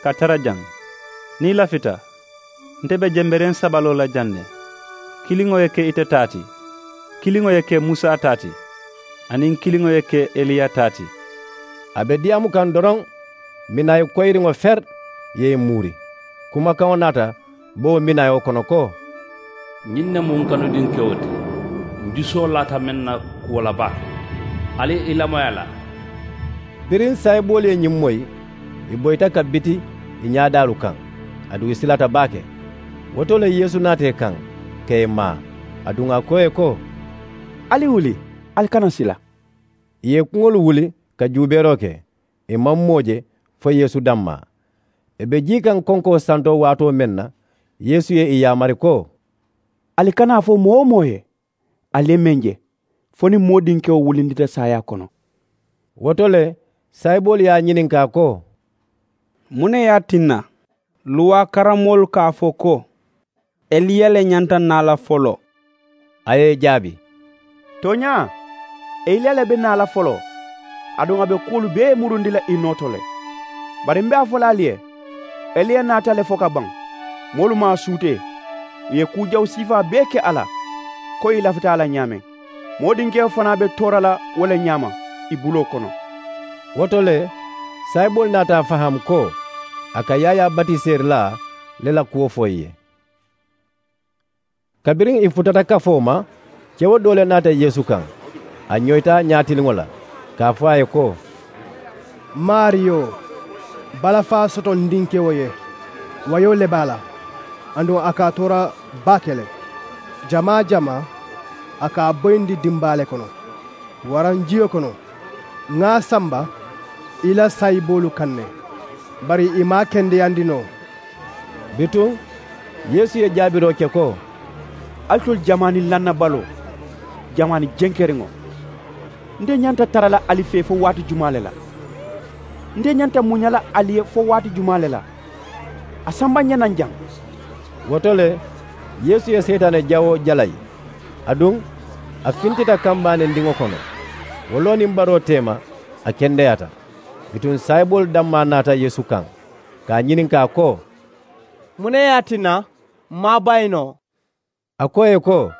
ka tara jaŋ. Niŋ i lafita, nte be jembereŋ saba loo la jaŋ ne. Kiliŋo ye ke ite taa ti, kiliŋo ye ke musa taa ti, aniŋ kiliŋo ye ke eliya taa ti. A be diyaamu kaŋ doroŋ, minayi koyiriŋo feri ye ì muuri. Kumakaŋo naata bo wo minayo kono ko, ñiŋ ne mu n kanudinkewo ti, m jusoo laata meŋ na kuwo la baake. Ali ì lamoyi a la. Biriŋ saayiboolu ye ñiŋ moyi, ì boyita ka biti ì ñaadaalu kaŋ, aduŋ ì silata baake. Wo to le yeesu naata ì kaŋ ka ì maa, aduŋ a ko ì ye ko, ali wuli, ali kana sila. Ì ye ì kuŋolu wuli ka juubeeroo ke. Ì maŋ moo je fo yeesu dammaa. Ì be jii kaŋ konkoo santoo waatoo meŋ na, yeesu ye ì yaamari ko, ali kana a fo moo-wo-moo ye ali ye meŋ je, fo niŋ moo dinkewo wulindita saayaa kono. Wo to le, saayiboolu ye a ñininkaa ko, muŋ ne ye a tinna luwaa karammoolu ka a fo ko, eliya le ñanta naa la foloo? A ye ì jaabi, tooñaa, eliya le be naa la foloo, aduŋ a be kuwolu bee murundi la ì noo to le. Bari m be a fo la ali ye, eliya naata le fo ka baŋ, moolu maŋ a suutee, ì ye kuu jawu siifaa bee ke a la, ko ì lafita a la ñaameŋ. Moo dinkewo fanaa be toora la wo le ñaama ì buloo kono. Wo to le, saayiboolu naata a faham ko a ka yaayaa batiseerilaa le la kuwo fo ì ye. Kabiriŋ ì futata kafoo ma, kewo doo le naata yeesu kaŋ. A ñoyita ñaatiliŋo la ka a fo a ye ko, maariyo, balafaa soto n dinkewo ye. Wayoo le be a la, aduŋ a ka a toora baake le. Jamaa-jamaa a ka a boyindi dimbaa le kono waraŋ jiyo kono. Ŋa a samba i la saayiboolu kaŋ ne, bari ì maŋ a kendeyandi noo. Bituŋ yeesu ye jaabiroo ke ko, alitolu jamaani lannabaloo, jamaani jenkeriŋo, nte ñanta tara la ali fee fo waati jumaa le la? Nte ñanta muña la ali ye fo waati jumaa le la? A samba n ye naŋ jaŋ. Wo to le, yeesu ye seyitaane jawoo jalayi, aduŋ a fintita kambaani ndiŋo kono. Wo loo niŋ baroo teema, a kendeyaata. Bituŋ saayiboolu dammaa naata yeesu kaŋ ka a ñininkaa ko, muŋ ne ye a tinna m maŋ a bayi noo? A ko ì ye ko,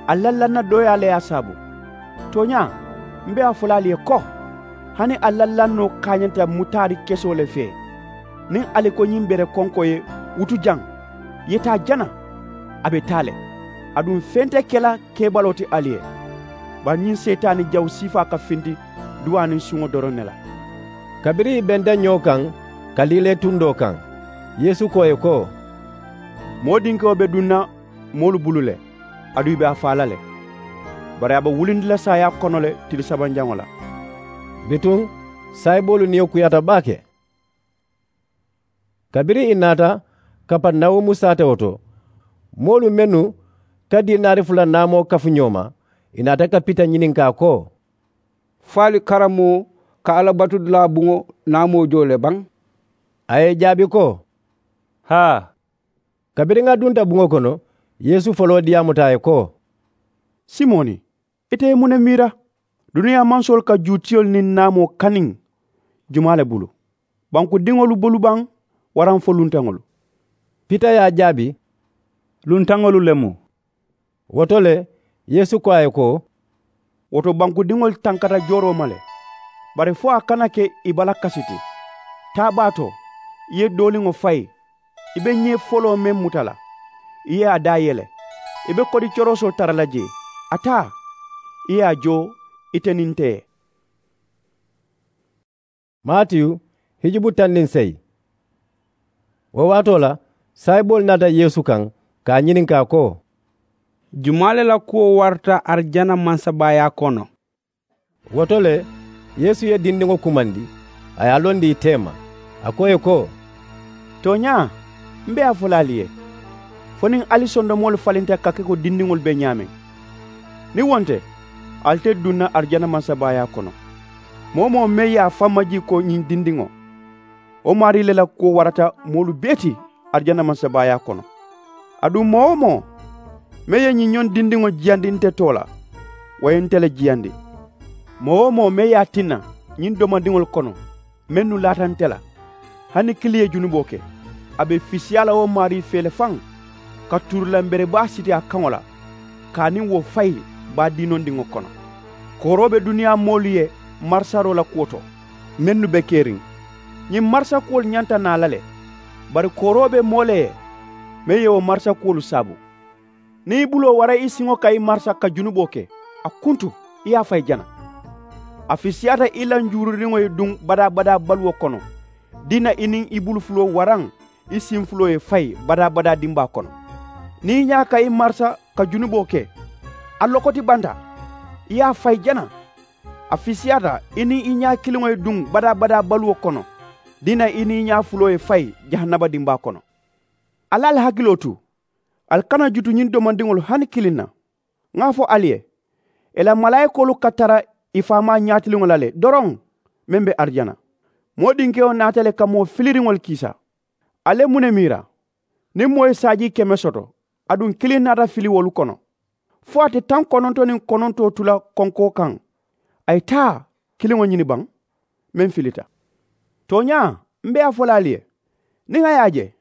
ali la lanna dooyaa le ye a saabu. Tooñaa, m be a fo la ali ye ko, hani ali la lannoo kaañanta mutaadi kesoo le fee. Niŋ ali ko ñiŋ bere konkoo ye, wutu jaŋ, ì ye taa jana, a be taa le. Aduŋ feŋ te ke la keebaloo ti ali ye. Bari ñiŋ seyitaani jawu siifaa ka finti duwaa niŋ suŋo doroŋ ne la. Kabiriŋ ì benta ñoo kaŋ ka liilee tundoo kaŋ, yeesu ko ì ye ko, moo dinkewo be duŋ na moolu bulu le, aduŋ ì be a faa la le. Bari a be wulindi la saayaa kono le tili sabanjaŋo la. Bituŋ saayiboolu niyo kuyaata baake. Kabiriŋ ì naata kaparinawumu saatewo to, moolu mennu ka diinaari fula naamoo kafu ñoo ma, ì naata ka pita ñininkaa ko, fo ali karammoo ka alla batudulaa buŋo naamoo joo le baŋ? A ye ì jaabi ko, haa. Kabiriŋ a dunta buŋo kono, yeesu foloo diyaamuta a ye ko, simoni, ite ye muŋ ne miira? Duniyaa mansoolu ka juutiyolu niŋ naamoo kaniŋ jumaa le bulu? Bankudiŋolu bulu baŋ, waraŋ fo luntaŋolu? Pita ye a jaabi, luntaŋolu le mu. Wo to le, yeesu ko a ye ko, wo to bankudiŋolu tankata jooroo ma le. Bari fo a kana ke ì balakasi ti. Taa baa to, ì ye dooliŋo fayi, ì be ñee foloo meŋ muta la, ì ye a daa yele. I be kodi corosoo tara la jee. A taa, i ye a joo ite niŋ nte ye. Matiyu hijubu taŋ niŋ seyi. Wo waatoo la, saayiboolu naata Yeesu kaŋ ka a ñininkaa ko, jumaa le la kuwo warata arijana mansabaayaa kono? Wo to le, Yeesu ye dindiŋo kumandi, a ye a londi ì teema, a ko ì ye ko, tooñaa, m be a fo la ali ye, fo niŋ ali sondomoolu falinta ka ke ko dindiŋolu be ñaameŋ, niŋ wo nte, ali te duŋ na arijana mansabaayaa kono. Moo-wo-moo meŋ ye a faŋ majii ko ñiŋ dindiŋo, wo maarii le la kuwo warata moolu bee ti arijana mansabaayaa kono. Aduŋ moo-wo-moo meŋ ye ñiŋ ñoŋ dindiŋo jiyandi nte too la, wo ye nte le jiyandi. Moo-wo-moo meŋ ye a tinna ñiŋ domandiŋolu kono mennu laata nte la, hani kiliŋ ye junuboo ke, a be fisiyaa la wo maarii fee le faŋ, ka tuurilamberebaa siti a kaŋo la, ka a niŋ wo fayi baa diinondiŋo kono. Kooroo be duniyaa moolu ye marisaroo la kuwo to mennu be keriŋ. Ñiŋ marisa kuwolu ñanta naa la le, bari kooroo be moo le ye meŋ ye wo marisa kuwolu saabu. Niŋ i buloo wara i siŋo kaŋ i marisa ka junuboo ke, a kuntu, i ye a fayi jana. A fisiyaata i la njuururiŋo ye duŋ badaa-badaa baluwo kono, diina i niŋ i bulu fuloo waraŋ i siŋ fuloo ye fayi badaa-badaa dimbaa kono. Niŋ i ñaa ka i marisa ka junuboo ke, a lokoti banta, i ye a fayi jana. A fisiyaata i niŋ i ñaa kiliŋo ye duŋ badaa-badaa baluwo kono, diina i niŋ i ñaa fuloo ye fayi jahannaba dimbaa kono. Ali ali hakiloo tu, ali kana jutu ñiŋ domandiŋolu hani kiliŋ na. Ŋa a fo ali ye, ì la malaayikoolu ka tara ì faamaa ñaatiliŋo la le doroŋ, meŋ be arijana. Moo dinkewo naata le ka moo filiriŋolu kiisa. Ali ye muŋ ne miira? Niŋ moo ye saajii keme soto, aduŋ kiliŋ naata fili wolu kono, fo a te taŋ kononto niŋ konontoo tu la konkoo kaŋ, a ye taa kiliŋo ñini baŋ meŋ filita? Tooñaa, m be a fo la ali ye, niŋ a ye a je,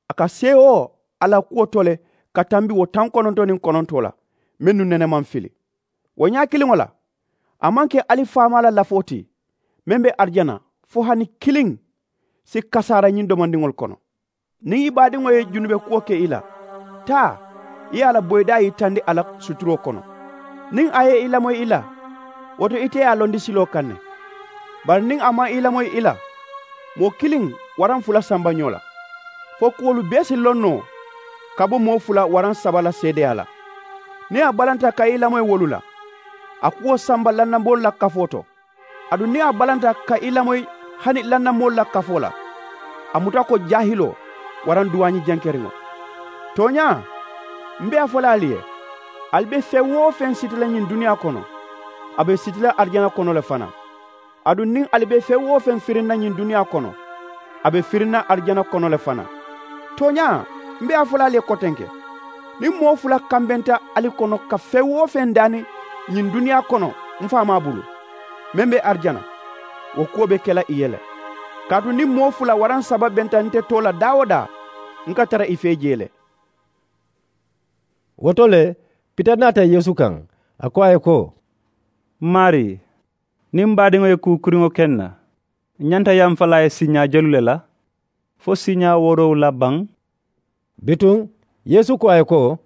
a ka seewoo a la kuwo to le ka tambi wo taŋ kononto niŋ konontoo la mennu nene maŋ fili. Wo ñaa kiliŋo la, a maŋ ke ali faamaa la lafoo ti meŋ be arijana, fo hani kiliŋ si kasaara ñiŋ domandiŋolu kono. Niŋ i baadiŋo ye junube kuwo ke i la, taa, i ye a la boyidaa yitandi a la suturoo kono. Niŋ a ye i lamoyi i la, wo to ite ye a londi siloo kaŋ ne. Bari niŋ a maŋ i lamoyi i la, moo kiliŋ waraŋ fula samba ñoo la, fo kuwolu bee si loŋ noo ka bo moo fula waraŋ saba la seedeyaa la. Niŋ a balanta ka i lamoyi wolu la, a kuwo samba lannamoolu la kafoo to. Aduŋ niŋ a balanta ka i lamoyi hani lannamoolu la kafoo la, a muta ko jaahiloo waraŋ duwaañi jankeriŋo. Tooñaa, m be a fo la ali ye, ali be feŋ-wo-feŋ siti la ñiŋ duniyaa kono, a be siti la arijana kono le fanaa. Aduŋ niŋ ali be feŋ-wo-feŋ firinna ñiŋ duniyaa kono, a be firinna arijana kono le fanaa. Tooñaa, m be a fo la ali ye kotenke, niŋ moo fula kambenta ali kono ka feŋ-wo-feŋ daani ñiŋ duniyaa kono m faamaa bulu, meŋ be arijana, wo kuwo be ke la ì ye le. Kaatu niŋ moo fula waraŋ saba benta nte too la daa-wo-daa, n ka tara ì fee jee le. Wo to le, pita naata yeesu kaŋ, a ko a ye ko, maarii, niŋ m baadiŋo ye kuu kuriŋo ke n na, n ñanta yamfalaa ye siiñaa jelu le la? Fo siiñaa woorowula baŋ? Bituŋ yeesu ko a ye ko,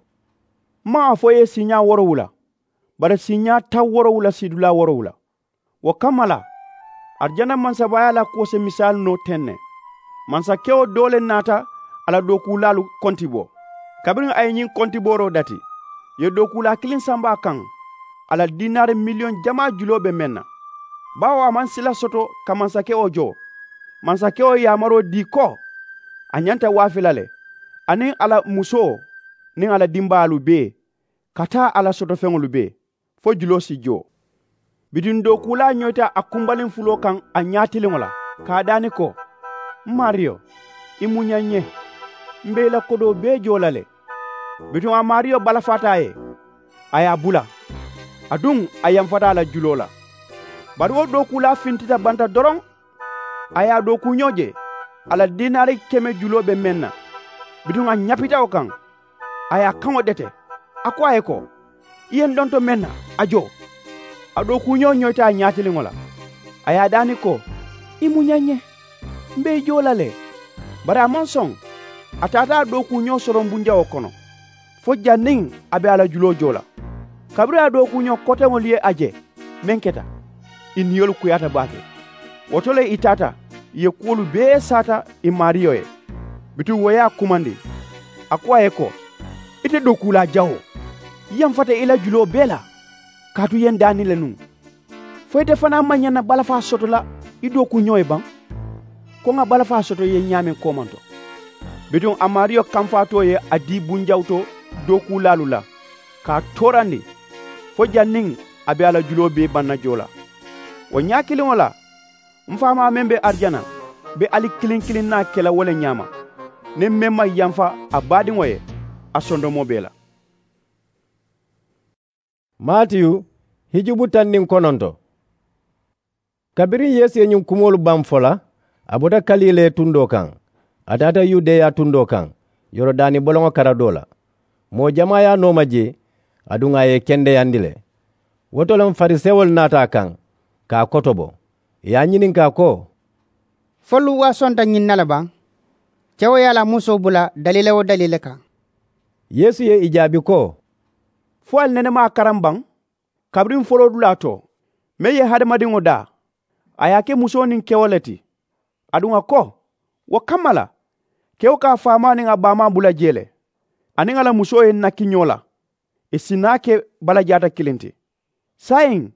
m maŋ a fo i ye siiñaa woorowula, bari siiñaa taŋ woorowula siidulaa woorowula. Wo kamma la, arijana mansabaayaa la kuwo si misaalu noo teŋ ne. Mansakewo doo le naata a la dookuulaalu konti bo. Kabiriŋ a ye ñiŋ kontibooroo dati, ì ye dookuulaa kiliŋ samba a kaŋ, a la diinaari miliyoŋ jamaa juloo be meŋ na. Baawo a maŋ sila soto ka mansakewo joo. Mansakewo ye yaamaroo dii ko a ñanta waafi la le, a niŋ a la musoo niŋ a la dimbaayaalu bee, ka taa a la sotofeŋolu bee, fo juloo si joo. Bituŋ dookuulaa ñoyita a kumbaliŋ fuloo kaŋ a ñaatiliŋo la, ka a daani ko, m maariyo, i muña n ye, m be i la kodoo bee joo la le. Bituŋ a maariyo balafaata a ye, a ye a bula, aduŋ a yamfata a la juloo la. Bari wo dookuulaa fintita banta doroŋ, a ye a dookuuñoo je a la diinaari keme juloo be meŋ na. Bituŋ a ñapita wo kaŋ, a ye a kaŋo dete, a ko a ye ko, i ye n donto meŋ na, a joo. A dookuuñoo ñoyita a ñaatiliŋo la, a ye a daani ko, i muña n ye, m be i joo la le. Bari a maŋ soŋ. A taata a dookuuñoo soronbunjawoo kono, fo janniŋ a be a la juloo joo la. Kabiriŋ a dookuuñoo koteŋolu ye a je meŋ keta, ì niyolu kuyaata baake. Wo to le ì taata ì ye kuwolu bee saata ì maariyo ye. Bituŋ wo ye a kumandi, a ko a ye ko, ite dookuulaa jawoo, ì yamfata ì la juloo bee la, kaatu ì ye n daa niŋ le nuŋ. Fo ite fanaa maŋ ñaŋ na balafaa soto la ì dookuuñoo ye baŋ? Ko ŋà balafaa soto ì ye ñaameŋ koomanto. Bituŋ a maariyo kamfaatoo ye a dii bunjawutoo dookuulaalu la ka a toorandi, fo janniŋ a be a la juloo bee baŋ na joo la. Wo ñaa kiliŋo la m faamaa meŋ be arijana be ali kiliŋ kiliŋ naa ke la wo le ñaama. Niŋ meŋ maŋ yamfa a baadiŋo ye, a sondomoo be ì la. Maatiyu, hijubu taŋ niŋ kononto. Kabiriŋ yeesu ye ñiŋ kumoolu baŋ fo la, a bota kalilee tundoo kaŋ, a taata yudeya tundoo kaŋ, yorodaani boloŋo karadoo la. Moo jamaa ye a nooma jee, aduŋ a ye ì kendeyandi le. Wo to le farisewolu naata a kaŋ, ka a kotobo, ì ye a ñininkaa ko, folu waasonta ñiŋ na le baŋ? Kewo ye a la musoo bula daliila-wo-daliila kaŋ. Yeesu ye ì jaabi ko, fo ali nene maŋ a karaŋ baŋ? Kabiriŋ foloodulaa to, meŋ ye hadamadiŋo daa, a ye a ke musoo niŋ kewo le ti. Aduŋ a ko, wo kamma la, kewo ka a faamaa niŋ a baamaa bula jee le, a niŋ a la musoo ye nakki ñoo la, ì si naa ke balajaata kiliŋ ti. Saayiŋ,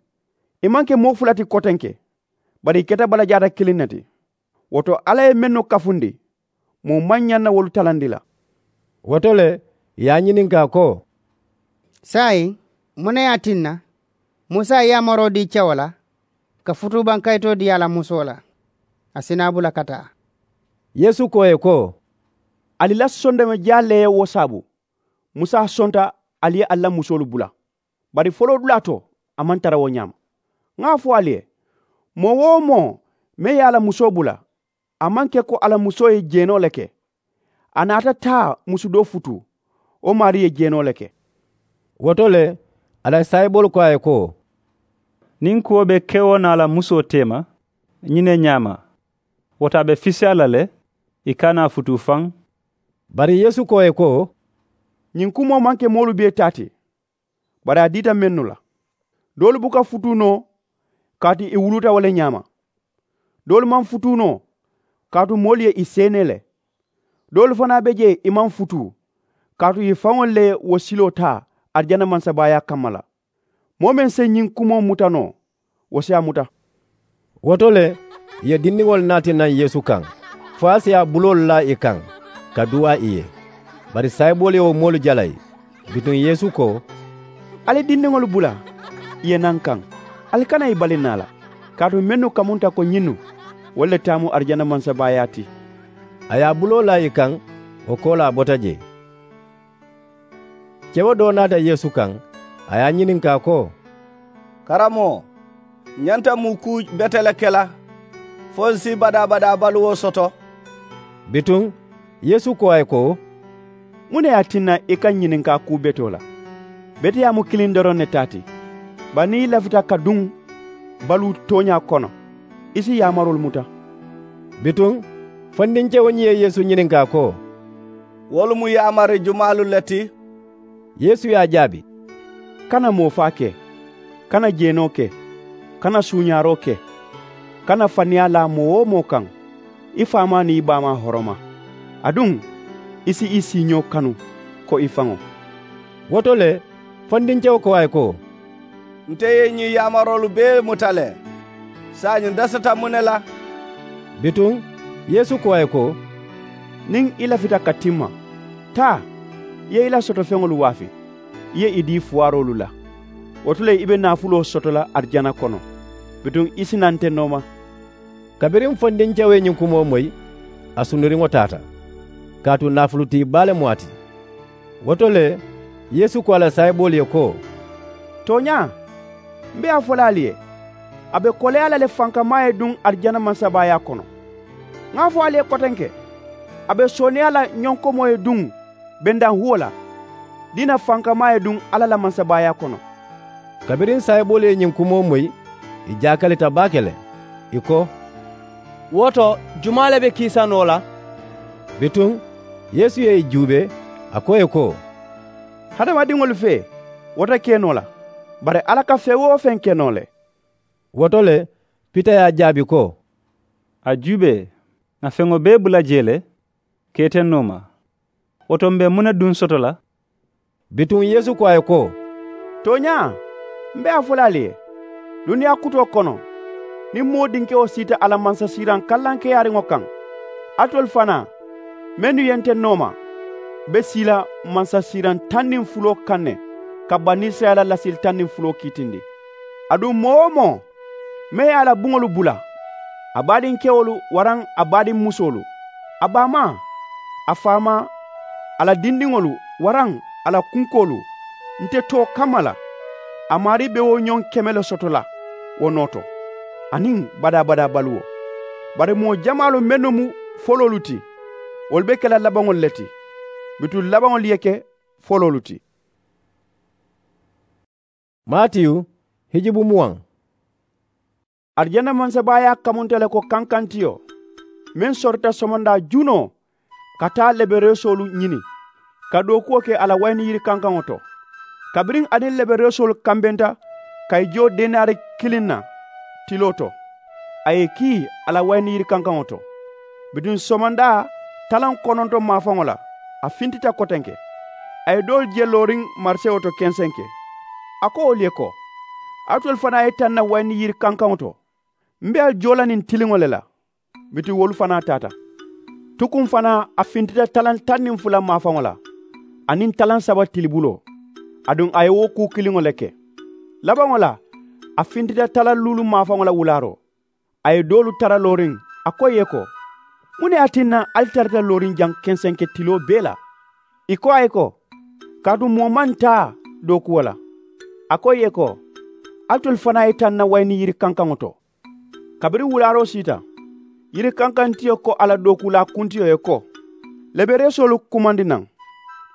ì maŋ ke moo fula ti kotenke, bari ì keta balajaata kiliŋ ne ti. Wo to, alla ye mennu kafundi, moo maŋ ñaŋ na wolu talandi la. Wo to le, ì ye a ñininkaa ko, saayiŋ, muŋ ne ye a tinna musa ye yaamaroo dii kewo la ka futuubaŋ kayitoo dii a la musoo la, a si naa bula ka taa? Yeesu ko ì ye ko, ali la sondomo jaa le ye wo saabu. Musa sonta ali ye ali la musoolu bula, bari foloodulaa to, a maŋ tara wo ñaama. Ŋà a fo ali ye, moo-wo-moo meŋ ye a la musoo bula, a maŋ ke ko a la musoo ye jeenoo le ke. A naata taa musu doo futuu, wo maarii ye jeenoo le ke. Wo to le, a la saayiboolu ko a ye ko, niŋ kuwo be kewo naa la musoo teema ñiŋ ne ñaama, wo to a be fisaa la le, ì kana a futuu faŋ. Bari yeesu ko ì ye ko, ñiŋ kumoo maŋ ke moolu bee taa ti, bari a diita mennu la. Doolu buka futuu noo, kaatu ì wuluuta wo le ñaama. Doolu maŋ futuu noo, kaatu moolu ye ì seenee le. Doolu fanaa be jee ì maŋ futuu, kaatu ì faŋolu le ye wo siloo taa arijana mansabaayaa kamma la. Moo meŋ si ñiŋ kumoo muta noo, wo si a muta. Wo to le, ì ye dindiŋolu naati naŋ yeesu kaŋ, fo a si a buloolu laa ì kaŋ, ka duwaa ì ye. Bari saayiboolu ye wo moolu jalayi. Bituŋ yeesu ko, ali dindiŋolu bula ì ye naa n kaŋ, ali kana ì bali naa la. Kaatu mennu kamunta ko ñinnu, wolu le taamu arijana mansabaayaa ti. A ye a buloo laa ì kaŋ, wo koolaa bota jee. Kewo doo naata yeesu kaŋ, a ye a ñininkaa ko, karamoo, ǹ ñanta muŋ kuu bete le ke la fo ǹ si badaa-badaa baluwo soto? Bituŋ yeesu ko a ye ko, muŋ ne ye a tinna i ka ñininkaa kuu betoo la? Beteyaa mu kiliŋ doroŋ ne taa ti. Bari niŋ i lafita ka duŋ baluu tooñaa kono, i si yaamaroolu muta. Bituŋ fondinkewo ñiŋ ye yeesu ñininkaa ko, wolu mu yaamari jumaalu le ti? Yeesu ye a jaabi, kana moofaa ke, kana jeenoo ke, kana suuñaaroo ke, kana faniyaa laa moo-wo-moo kaŋ, i faamaa niŋ i baamaa horoma, aduŋ i si i siiñoo kanu ko i faŋo. Wo to le fondinkewo ko a ye ko, nte ye ñiŋ yaamaroolu bee muta le, saayiŋ n dasata muŋ ne la? Bituŋ yeesu ko a ye ko, niŋ i lafita ka timma, taa, i ye i la sotofeŋolu waafi, i ye i dii fuwaaroolu la. Wo to le i be naafuloo soto la arijana kono, bituŋ i si naa nte nooma. Kabiriŋ fondinkewo ye ñiŋ kumoo moyi, a sunduriŋo taata, kaatu naafulutii baa le mu a ti. Wo to le yeesu ko a la saayiboolu ye ko, tooñaa, m be a fo la ali ye, a be koleyaa la le fankamaa ye duŋ arijana mansabaayaa kono. Ŋa a fo ali ye kotenke, a be sooneeyaa la ñonkomoo ye duŋ bendaŋ huwo la, diina fankamaa ye duŋ alla la mansabaayaa kono. Kabiriŋ saayiboolu ye ñiŋ kumoo moyi, ì jaakalita baake le. Ì ko, wo to, jumaa le be kiisa noo la? Bituŋ yeesu ye ì juubee, a ko ì ye ko, Hadamadiŋolu fee, wo te ke noo la, bari Alla ka feŋ-wo-feŋ ke noo le. Wo to le, Pita ye a jaabi ko, a juubee, ŋà feŋo bee bula jee le, ka ite nooma. Wo to m̀ be muŋ ne duŋ soto la? Bituŋ Yeesu ko a ye ko, tooñaa, m̀ be a fo la ali ye, duniyaa kutoo kono, niŋ moo dinkewo siita a la mansasiiraŋ kallaŋkeyaariŋo kaŋ, alitolu fanaa mennu ye nte nooma be sii la mansasiiraŋ taŋ niŋ fuloo kaŋ ne, ka banisirayila lasili taŋ niŋ fuloo kiitindi. Aduŋ moo-wo-moo meŋ ye a la buŋolu bula, a baadinkewolu waraŋ a baadinmusoolu, a baamaa, a faamaa, a la dindiŋolu waraŋ a la kunkoolu, nte too kamma la, a maarii be wo ñoŋ keme le soto la wo noo to, aniŋ badaa-badaa baluwo. Bari moo jamaalu mennu mu foloolu ti, wolu be ke la labaŋolu le ti, bituŋ labaŋolu ye ke foloolu ti. Maatiyu, hijubu muwaŋ. Arijana mansabaayaa kamunta le ko kankantiyo meŋ sorita somondaa junoo ka taa lebereesoolu ñini, ka dookuwo ke a la wayini yiri kankaŋo to. Kabiriŋ a niŋ lebereesoolu kambenta ka i joo denaari kiliŋ na tiloo to, a ye i kii a la wayini yiri kankaŋo to. Bituŋ somondaa talaŋ kononto maafaŋo la, a fintita kotenke. A ye doolu je looriŋ marisewo to kensenke. A ko wolu ye ko, alitolu fanaa ye taŋ na wayini yiri kankaŋo to, m̀ be ali joo la ñiŋ tiliŋo le la. Bituŋ wolu fanaa taata. Tukuŋ fanaa a fintita talaŋ taŋ niŋ fula maafaŋo la, aniŋ talaŋ saba tilibuloo, aduŋ a ye wo kuu kiliŋo le ke. Labaŋo la, a fintita talaŋ luulu maafaŋo la wulaaroo. A ye doolu tara looriŋ, a ko ì ye ko, muŋ ne ye a tinna ali tarata looriŋ jaŋ kensenke tiloo bee la? Ì ko a ye ko, kaatu moo maŋ taa dookuwo la. A ko ì ye ko, alitolu fanaa ye taŋ na wayini yiri kankaŋo to. Kabiriŋ wulaaroo siita, yiri kankantiyo ko a la dookuulaa kuntiyo ye ko, lebereesoolu kumandi naŋ,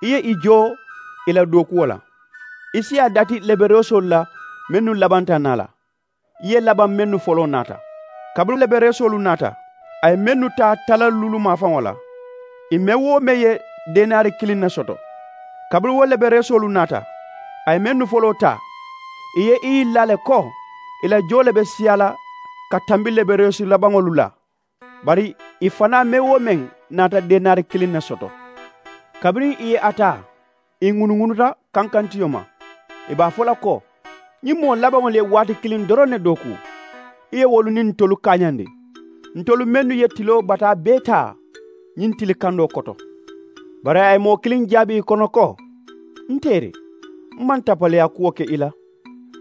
i ye i joo i la dookuwo la. I si a dati lebereesoolu la mennu labanta naa la, i ye labaŋ mennu foloo naata. Kabiriŋ lebereesoolu naata, a ye mennu taa talaŋ luulu maafaŋo la, ì meŋ-wo-meŋ ye denaari kiliŋ ne soto. Kabiriŋ wo lebereesoolu naata, a ye mennu foloo taa, ì ye i yilla le ko ì la joo le be siyaa la ka tambi lebereesu labaŋolu la. Bari ì fanaa meŋ-wo-meŋ naata denaari kiliŋ ne soto. Kabiriŋ ì ye a taa, ì ŋunuŋunuta kankantiyo ma, ì be a fo la ko, ñiŋ moo labaŋolu ye waati kiliŋ doroŋ ne dooku, i ye wolu niŋ ntolu kaañandi, ntolu mennu ye tiloo bataa bee taa ñiŋ tili kandoo koto. Bari a ye moo kiliŋ jaabi ì kono ko, n teeri, m maŋ tapaleyaa kuwo ke i la,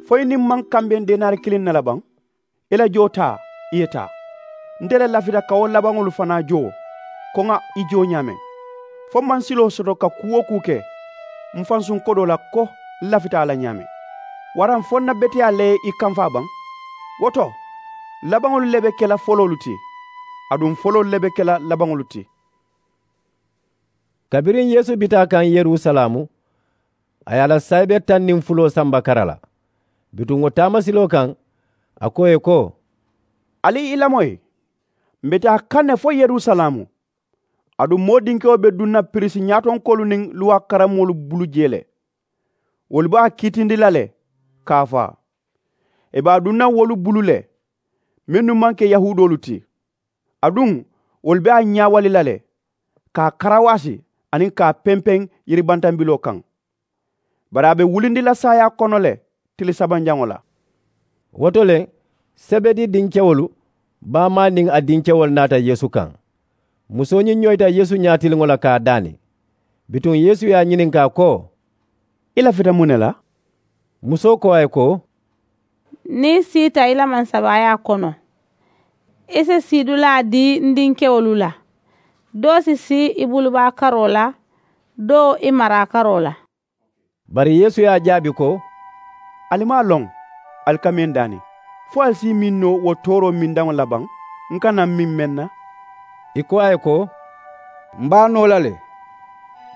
fo i niŋ m maŋ kambeŋ denaari kiliŋ ne la baŋ? I la joo taa, i ye taa. Nte le lafita ka wo labaŋolu fanaa joo, ko ŋà i joo ñaameŋ. Fo m maŋ siloo soto ka kuu-wo-kuu ke m fansuŋ kodoo la ko m lafita a la ñaameŋ? Waraŋ fo n na beteyaa le ye i kamfaa baŋ? Wo to, labaŋolu le be ke la foloolu ti, aduŋ foloolu le be ke la labaŋolu ti. Kabiriŋ Yeesu bita a kaŋ Yerusalaamu, a ye a la saayibe taŋ niŋ fuloo samba kara la. Bituŋ wo taamasiloo kaŋ, a ko ì ye ko, ali i lamoyi, m̀ be taa kaŋ ne fo Yerusalaamu. Aduŋ moo dinkewo be duŋ na piriisi ñaatonkoolu niŋ luwaa karammoolu bulu jee le. Wolu be a kiitindi la le ka a faa. Ì be a duŋ na wolu bulu le, mennu maŋ ke yahuudoolu ti. Aduŋ wolu be a ñaawali la le, ka a karawaasi aniŋ ka a pempeŋ yiribantambiloo kaŋ. Bari a be wulindi la saayaa kono le tili sabanjaŋo la. Wo to le, sebedi dinkewolu baamaa niŋ a dinkewolu naata Yeesu kaŋ. Musoo ñiŋ ñoyita Yeesu ñaatiliŋo la ka a daani. Bituŋ Yeesu ye a ñininkaa ko, i lafita muŋ ne la? Musoo ko a ye ko, niŋ i siita i la mansabaayaa kono, i si siidulaa dii n dinkewolu la, doo si sii i bulubaa karoo la, doo i maraa karoo la. Bari Yeesu ye a jaabi ko, ali maŋ a loŋ ali ka meŋ daani, fo ali si i miŋ noo wo tooroo mindaŋo la baŋ n ka naa miŋ meŋ na? I ko a ye ko, m be a noo la le.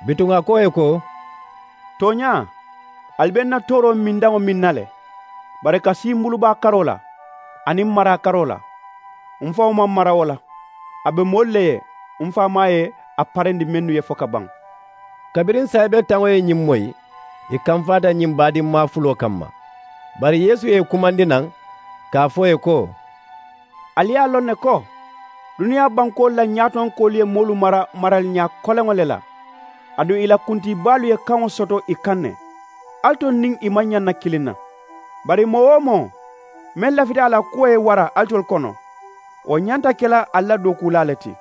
Bituŋ a ko ì ye ko, tooñaa, ali be n na tooroo mindaŋo miŋ na le. Bari ka sii m bulubaa karoo la aniŋ m maraa karoo la, m faŋo maŋ mara wo la. A be moolu le ye m faamaa ye a parendi mennu ye fo ka baŋ. Kabiriŋ saayibe taŋo ye ñiŋ moyi, Ì kamfaata ñiŋ baadimmaa fuloo kamma. Bari yeesu ye ì kumandi naŋ ka a fo ì ye ko, ali ye a loŋ ne ko duniyaa bankoolu la ñaatonkoolu ye moolu mara maraliñaa koleŋo le la, aduŋ ì la kuntiibaalu ye kaŋo soto ì kaŋ ne. Ali tolu niŋ ì maŋ ñaŋ na kiliŋ na. Bari moo-wo-moo meŋ lafita a la kuwo ye wara alitolu kono, wo ñanta ke la ali la dookuulaa le ti.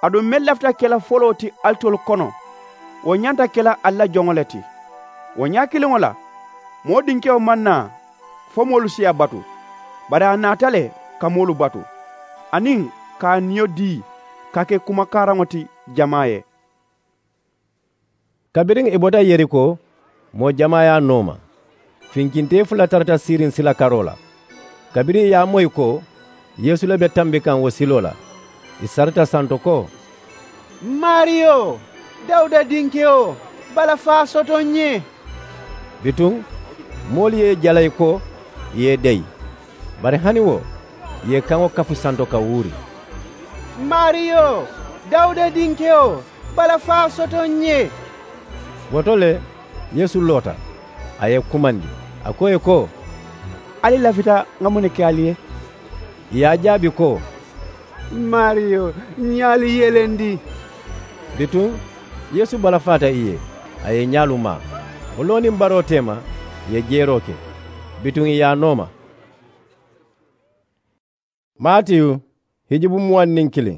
Aduŋ meŋ lafita ke la foloo ti alitolu kono, wo ñanta ke la ali la joŋo le ti. Wo ñaa kiliŋo la, moo dinkewo maŋ naa fo moolu si a batu, bari a naata le ka moolu batu, aniŋ ka a niyo dii ka ke kumakaaraŋo ti jamaa ye. Kabiriŋ ì bota yeriko, moo jamaa ye a nooma. Finkintee fula tarata siiriŋ sila karoo la. Kabiriŋ ì ye a moyi ko yeesu le be tambi kaŋ wo siloo la, ì sarita santo ko, maariyo, dawuda dinkewo, balafaa soto n ye. Bituŋ moolu ye ì jalayi ko ì ye ì deyi. Bari hani wo ì ye ì kaŋo kafu santo ka wuuri, maariyo, dawuda dinkewo, balafaa soto n ye. Wo to le yeesu loota, a ye ì kumandi, a ko ì ye ko, ali lafita ŋa muŋ ne ke ali ye? Ì ye a jaabi ko, maariyo, ǹ ye ali yelendi. Bituŋ yeesu balafaata ì ye, a ye ì ñaalu maa. Wo loo niŋ baroo teema ì ye jeeroo ke. Bituŋ ì ye a nooma. Maatiyu, hijubu muwaŋ niŋ kiliŋ.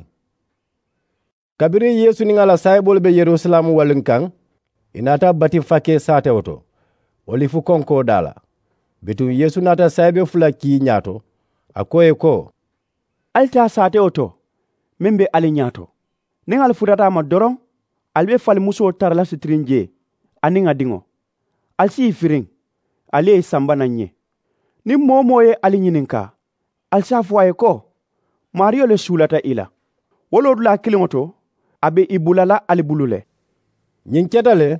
Kabiriŋ yeesu niŋ a la saayiboolu be yerusalaamu waliŋ kaŋ, ì naata batifakee saatewo to, olifu konkoo daa la. Bituŋ yeesu naata saayibe fula kii ñaato, a ko ì ye ko, ali taa saatewo to meŋ be ali ñaato. Niŋ ali futata a ma doroŋ, ali be falimusoo tara la sitiriŋ jee, aniŋ a diŋo. Ali si ì firiŋ, ali ye ì samba naŋ ǹ ye. Niŋ moo-wo-moo ye ali ñininkaa, ali si a fo a ye ko, maariyo le suulata i la. Wo loodulaa kiliŋo to, a be ì bula la ali bulu le. Ñiŋ keta le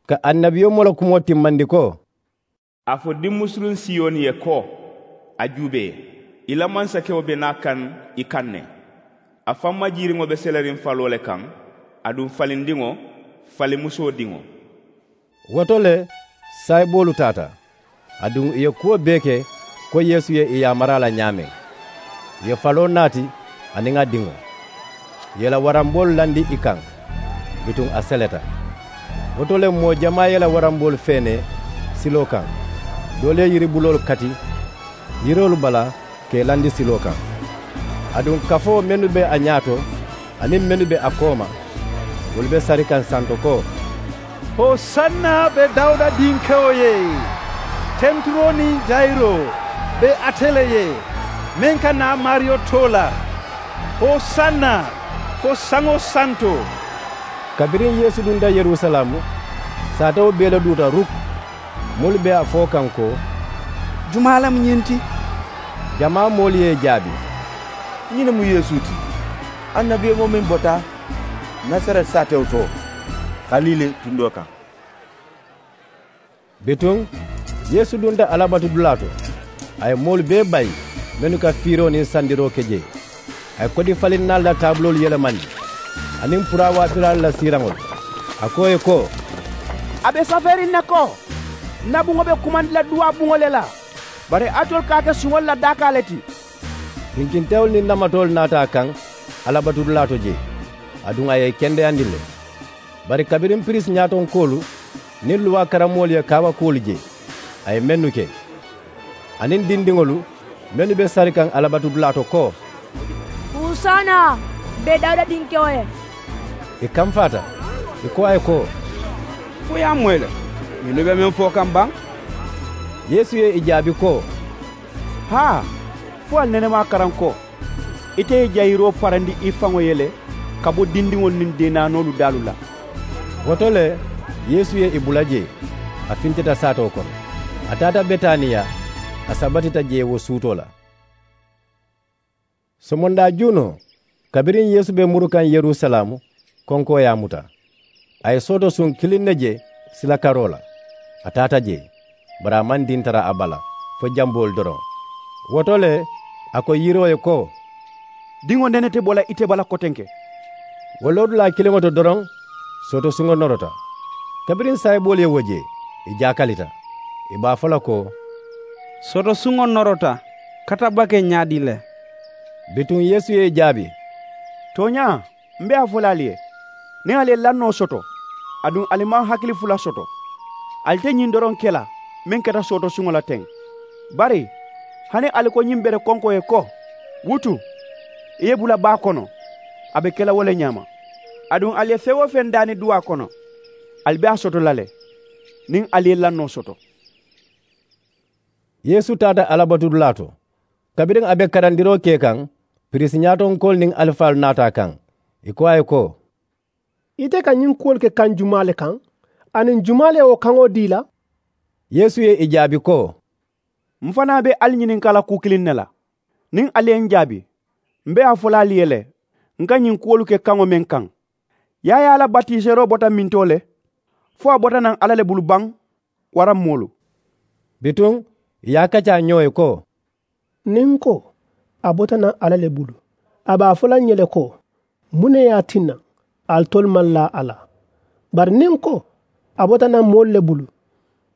ka annabiyomoo la kumoo timmandi ko, a fo dimmusuluŋ siyoni ye ko, a juubee, i la mansakewo be naa kaŋ i kaŋ ne. A faŋ majiiriŋo be seleriŋ faloo le kaŋ, aduŋ falindiŋo, falimusoo diŋo. Wo to le saayiboolu taata, aduŋ ì ye kuwo bee ke ko yeesu ye ì yaamari a la ñaameŋ. Ì ye faloo naati, aniŋ a diŋo, ì ye i la waramboolu landi ì kaŋ. Bituŋ a seleta. Wo to le moo jamaa ye i la waramboolu feenee siloo kaŋ, doolu ye yiribuloolu kati yiroolu bala ka ì landi siloo kaŋ. Aduŋ kafoo mennu be a ñaato aniŋ mennu be a kooma, wolu be sari kaŋ santo ko, hosanna be dawuda dinkewo ye. Tenturoo niŋ jayiroo be ate le ye, meŋ ka naa maariyo too la. Hosanna fo saŋo santo. Kabiriŋ yeesu dunta yerusalaamu, saatewo bee le duuta ruk. Moolu be a fo kaŋ ko, jumaa le mu ñiŋ ti? Jamaa moolu ye ì jaabi, ñiŋ ne mu yeesu ti, annabiyomoo meŋ bota nasareti saatewo to, kalile tundoo kaŋ. Bituŋ yeesu dunta alabatudulaa to, a ye moolu bee bayi mennu ka fiiroo niŋ sandiroo ke jee. A ye kodifalinnaalu la taabuloolu yelemandi aniŋ puraawaabilaalu la siiraŋolu. A ko ì ye ko, a be safeeriŋ ne ko, ǹ na buŋo be kumandi la duwaa buŋo le la, bari alitolu ka a ke suŋolu la daakaa le ti. Finkintewolu niŋ namatoolu naata a kaŋ alabatudulaa to jee, aduŋ a ye ì kendeyandi le. Bari kabiriŋ piriisi ñaatonkoolu niŋ luwaa karammoolu ye kaawakuwolu je, a ye mennu ke, aniŋ dindiŋolu mennu be sari kaŋ alabatudulaa to ko, hosanna be dawuda dinkewo ye. Ì kamfaata, ì ko a ye ko, fo i ye a moyi le? Mennu be meŋ fo kaŋ baŋ. Yeesu ye ì jaabi ko, haa, fo ali nene maŋ a karaŋ ko, ite ye jayiroo parandi i faŋo ye le ka bo dindiŋolu niŋ deenaanoolu daalu la. Wo to le yeesu ye ì bula jee, a fintita saatoo kono, a taata betaniya, a sabatita jee wo suutoo la. Somondaa juunoo, kabiriŋ yeesu be muru kaŋ yerusalaamu, konkoo ye a muta. A ye sooto suŋ kiliŋ ne je sila karoo la, a taata jee, bari a maŋ dintara a bala fo jamboolu doroŋ. Wo to le a ko yiroo ye ko, diŋo nene te bo la ite bala kotenke. Wo loodulaa kiliŋo to doroŋ, sooto suŋo norota. Kabiriŋ saayiboolu ye wo je, I jaakalita, i be a fo la ko, sotosuŋo norota katabake ñaadii le? Bituŋ yeesu ye i jaabi, tooñaa, m be a fo la ali ye, niŋ ali ye lannoo soto, aduŋ ali maŋ hakili fula soto, ali te ñiŋ doroŋ ke la meŋ keta sootosuŋo la teŋ. Bari hani ali ko ñiŋ bere konkoo ye ko, wutu, i ye bula baa kono, a be ke la wo le ñaama. Aduŋ ali ye feŋ-wo-feŋ daani duwaa kono, ali be a soto la le niŋ ali ye lannoo soto. Yeesu taata alabatudulaa to. Kabiriŋ a be karandiroo ke kaŋ, piriisi ñaatonkoolu niŋ alifaalu naata a kaŋ. Ì ko a ye ko, ite ka ñiŋ kuwolu ke kaŋ jumaa le kaŋ? Aniŋ jumaa le ye wo kaŋo dii i la? Yeesu ye ì jaabi ko, m fanaa be ali ñininkaa la kuu kiliŋ ne la. Niŋ ali ye m jaabi, m be a fo la ali ye le, n ka ñiŋ kuwolu ke kaŋo meŋ kaŋ. Yaayaa la batiiseroo bota mintoo le? Fo a bota naŋ alla le bulu baŋ, waraŋ moolu? Bituŋ ì ye a kaccaa ñoo ye ko, niŋ n ko, a bota naŋ alla le bulu, a be a fo la n ye le ko, muŋ ne ye a tinna alitolu maŋ laa a la? Bari niŋ n ko, a bota naŋ moolu le bulu,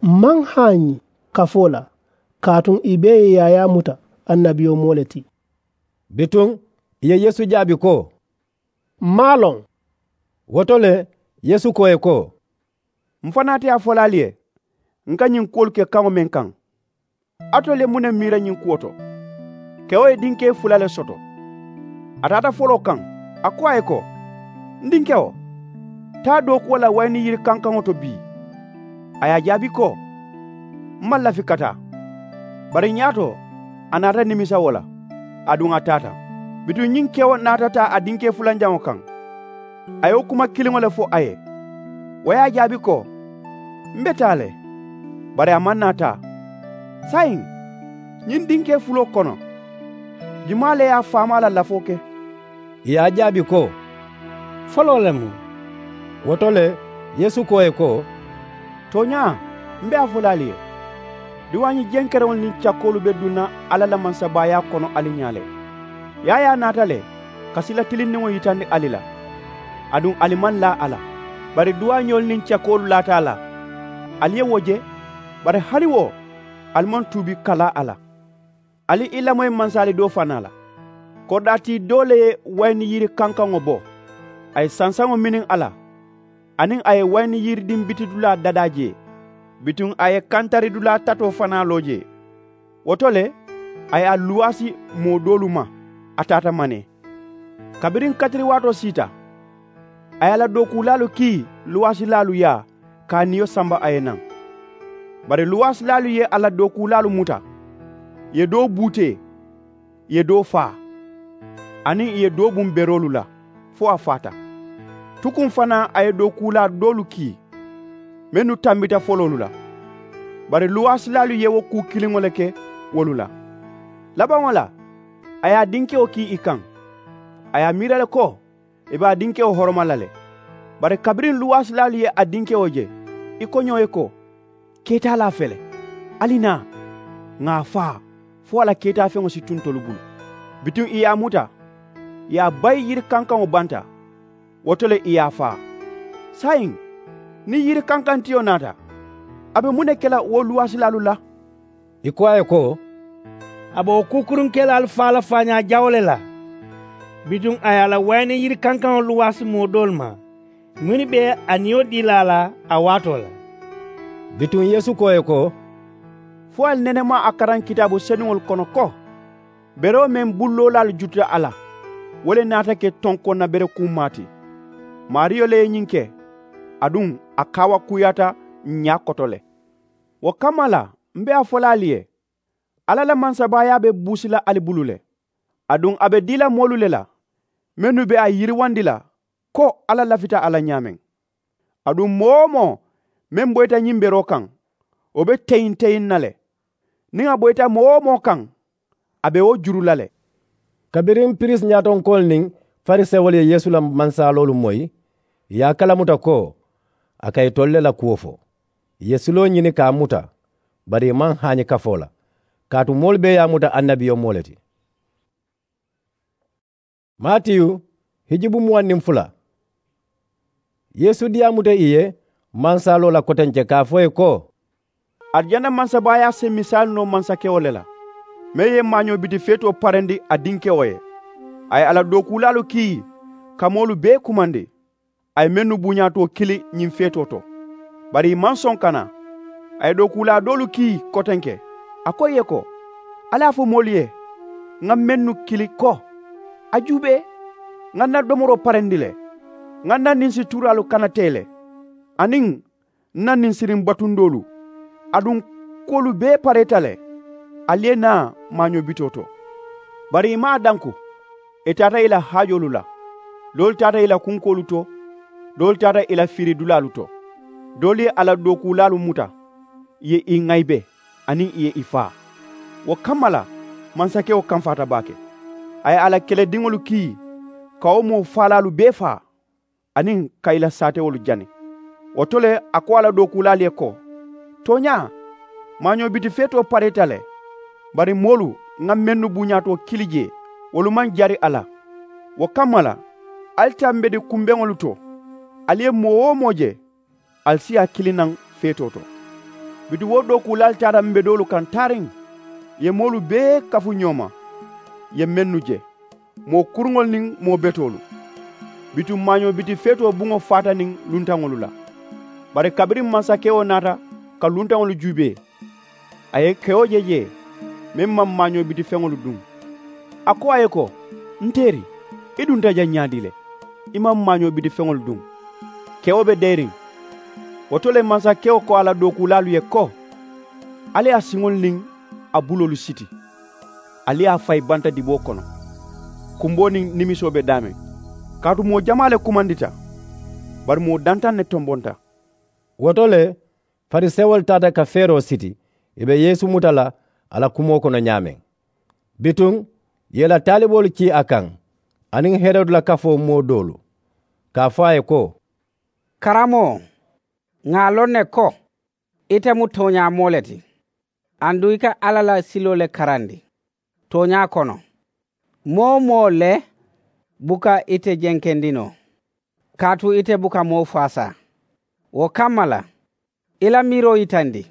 m maŋ haañi kafoo la, kaatu ì bee ye yaayaa muta annabiyomoo le ti. Bituŋ ì ye yeesu jaabi ko, m maŋ a loŋ. Wo to le, yeesu ko ì ye ko, m fanaa te a fo la ali ye, n ka ñiŋ kuwolu ke kaŋo meŋ kaŋ. Alitolu ye muŋ ne miira ñiŋ kuwo to? Kewo ye dinkee fula le soto. A taata foloo kaŋ, a ko a ye ko, n dinkewo, taa dookuwo la wayini yiri kankaŋo to bii. A ye a jaabi ko, m maŋ lafi ka taa. Bari ñaato, a naata nimisa wo la, aduŋ a taata. Bituŋ ñiŋ kewo naata taa a dinkee fulanjaŋo kaŋ. A ye wo kuma kiliŋo le fo a ye. Wo ye a jaabi ko, m be taa le. Bari a maŋ naa taa. Saayiŋ, ñiŋ dinkee fuloo kono, jumaa le ye a faamaa la lafoo ke? Ì ye a jaabi ko, foloo le mu. Wo to le, yeesu ko ì ye ko, tooñaa, m be a fo la ali ye, duwaañi jenkereŋolu niŋ cakkoolu be duŋ na alla la mansabaayaa kono ali ñaa le. Yaayaa naata le ka sila tilindiŋo yitandi ali la, aduŋ ali maŋ laa a la. Bari duwaañoolu niŋ cakkoolu laata a la, ali ye wo je. Bari hani wo, ali maŋ tuubi ka laa a la. Ali i lamoyi mansaali doo fanaa la. Koridaati doo le ye wayini yiri kankaŋo bo, a ye sansaŋo miniŋ a la, aniŋ a ye wayini yiridiŋ bitidulaa dadaa jee. Bituŋ a ye kantaridulaa tatoo fanaa loo jee. Wo to le, a ye a luwaasi moo doolu ma, a taata manee. Kabiriŋ katiriwaatoo siita, a ye a la dookuulaalu kii luwaasilaalu yaa ka a niyo samba a ye naŋ. Bari luwaasilaalu ye a la dookuulaalu muta, ì ye doo buutee, ì ye doo faa, aniŋ ì ye doo buŋ beroolu la fo a faata. Tukuŋ fanaa a ye dookuulaa doolu kii mennu tambita foloolu la. Bari luwaasilaalu ye wo kuu kiliŋo le ke wolu la. Labaŋo la, a ye a dinkewo kii ì kaŋ. A ye a miira le ko ì be a dinkewo horoma la le. Bari kabiriŋ luwaasilaalu ye a dinkewo je, i ko ñoo ye ko, keetaalaa fele, ali naa, ŋà a faa, fo a la keetaafeŋo si tu ntolu bulu. Bituŋ ì ye a muta, ì ye a bayi yiri kankaŋo banta. Wo to le ì ye a faa. Saayiŋ, niŋ yiri kankantiyo naata, a be muŋ ne ke la wo luwaasilaalu la? Ì ko a ye ko, a be wo kuukuruŋ kelaalu faa la faañaa jawo le la. Bituŋ a ye a la wayini yiri kankaŋo luwaasi moo doolu ma, mennu be a niyo dii la a la a waatoo la. Bituŋ yeesu ko ì ye ko, fo ali nene maŋ a karaŋ kitaabu senuŋolu kono ko, beroo meŋ bulloolaalu jututa a la, wo le naata ke tonkoŋ na bere kuumaa ti. Maariyo le ye ñiŋ ke, aduŋ a kaawakuuyaata ñaa koto le. Wo kamma la, m be a fo la ali ye, alla la mansabaayaa be buusi la ali bulu le. Aduŋ a be dii la moolu le la, mennu be a yiriwandi la ko alla lafita a la ñaameŋ. Aduŋ moo-wo-moo meŋ boyita ñiŋ beroo kaŋ, wo be teyiŋ-teyiŋ na le. Niŋ a boyita moo-wo-moo kaŋ, a be wo juru la le. Kabiriŋ piriisi ñaatonkoolu niŋ farisewolu ye yeesu la mansaaloolu moyi, ì ye a kalamuta ko a ka itolu le la kuwo fo. Ì ye siloo ñini ka a muta, bari ì maŋ haañi kafoo la, kaatu moolu bee ye a muta annabiyomoo le ti. Maatiyu, hijubu muwaŋ niŋ fula. Yeesu diyaamuta ì ye mansaaloo la kotenke ka a fo ì ye ko, Arijana mansabaayaa si misaali noo mansakewo le la, meŋ ye maañoo biti feetoo parendi a dinkewo ye. A ye a la dookuulaalu kii ka moolu bee kumandi. A ye mennu buuñaatoo kili ñiŋ feetoo to, bari ì maŋ soŋ ka naa. A ye dookuulaa doolu kii kotenke. A ko ì ye ko, ali a fo moolu ye ŋa mennu kili ko, a juubee, ŋa ǹ na domoroo parendi le, ŋa ǹ na ninsi tuuraalu kanatee le, aniŋ ǹ na ninsiriŋ batundoolu, aduŋ kuwolu bee pareeta le. Ali ye naa maañoo bitoo to. Bari ì maŋ a danku. Ì taata ì la haajoolu la. Doolu taata ì la kunkoolu to, doolu taata ì la fiiridulaalu to. Doolu ye a la dookuulaalu muta, ì ye ì ŋayibe, aniŋ ì ye ì faa. Wo kamma la, mansakewo kamfaata baake. A ye a la kelediŋolu kii ka wo moo faalaalu bee faa, aniŋ ka ì la saatewolu jani. Wo to le, a ko a la dookuulaalu ye ko, tooñaa, maañoo biti feetoo pareeta le, bari moolu ŋa mennu buuñaatoo kili jee, wolu maŋ jari a la. Wo kamma la, ali taa mbedi kumbeŋolu to, ali ye moo-wo-moo je, ali si a kili naŋ feetoo to. Bituŋ wo dookuulaalu taata mbedoolu kaŋ taariŋ, ì ye moolu bee kafu ñoo ma, ì ye mennu je, moo kuruŋolu niŋ moo betoolu. Bituŋ maañoo biti feetoo buŋo faata niŋ luntaŋolu la. Bari kabiriŋ mansakewo naata ka luntaŋolu juubee, a ye kewo je jee, meŋ maŋ maañoo biti feŋolu duŋ. A ko a ye ko, n teeri, i dunta jaŋ ñaadii le, i maŋ maañoo biti feŋolu duŋ? Kewo be deeriŋ. Wo to le mansakewo ko a la dookuulaalu ye ko, ali ye a siŋolu niŋ a buloolu siti, ali ye a fayi banta diboo kono, kumboo niŋ nimisoo be daameŋ. Kaatu moo jamaa le kumandita, bari moo dantaŋ ne tombonta. Wo to le, farisewolu taata ka feeroo siti, ì be yeesu muta la a la kumoo kono ñaameŋ. Bituŋ ì ye ì la taaliboolu kii a kaŋ, aniŋ herodu la kafoo moo doolu, ka a fo a ye ko, karamoo, ŋà a loŋ ne ko, ite mu tooñaa moo le ti, aduŋ i ka alla la siloo le karandi. Tooñaa kono, moo-wo-moo le buka ite jenkendi noo, kaatu ite buka moo faasaa. Wo kamma la, i la miiroo yitandi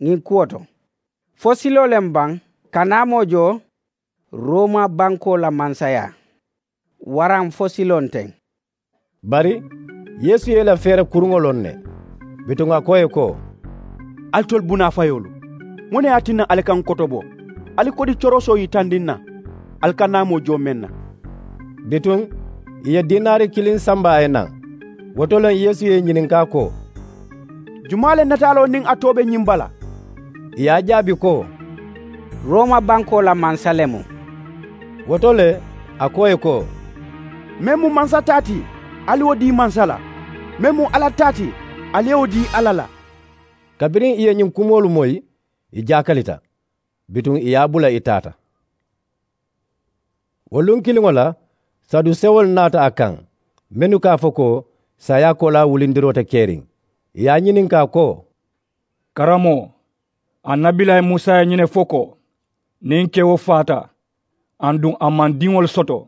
ñiŋ kuwo to, fo siloo le m baŋ ka naa moo joo rooma bankoo la mansayaa, waraŋ fo siloo nteŋ? Bari yeesu ye ì la feere kuruŋo loŋ ne. Bituŋ a ko ì ye ko, alitolu bunaafayoolu, muŋ ne ye a tinna ali ka ǹ kotobo? Ali kodi corosoo yitandi ǹ na ali ka naa moo joo meŋ na. Bituŋ ì ye diinaari kiliŋ samba a ye naŋ. Wo to le yeesu ye ì ñininkaa ko, jumaa le nataaloo niŋ a too be ñiŋ bala? Ì ye a jaabi ko, rooma bankoo la mansa le mu. Wo to le a ko ì ye ko, meŋ mu mansa taa ti, ali wo dii mansa la. Meŋ mu alla taa ti, ali ye wo dii alla la. Kabiriŋ ì ye ñiŋ kumoolu moyi, ì jaakalita. Bituŋ ì ye a bula ì taata. Wo luŋ kiliŋo la, sadusewolu naata a kaŋ, mennu ka a fo ko saayaa koolaa wulindiroo te keriŋ. Ì ye a ñininkaa ko, karamoo, annabilaayi musa ye ñiŋ ne fo ko, niŋ kewo faata aduŋ a maŋ diŋolu soto,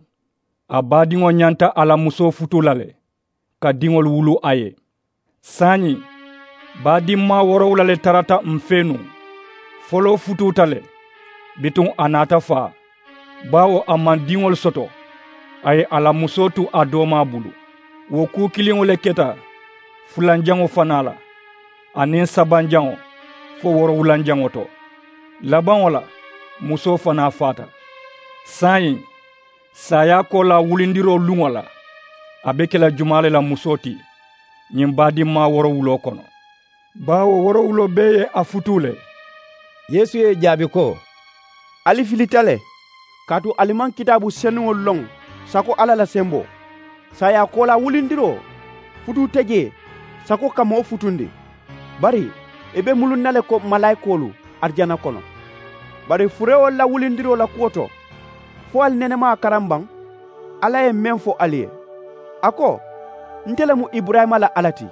a baadiŋo ñanta a la musoo futuu la le ka diŋolu wuluu a ye. Saayiŋ baadimmaa woorowula le tarata m̀ fee nuŋ. Foloo futuuta le, bituŋ a naata faa, baawo a maŋ diŋolu soto. A ye a la musoo tu a doomaa bulu. Wo kuu kiliŋo le keta fulanjaŋo fanaa la, aniŋ sabanjaŋo fo woorowulanjaŋo to. Labaŋo la, musoo fanaa faata. Saayiŋ saayaa koolaa wulindiroo luŋo la, a be ke la jumaa le la musoo ti ñiŋ baadimmaa woorowuloo kono? Baawo woorowuloo bee ye a futuu le. Yeesu ye ì jaabi ko, ali filita le, kaatu ali maŋ kitaabu senuŋolu loŋ sako alla la semboo. Saayaa koolaa wulindiroo futuu te jee sako ka moo futundi, bari ì be muluŋ na le ko malaayikoolu arijana kono. Bari furewolu la wulindiroo la kuwo to, fo ali nene maŋ a karaŋ baŋ? Alla ye meŋ fo ali ye, a ko, nte le mu iburayima la alla ti,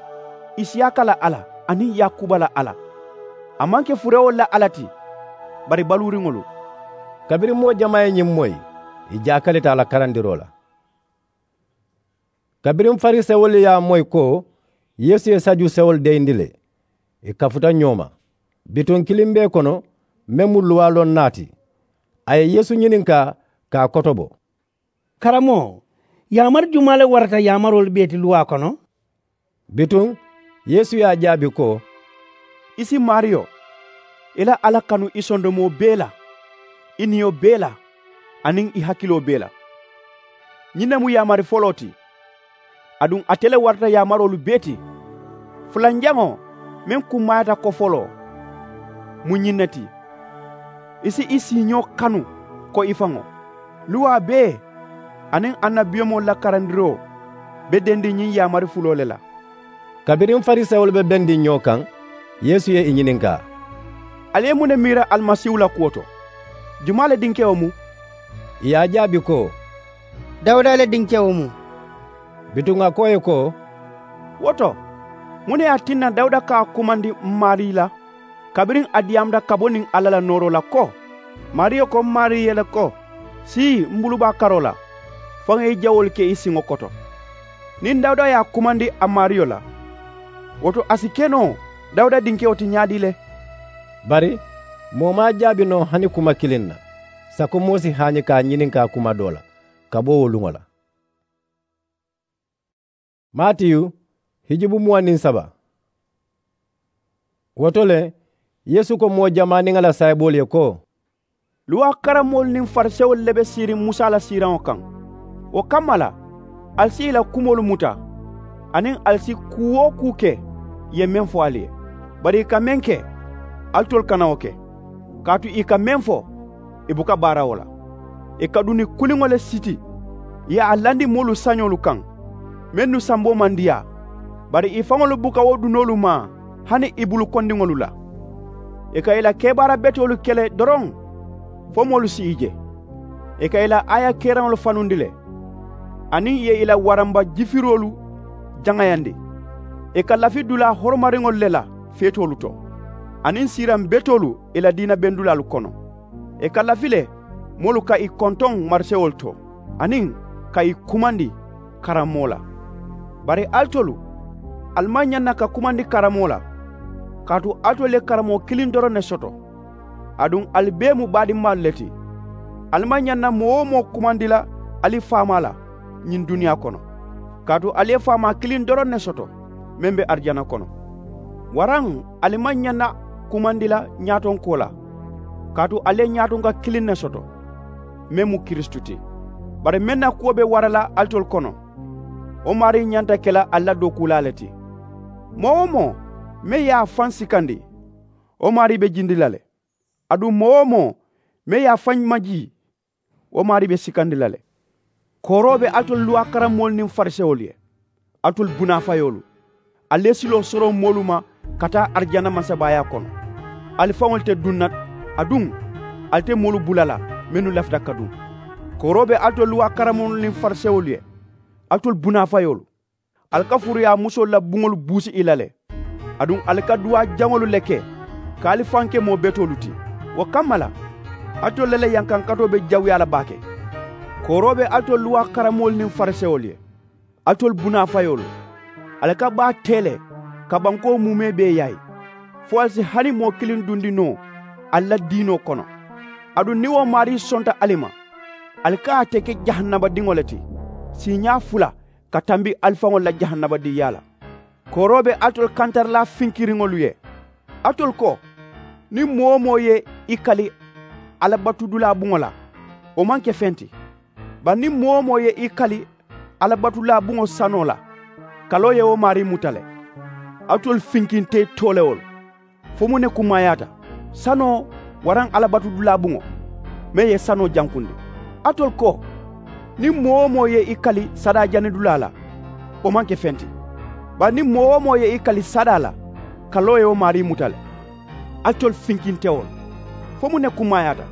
isiyaaka la alla, aniŋ yaakuba la alla. A maŋ ke furewolu la alla ti, bari baluuriŋolu. Kabiriŋ moo jamaa ye ñiŋ moyi, ì jaakalita a la karandiroo la. Kabiriŋ farisewolu ye a moyi ko yeesu ye sajusewolu deyindi le, ì kafuta ñoo ma. Bituŋ kiliŋ be kono meŋ mu luwaa loŋ naa ti, a ye yeesu ñininkaa ka a kotobo. Karamoo, yaamari jumaa le warata yaamaroolu bee ti luwaa kono? Bituŋ yeesu ye a jaabi ko, i si maariyo i la alla kanu i sondomoo bee la, i niyo bee la, aniŋ i hakiloo bee la. Ñiŋ ne mu yaamari foloo ti. Aduŋ ate le warata yaamaroolu bee ti. Fulanjaŋo meŋ kummaayaata ko foloo, mu ñiŋ ne ti, i si i siiñoo kanu ko i faŋo. Luwaa bee aniŋ annabiyomoo la karandiroo be dendiŋ ñiŋ yaamari fuloo le la. Kabiriŋ farisewolu be bendiŋ ñoo kaŋ, yeesu ye i ñininkaa, ali ye muŋ ne miira alimasiihu la kuwo to? Jumaa le dinkewo mu? I ye a jaabi ko, dawuda le dinkewo mu. Bituŋ a ko ì ye ko, wo to, muŋ ne ye a tinna dawuda ka a kumandi m maarii la kabiriŋ a diyaamuta ka bo niŋ alla la nooroo la ko, maariyo ko m maarii ye le ko, sii m bulubaa karoo la, fo ŋà i jawoolu ke i siŋo koto? Niŋ dawuda ye a kumandi a maariyo la, wo to a si ke noo dawuda dinkewo ti ñaadii le? Bari moo maŋ a jaabi noo hani kuma kiliŋ na. Sako moo si haañi ka a ñininkaa kuma doo la ka bo wo luŋo la. Maatiyu hijubu muwaŋ niŋ saba. Wo to le, yeesu ko moo jamaa niŋ a la saayiboolu ye ko, luwaa karamoolu niŋ farisewolu le be siiriŋ musa la siiraŋo kaŋ. Wo kamma la, ali si i la kumoolu muta, aniŋ ali si kuu-wo-kuu ke ì ye meŋ fo ali ye. Bari ì ka meŋ ke, alitolu kana wo ke. Kaatu ì ka meŋ fo, ì buka baara wo la. Ì ka duni kuliŋo le siti ì ye a landi moolu sañoolu kaŋ, mennu samboo maŋ diyaa. Bari ì faŋolu buka wo dunoolu maa hani ì bulu kondiŋolu la. Ì ka ì la kebaara betoolu ke le doroŋ fo moolu si ì je. Ì ka ì la aaya keeraŋolu fanundi le, aniŋ ì ye ì la waramba jifiroolu jaŋayandi. Ì ka lafi dulaa horomariŋolu le la feetoolu to, aniŋ siiraŋ betoolu ì la diina bendulaalu kono. Ì ka lafi le moolu ka ì kontoŋ marisewolu to, aniŋ ka ì kumandi karamoo la. Bari alitolu, ali maŋ ñaŋ na ka kumandi karamoo la, kaatu alitolu ye karamoo kiliŋ doroŋ ne soto. Aduŋ ali bee mu baadimmaalu le ti. Ali maŋ ñaŋ na moo-wo-moo kumandi la ali faamaa la ñiŋ duniyaa kono, kaatu ali ye faamaa kiliŋ doroŋ ne soto, meŋ be arijana kono. Waraŋ ali maŋ ñaŋ na kumandi la ñaatonkoo la, kaatu ali ye ñaatonka kiliŋ ne soto, meŋ mu kiristu ti. Bari meŋ na kuwo be wara la alitolu kono, wo maarii ñanta ke la ali la dookuulaa le ti. Moo-wo-moo meŋ ye a faŋ sikandi, wo maarii be jindi la le. Aduŋ moo-wo-moo meŋ ye a faŋ majii, wo maarii be sikandi la le. Kooroo be alitolu luwaa karamoolu niŋ farisewolu ye, alitolu bunaafayoolu! Ali ye siloo soroŋ moolu ma ka taa arijana mansabaayaa kono. Ali faŋolu te duŋ na, aduŋ ali te moolu bula la mennu lafita ka duŋ. Kooroo be alitolu luwaa karamoolu niŋ farisewolu ye, alitolu bunaafayoolu! Ali ka furuyaa musoolu la buŋolu buusi i la le. Aduŋ ali ka duwaa jaŋolu le ke ka ali faŋ ke moo betoolu ti. Wo kamma la, alitolu le la yankankatoo be jawuyaa la baake. Kooroo be alitolu luwaa karamoolu niŋ farisewolu ye, alitolu bunaafayoolu! Ali ka baa tee le ka bankoo muumee bee yaayi, fo ali si hani moo kiliŋ dundi noo ali la diinoo kono. Aduŋ niŋ wo maarii sonta ali ma, ali ka ate ke jahannabadiŋo le ti, siiñaa fula ka tambi ali faŋolu la jahannabadiŋyaa la. Kooroo be alitolu kantarilaa finkiriŋolu ye. Alitolu ko, niŋ moo-wo-moo ye i kali alabatudulaa buŋo la, wo maŋ ke feŋ ti. Bari niŋ moo-wo-moo ye i kali alabatudulaa buŋo sanoo la, kaloo ye wo maarii muta le. Alitolu finkintee toolewolu! Fo muŋ ne kummaayaata, sanoo waraŋ alabatudulaa buŋo meŋ ye sanoo jankundi? Alitolu ko, niŋ moo-wo-moo ye i kali sadaajani dulaa la, wo maŋ ke feŋ ti. Bari niŋ moo-wo-moo ye i kali sadaa la, kaloo ye wo maarii muta le. Alitolu finkintewolu! Fo muŋ ne kummaayaata,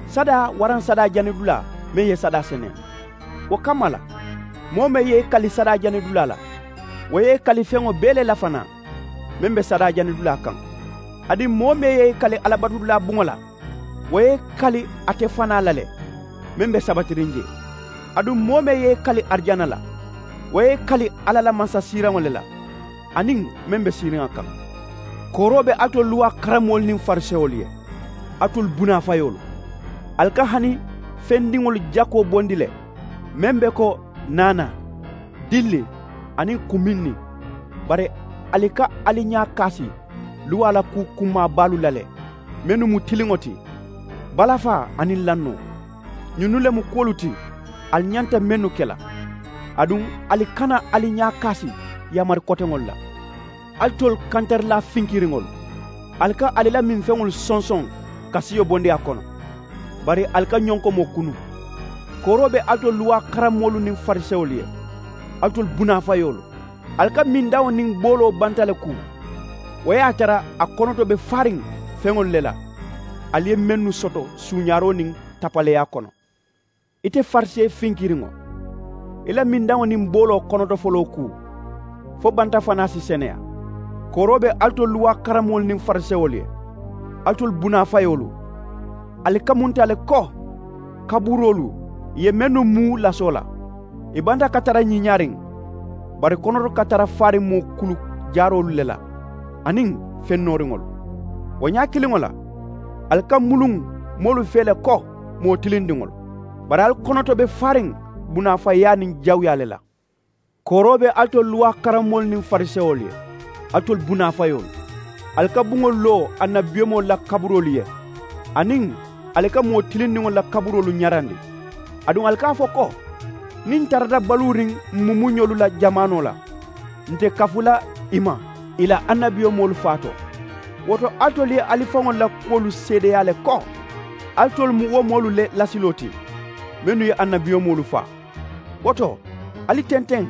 sadaa waraŋ sadaajani dulaa meŋ ye sadaa seneyaa? Wo kamma la, moo meŋ ye i kali sadaajani dulaa la, wo ye i kali feŋo bee le la fanaa, meŋ be sadaajani dulaa kaŋ. Aduŋ moo meŋ ye i kali alabatudulaa buŋo la, wo ye i kali ate fanaa la le, meŋ be sabatiriŋ jee. Aduŋ moo meŋ ye i kali arijana la, wo ye i kali alla la mansasiiraŋo le la, aniŋ meŋ be siiriŋ a kaŋ. Kooroo be alitolu luwaa karamoolu niŋ farisewolu ye, alitolu bunaafayoolu! Ali ka hani fendiŋolu jakoo bondi le meŋ be ko naanaa, dilli, aniŋ kuminni. Bari ali ka ali ñaa kaasi luwaa la kuu kummaa baalu la le, mennu mu tiliŋo ti, balafaa aniŋ lannoo. Ñinnu le mu kuwolu ti ali ñanta mennu ke la. Aduŋ ali kana ali ñaa kaasi yaamari koteŋolu la. Alitolu kantarilaa finkiriŋolu, ali ka ali la minfeŋolu sonsoŋ ka siyo bondi a kono, bari ali ka ñonkomoo kunu. Kooroo be alitolu luwaa karamoolu niŋ farisewolu ye, alitolu bunaafayoolu! Ali ka mindaŋo niŋ booloo banta le kuu. Wo ye a tara a konoto be faariŋ feŋolu le la, ali ye mennu soto suuñaaroo niŋ tapaleyaa kono. Ite farisee finkiriŋo, i la mindaŋo niŋ booloo konoto foloo kuu, fo banta fanaa si seneyaa. Kooroo be alitolu luwaa karamoolu niŋ farisewolu ye, alitolu bunaafayoolu! Ali kamunta le ko kaburoolu ye mennu muu lasoo la, i banta ka tara ñiiñaariŋ, bari konoto ka tara faariŋ moo kulu jaaroolu le la, aniŋ feŋ nooriŋolu. Wo ñaa kiliŋo la, ali ka muluŋ moolu fee le ko moo tilindiŋolu, bari ali konoto be faariŋ bunaafayaa niŋ jawuyaa le la. Kooroo be alitolu luwaa karamoolu niŋ farisewolu ye, alitolu bunaafayoolu! Ali ka buŋolu loo annabiyomoolu la kaburoolu ye, aniŋ ali ka moo tilindiŋolu la kaburoolu ñarandi. Aduŋ ali ka a fo ko, niŋ n tarata baluuriŋ mumuñolu la jamaanoo la, n te kafu la i ma i la annabiyomoolu faa to. Wo to alitolu ye ali faŋolu la kuwolu seedeyaa le ko alitolu mu wo moolu le lasiloo ti, mennu ye annabiyomoolu faa. Wo to, ali tenteŋ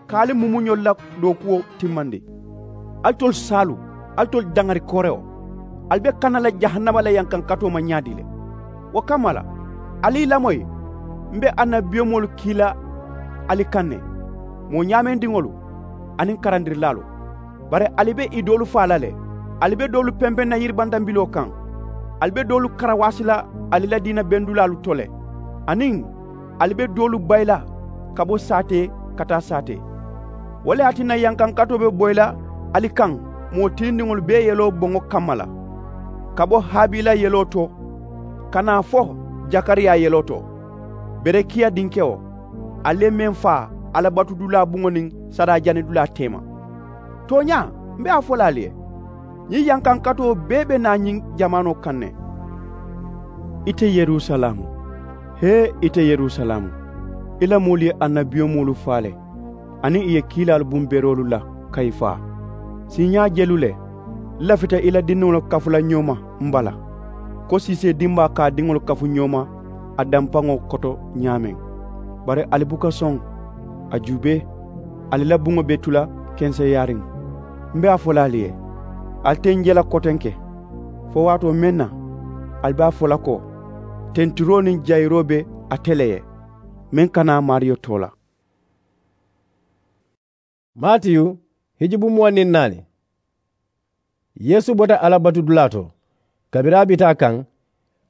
ka ali mumuñolu la dookuwo timmandi. Alitolu saalu, alitolu daŋari koorewo, ali be kana la jahannama la yankankatoo ma ñaadii le? Wo kamma la, ali i lamoyi, m be annabiyomoolu kii la ali kaŋ ne, moo ñaamendiŋolu aniŋ karandirilaalu. Bari ali be i doolu faa la le. Ali be doolu pempeŋ na yiribantambiloo kaŋ. Ali be doolu karawaasi la ali la diina bendulaalu to le, aniŋ ali be doolu bayi la ka bo saatee ka taa saatee. Wo le ye a tinna yankankatoo be boyi la ali kaŋ moo tilindiŋolu bee yeloo boŋo kamma la, ka bo habiila yeloo to ka naa fo jakariyaa yeloo to, berekiya dinkewo, ali ye meŋ faa alabatudulaa buŋo niŋ sariyajanidulaa teema. Tooñaa, m be a fo la ali ye, ñiŋ yankankatoo bee be naa ñiŋ jamaanoo kaŋ ne. Ite yerusalamu, hee ite yerusalamu, i la moolu ye annabiyomoolu faa le, aniŋ i ye kiilaalu buŋ beroolu la ka i faa. Siiñaa jelu le, n lafita i la dindiŋolu kafu la ñoo ma m bala, ko siisee dimbaa ka a diŋolu kafu ñoo ma a dampaŋo koto ñaameŋ. Bari ali buka soŋ. A juubee, ali la buŋo be tu la kenseyaariŋ. M be a fo la ali ye, ali te n je la kotenke, fo waatoo meŋ na ali be a fo la ko, tentiroo niŋ jayiroo be ate le ye, meŋ ka naa maariyo too la. Maatiyu, hijubu muwaŋ niŋ naani. Yeesu bota alabatudulaa to. Kabiriŋ a bi taa kaŋ,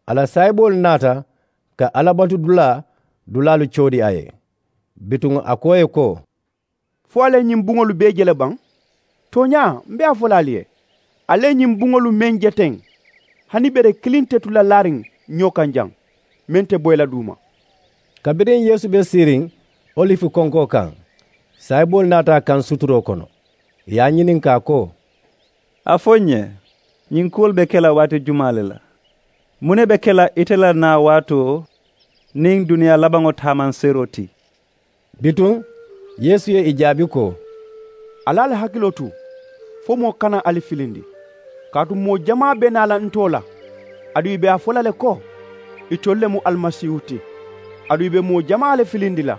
a la saayiboolu naata ka alabatudulaa dulaalu coodi a ye. Bituŋ a ko ì ye ko, fo ali ye ñiŋ buŋolu bee je le baŋ? Tooñaa m be a fo la ali ye, ali ye ñiŋ buŋolu meŋ je teŋ, hani bere kiliŋ te tu la laariŋ ñoo kaŋ jaŋ, meŋ te boyi la duuma. Kabiriŋ yeesu be siiriŋ olifi konkoo kaŋ, saayiboolu naata a kaŋ suturoo kono, ì ye a ñininkaa ko, a fo n ye, ñiŋ kuwolu be ke la waati jumaa le la? Muŋ ne be ke la ite la naa waatoo niŋ duniyaa labaŋo taamanseeroo ti? Bituŋ yeesu ye ì jaabi ko, ali ali hakiloo tu, fo moo kana ali filindi. Kaatu moo jamaa be naa la ntoo la, aduŋ ì be a fo la le ko, itolu le mu alimasiihu ti. Aduŋ ì be moo jamaa le filindi la.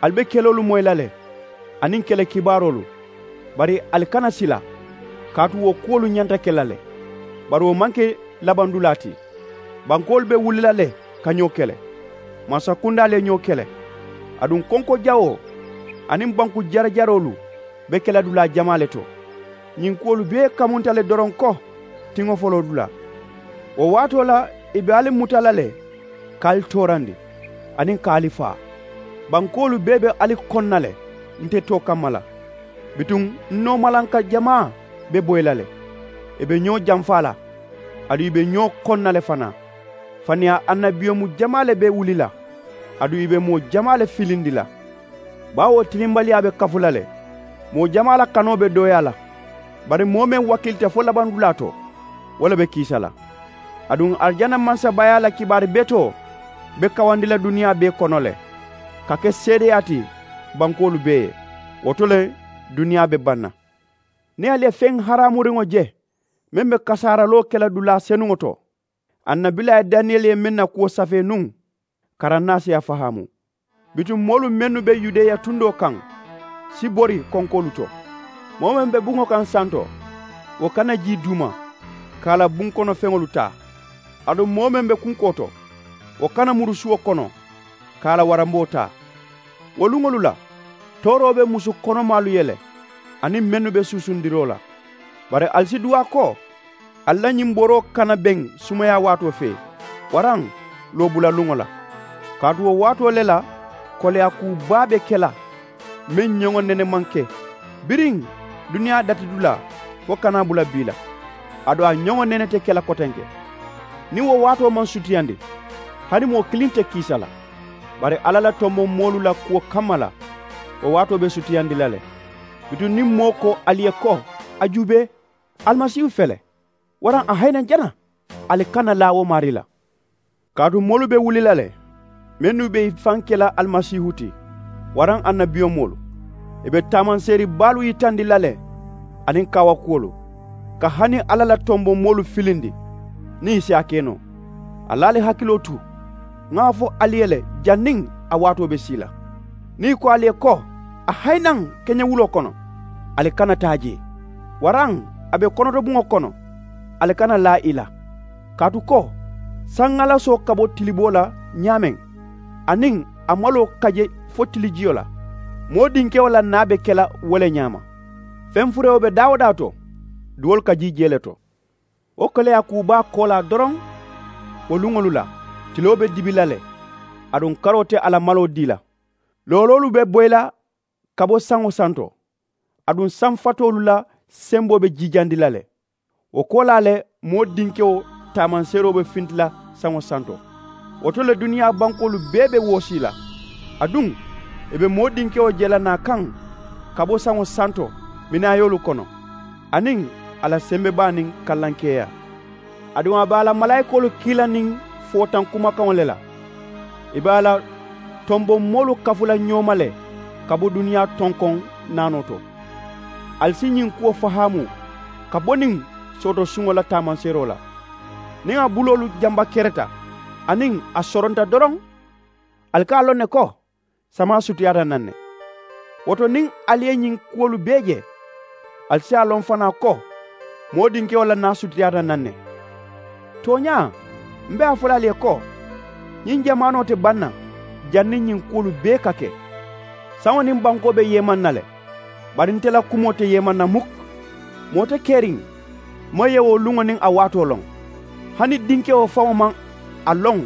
Ali be keloolu moyi la le, aniŋ kele kibaaroolu. Bari ali kana sila, kaatu wo kuwolu ñanta ke la le. Bari wo maŋ ke labandulaa ti. Bankoolu be wuli la le ka ñoo kele. Mansakundaalu ye ñoo kele. Aduŋ konko jawoo aniŋ banku jarajaroolu be ke la dulaa jamaa le to. Ñiŋ kuwolu bee kamunta le doroŋ ko tiŋo foloo dulaa. Wo waatoo la ì be ali muta la le ka ali toorandi, aniŋ ka ali faa. Bankoolu bee be ali koŋ na le nte too kamma la. Bituŋ n noomalanka jamaa be boyi la le. ì be ñoo jamfaa la, aduŋ ì be ñoo koŋ na le fanaa. Faniyaa annabiyomu jamaa le be wuli la, aduŋ ì be moo jamaa le filindi la. Baawo tilimbaliyaa be kafu la le. Moo jamaa la kanoo be dooyaa la. Bari moo meŋ wakilita fo labandulaa to, wo le be kiisa la. Aduŋ arijana mansabaayaa la kibaari betoo be kawandi la duniyaa bee kono le, ka ke seedeyaa ti bankoolu bee ye. Wo to le duniyaa be baŋ na. Niŋ ali ye feŋ haraamuriŋo je meŋ be kasaaraloo ke la dulaa senuŋo to, annabilaa ye daniyeli ye meŋ na kuwo safee nuŋ, karaŋ naa si a fahaamu. Bituŋ moolu mennu be yudeya tundoo kaŋ si bori konkoolu to. Moo meŋ be buŋo kaŋ santo, wo kana jii duuma ka a la buŋ kono feŋolu taa. Aduŋ moo meŋ be kunkoo to, wo kana muru suwo kono ka a la waramboo taa. Wo luŋolu la, tooroo be musu konomaalu ye le, aniŋ mennu be suusundiroo la. Bari ali si duwaa ko, ali la ñiŋ boroo kana beŋ sumayaa waatoo fee, waraŋ loobula luŋo la. Kaatu wo waatoo le la koleyaa kuu baa be ke la meŋ ñoŋo nene maŋ ke biriŋ duniyaa datidulaa fo kana bula bii la. Aduŋ a ñoŋo nene te ke la kotenke. Niŋ wo waatoo maŋ sutiyandi, hani moo kiliŋ te kiisa la. Bari alla la tomboŋ moolu la kuwo kamma la, wo waatoo be sutiyandi la le. Bituŋ niŋ moo ko ali ye ko, a juubee, alimasiihu fele, waraŋ a hayinaŋ jana, ali kana laa wo maarii la. Kaatu moolu be wuli la le, mennu be i faŋ ke la alimasiihu ti, waraŋ annabiyomoolu. I be taamanseeri baalu yitandi la le, aniŋ kaawakuwolu, ka hani alla la tomboŋ moolu filindi niŋ i si a ke noo. Ali ali hakiloo tu, ŋa a fo ali ye le, janniŋ a waatoo be sii la. Niŋ i ko ali ye ko, a hayinaŋ keñewuloo kono, ali kana taa jee, waraŋ a be konotobuŋo kono, ali kana laa i la. Kaatu ko, saŋ ŋalasoo ka bo tiliboo la ñaameŋ, aniŋ a maloo ka je fo tilijiyo la, moo dinkewo la naa be ke la wo le ñaama. Feŋ furewo be daa-wo-daa to, duwolu ka jii jee le to. Wo koleyaa kuu baa koolaa doroŋ, wo luŋolu la tiloo be dibi la le, aduŋ karoo te a la maloo dii la. Looloolu be boyi la ka bo saŋo santo, aduŋ saŋ fatoolu la semboo be jiijandi la le. Wo koolaa le, moo dinkewo taamanseeroo be finti la saŋo santo. Wo to le duniyaa bankoolu bee be woosii la. Aduŋ, i be moo dinkewo je la naa kaŋ ka bo saŋo santo minaayoolu kono, aniŋ a la sembebaa niŋ kallankeeyaa. Aduŋ a be a la malaayikoolu kii la niŋ footaŋ kumakaŋo le la. I be a la tomboŋ moolu kafu la ñoo ma le ka bo duniyaa tonkoŋ naanoo to. Ali si ñiŋ kuwo fahaamu ka bo niŋ sooto suŋo la taamanseeroo la. Niŋ a buloolu jamba kereta aniŋ a soronta doroŋ, ali ka a loŋ ne ko samaa sutiyaata naŋ ne. Wo to niŋ ali ye ñiŋ kuwolu bee je, ali si a loŋ fanaa ko moo dinkewo la naa sutiyaata naŋ ne. Tooñaa, m be a fo la ali ye ko, ñiŋ jamaanoo te baŋ na janniŋ ñiŋ kuwolu bee ka ke. Saŋo niŋ bankoo be yeemaŋ na le, bari nte la kumoo te yeemaŋ na muk. Moo te keriŋ meŋ ye wo luŋo niŋ a waatoo loŋ. Hani dinkewo faŋo maŋ a loŋ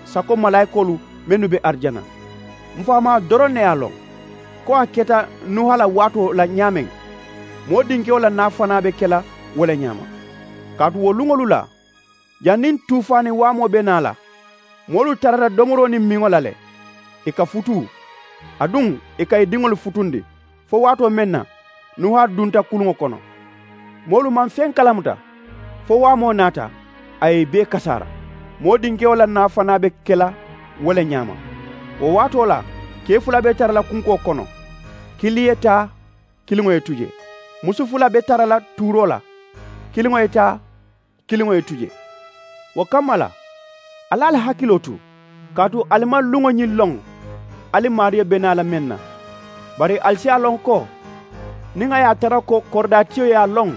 sako malaayikoolu mennu be arijana. M faamaa doroŋ ne ye a loŋ ko a keta nuha la waatoo la ñaameŋ, moo dinkewo la naa fanaa be ke la wo le ñaama. Kaatu wo luŋolu la, janniŋ tuufaani waamoo be naa la, moolu tarata domoroo niŋ miŋo la le, ì ka futuu, aduŋ ì ka ì diŋolu futundi fo waatoo meŋ na nuha dunta kuluŋo kono. Moolu maŋ feŋ kalamuta fo waamoo naata, a ye ì bee kasaara. Moo dinkewo la naa fanaa be ke la wo le ñaama. Wo waatoo la, kee fula be tara la kunkoo kono, kiliŋ ye taa, kiliŋo ye tu jee. Musu fula be tara la tuuroo la, kiliŋo ye taa, kiliŋo ye tu jee. Wo kamma la, ali ali hakiloo tu, kaatu ali maŋ luŋo ñiŋ loŋ ali maariyo be naa la meŋ na. Bari ali si a loŋ ko, niŋ a ye a tara ko koridaatiyo ye a loŋ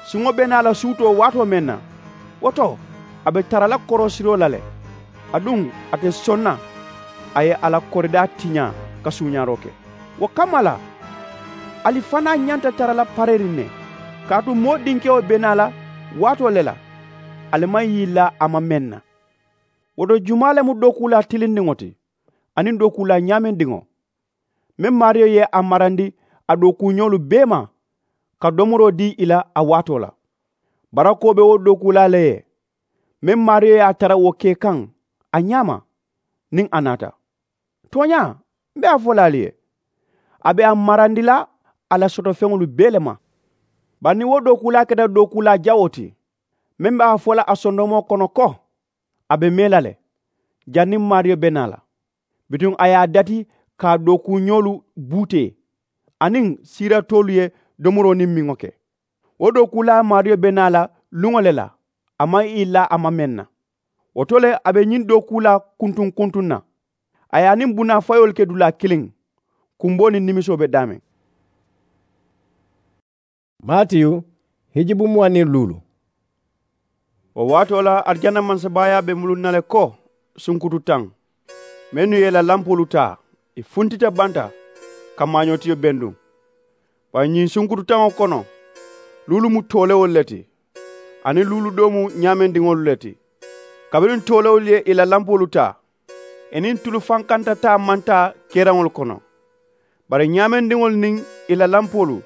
suŋo be naa la suutoo waatoo meŋ na, wo to a be tara la koroosiroo la le. Aduŋ a te soŋ na a ye a la koridaa tiñaa ka suuñaaroo ke. Wo kamma la, ali fanaa ñanta tara la pareeriŋ ne, kaatu moo dinkewo be naa la waatoo le la, ali maŋ yilla a ma meŋ na. Wo to jumaa le mu dookuulaa tilindiŋo ti aniŋ dookuulaa ñaameŋ diŋo, meŋ maariyo ye a marandi a dookuuñoolu bee ma ka domoroo dii ì la a waatoo la? Barakoo be wo dookuulaa le ye meŋ maariyo ye a tara wo ke kaŋ a ñaama niŋ a naata. Tooñaa, m̀ be a fo la ali ye a be a marandi la a la sotofeŋolu bee le ma. Bari niŋ wo dookuulaa keta dookuulaa jawoo ti meŋ be a fo la a sondomoo kono ko a be mee la le janniŋ maariyo be naa la, bituŋ a ye a dati ka a dookuuñoolu buutee aniŋ siiratoolu ye domoroo niŋ miŋo ke. Wo dookuulaa maariyo be naa la luŋo le la a maŋ ì laa a ma meŋ na. Wo to le a be ñiŋ dookuulaa kuntuŋ kuntuŋ na. A ye a niŋ bunaa fayoolu ke dulaa kiliŋ. Kumboo niŋ nimisoo be daameŋ. Maatiyu hijibu muwaŋ niŋ luulu. Wo waatoo la arijana mansabaayaa be muluŋ na le ko sunkutu taŋ. Mennu ye i la lampoolu taa ì funtita banta ka maañootiyo benduŋ. Bari ñiŋ sunkutu taŋo kono luulu mu toolewolu le ti aniŋ luulu doo mu ñaamendiŋolu le ti. Kabiriŋ toolewolu ye i la lampoolu taa ì niŋ tulu fankanta taa maŋ taa keeraŋolu kono. Bari ñaamendiŋolu niŋ i la lampoolu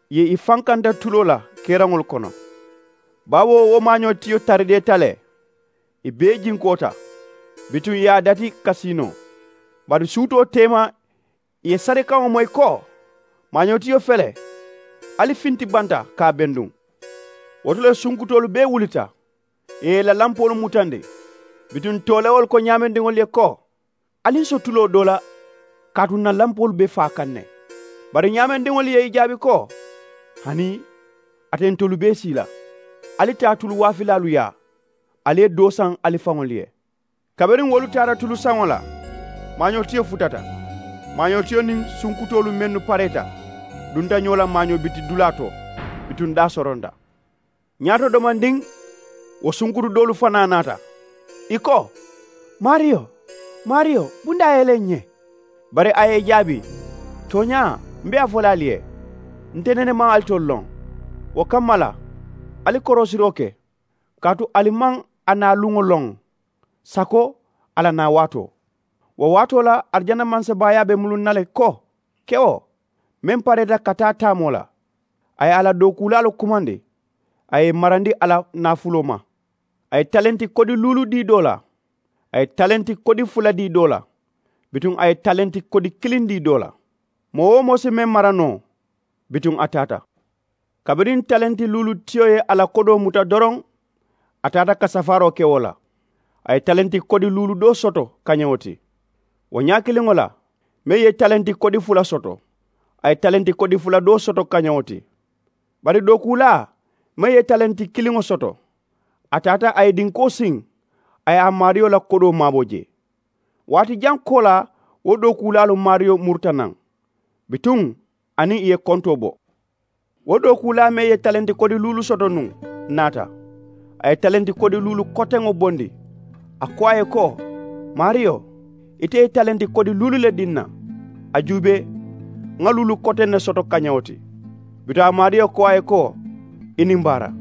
ye i fankanta tuloo la keeraŋolu kono. Baawo wo maañoo tiyo tarideeta le ì bee jinkoota. Bituŋ ì ye a dati kasiinoo. Bari suutoo teema ì ye sarikaŋo moyi ko, maañoo tiyo fele ali finti banta ka a benduŋ. Wo to le sunkutoolu bee wulita ì ye ì la lampoolu mutandi. Bituŋ toolewolu ko ñaamendiŋolu ye ko, ali n so tuloo doo la kaatu n na lampoolu be faa kaŋ ne. Bari ñaamendiŋolu ye i jaabi ko, hani ate ntolu bee sii la. Ali taa tulu waafilaalu yaa ali ye doo saŋ ali faŋolu ye. Kabiriŋ wolu taata tulu saŋo la, maañoo tiyo futata. Maañoo tiyo niŋ sunkutoolu mennu pareeta dunta ñoo la maañoo biti dulaa to. Bituŋ daa soronta. Ñaato domandiŋ wo sunkutu doolu fanaa naata. Ì ko, maariyo, maariyo, bundaa ye le ǹ ye. Bari a ye ì jaabi, tooñaa m̀ be a fo la ali ye, nte nene maŋ alitolu loŋ. Wo kamma la ali koroosiroo ke, kaatu ali maŋ a naa luŋo loŋ sako a la naa waatoo. Wo waatoo la arijana mansabaayaa be muluŋ na le ko, kewo meŋ pareeta ka taa taamoo la. A ye a la dookuulaalu kumandi. A ye ì marandi a la naafuloo ma. A ye talenti kodi luulu dii doo la. A ye talenti kodi fula dii doo la. Bituŋ a ye talenti kodi kiliŋ dii doo la. Moo-wo-moo si meŋ mara noo, bituŋ a taata. Kabiriŋ talenti luulu tiyo ye a la kodoo muta doroŋ, a taata ka safaaroo ke wo la. A ye talenti kodi luulu doo soto kañewo ti. Wo ñaakiliŋo la, meŋ ye talenti kodi fula soto, a ye talenti kodi fula doo soto kañewo ti. Bari dookuulaa meŋ ye talenti kiliŋo soto, a taata a ye dinkoo siŋ, a ye a maariyo la kodoo maabo jee. Waati jaŋ koolaa wo dookuulaalu maariyo muruta naŋ. Bituŋ aniŋ ì ye kontoo bo. Wo dookuulaa meŋ ye talenti kodi luulu soto nuŋ naata. A ye talenti kodi luulu koteŋo bondi. A ko a ye ko, maariyo, ite ye talenti kodi luulu le dii n na. A juubee, ŋa luulu koteŋ ne soto kañewo ti. Bituŋ a maariyo ko a ye ko, i niŋ baara,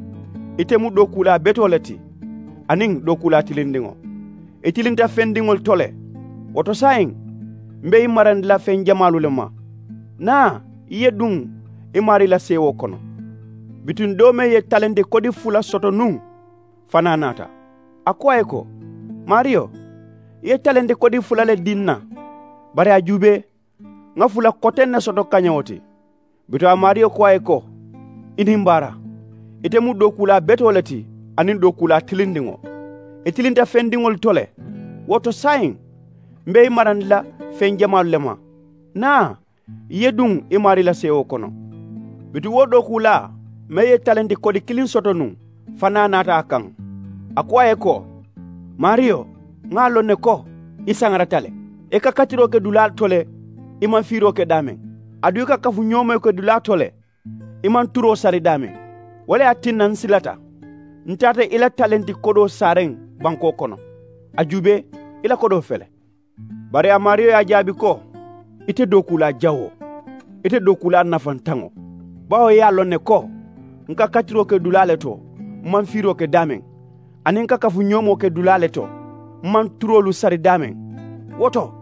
ite mu dookuulaa betoo le ti aniŋ dookuulaa tilindiŋo. I tilinta feŋ diŋolu to le. Wo to saayiŋ, m̀ be i marandi la feŋ jamaalu le ma. Naa, i ye duŋ i maarii la seewoo kono. Bituŋ doo meŋ ye talenti kodi fula soto nuŋ fanaa naata. A ko a ye ko, maariyo, i ye talenti kodi fula le dii n na. Bari a juubee, ŋa fula koteŋ ne soto kañewo ti. Bituŋ a maariyo ko a ye ko, i niŋ baara, ite mu dookuulaa betoo le ti aniŋ dookuulaa tilindiŋo. I tilinta feŋ diŋolu to le. Wo to saayiŋ, m̀ be i marandi la feŋ jamaalu le ma. Naa, i ye duŋ i maarii la seewoo kono. Bituŋ wo dookuulaa meŋ ye talenti kodi kiliŋ soto nuŋ fanaa naata a kaŋ. A ko a ye ko, maariyo, ŋa a loŋ ne ko i saŋarata le. I ka katiroo ke dulaa to le, i maŋ fiiroo ke daameŋ. Aduŋ i ka kafuñoomoo ke dulaa to le, i maŋ turoo sari daameŋ. Wo le ye a tinna n silata, n taata i la talenti kodoo saareŋ bankoo kono. A juubee, i la kodoo fele. Bari a maariyo ye a jaabi ko, ite dookuulaa jawoo, ite dookuulaa nafantaŋo. Bawo i ye a loŋ ne ko, n ka katiroo ke dulaa le to, m maŋ fiiroo ke daameŋ, aniŋ n ka kafuñoomoo ke dulaa le to, m maŋ turoolu sari daameŋ. Wo to,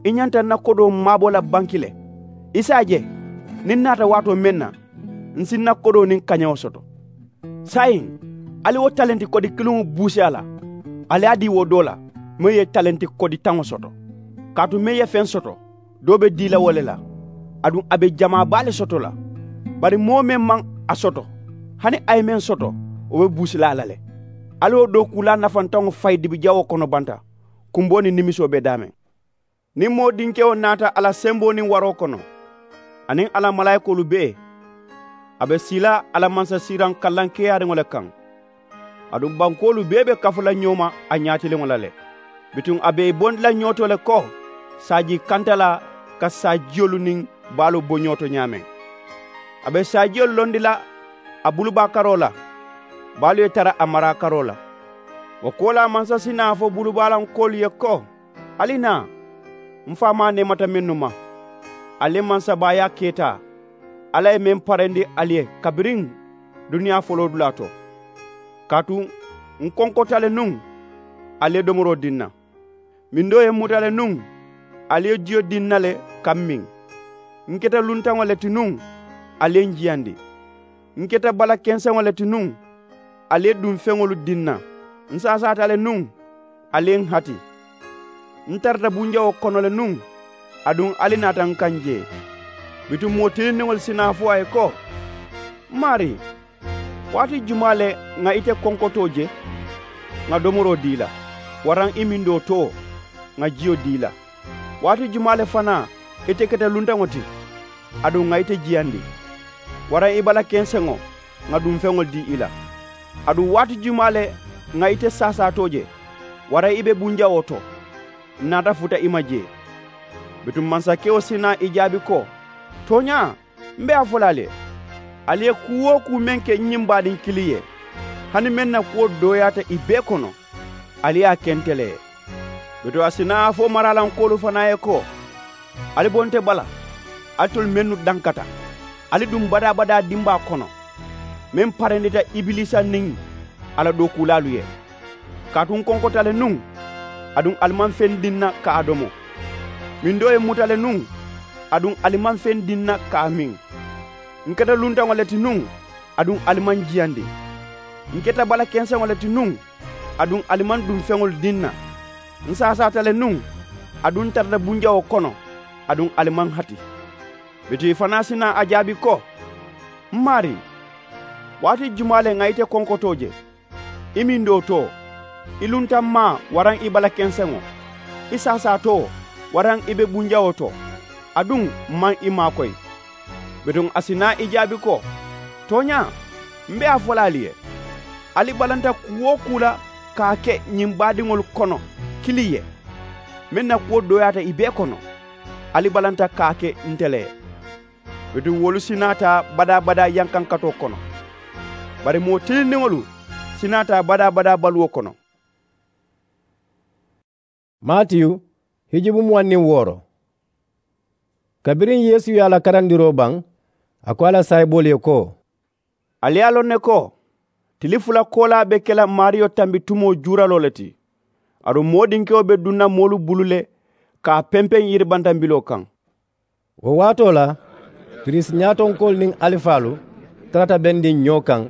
i ñanta n na kodoo maabo la banki le. I si a je, niŋ n naata waatoo meŋ na, n si n na kodoo niŋ kañewo soto. Saayiŋ, Ali wo talenti kodi kiliŋo buusi a la, ali ye a dii wo doo la meŋ ye talenti kodi taŋo soto. Kaatu meŋ ye feŋ soto, doo be dii la wo le la, aduŋ a be jamaa baa le soto la. Bari moo meŋ maŋ a soto, hani a ye meŋ soto, wo be buusi la a la le. Ali wo dookuulaa nafantaŋo fayi dibi jawoo kono banta, kumboo niŋ nimisoo be daameŋ. Niŋ moo dinkewo naata a la semboo niŋ waroo kono, aniŋ a la malaayikoolu bee, a be sii la a la mansasiiraŋ kallankeeyaariŋo le kaŋ. Aduŋ bankoolu bee be kafu la ñoo ma a ñaatiliŋo la le. Bituŋ a be i bondi la ñoo to le ko saajii kantalaa ka saajiyolu niŋ baalu bo ñoo to ñaameŋ. A be saajiyolu londi la a bulubaa karoo la, baalu ye tara a maraa karoo la. Wo koolaa mansasinaa fo bulubaalaŋ koolu ye ko, ali naa, m faamaa neemata mennu ma, ali le mansabaayaa keeta. Alla ye meŋ parendi ali ye kabiriŋ duniyaa foloodulaa to. Kaatu n konkota le nuŋ, ali ye domoroo dii n na. Mindoo ye n muta le nuŋ, ali ye jiyo dii n na le ka m miŋ. N keta luntaŋo le ti nuŋ, ali ye n jiyandi. N keta bala kenseŋo le ti nuŋ, ali ye duŋ feŋolu dii n na. N saasaata le nuŋ, ali ye n hati. N tarata bunjawoo kono le nuŋ, aduŋ ali naata n kaŋ jee. Bituŋ moo tilindiŋolu si naa fo a ye ko, m maarii, waati jumaa le ŋà ite konkotoo je, ŋà domoroo dii i la, waraŋ i mindoo too, ŋà jiyo dii i la? Waati jumaa le fanaa ite keta luntaŋo ti, aduŋ ŋà ite jiyandi, waraŋ i bala kenseŋo, ŋà duŋ feŋolu dii i la? Aduŋ waati jumaa le ŋà ite saasaatoo je, waraŋ i be bunjawoo to, n naata futa i ma jee? Bituŋ mansakewo si naa i jaabi ko, tooñaa, m be a fo la ali ye, ali ye kuu-wo-kuu meŋ ke ñiŋ baadiŋ kiliŋ ye, hani meŋ na kuwo dooyaata i bee kono, ali ye a ke nte le ye. Bituŋ a si naa a fo maraalankoolu fanaa ye ko, ali bo nte bala, alitolu mennu dankata, ali duŋ badaa-badaa dimbaa kono, meŋ parendita ibiliisa niŋ a la dookuulaalu ye. Kaatu n konkota le nuŋ, aduŋ ali maŋ feŋ dii n na ka a domo. Mindoo ye n muta le nuŋ, aduŋ ali maŋ feŋ dii n na ka a miŋ. N keta luntaŋo le ti nuŋ, aduŋ ali maŋ jiyandi. N keta bala kenseŋo le ti nuŋ, aduŋ ali maŋ duŋ feŋolu dii n na. N saasaata le nuŋ, aduŋ n tarata bunjawoo kono, aduŋ ali maŋ hati. Bituŋ i fanaa si naa a jaabi ko, m maarii, waati jumaa le ŋà ite konkotoo je, i mindoo too, i luntaŋ maa waraŋ i bala kenseŋo, i saasaatoo waraŋ i be bunjawoo to, aduŋ m maŋ i maakoyi? Bituŋ a si naa i jaabi ko, tooñaa, m be a fo la ali ye, ali balanta kuu-wo-kuu la ka a ke ñiŋ baadiŋolu kono kiliŋ ye, meŋ na kuwo dooyaata i bee kono, ali balanta ka a ke nte le ye. Bituŋ wolu si naa taa badaa-badaa yankankatoo kono, bari moo tilindiŋolu si naa taa badaa-badaa baluwo kono. Matiyu, hijubu muwaŋ niŋ wooro. Kabiriŋ yeesu ye a la karandiroo baŋ, a ko a la saayiboolu ye ko, ali ye a loŋ ne ko, tili fula koolaa be ke la maariyo tambi tumoo juuraloo le ti. Aduŋ moo dinkewo be duŋ na moolu bulu le ka a pempeŋ yiribantambiloo kaŋ. Wo waatoo la, piriisi ñaatonkoolu niŋ alifaalu tarata bendiŋ ñoo kaŋ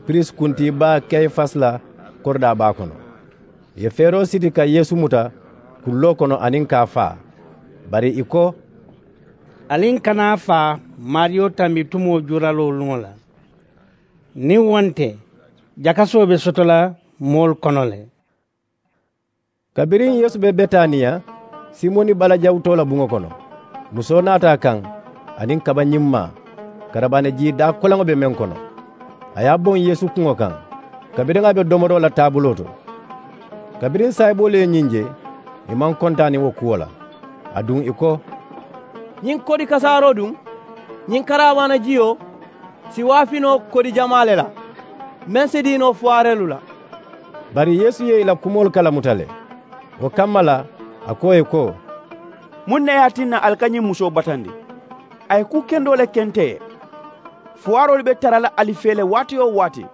piriisi kuntii baa kayifasi la koridaa baa kono. Ì ye feeroo siti ka yeesu muta kulloo kono aniŋ ka a faa. Bari ì ko, ali n kana a faa maariyo tambi tumoo juuraloo luŋo la. Niŋ wo nte, jakasoo be soto la moolu kono le. Kabiriŋ yeesu be betaniya, simoni balajawutoo la buŋo kono, musoo naata a kaŋ aniŋ kaba ñimmaa, karabaani jii daa koleŋo be meŋ kono. A ye a boŋ yeesu kuŋo kaŋ, kabiriŋ a be domoroo la taabuloo to. Kabiriŋ saayiboolu ye ñiŋ je, ì maŋ kontaani wo kuwo la. Aduŋ ì ko, ñiŋ kodi kasaaroo duŋ, ñiŋ karabaani jiyoo si waafi noo kodi jamaa le la, meŋ si dii noo fuwaareelu la. Bari yeesu ye ì la kumoolu kalamuta le. Wo kamma la, a ko ì ye ko, muŋ ne ye a tinna ali ka ñiŋ musoo batandi? A ye kuu kendoo le ke nte ye. Fuwaaroolu be tara la ali fee le waati-wo-waati,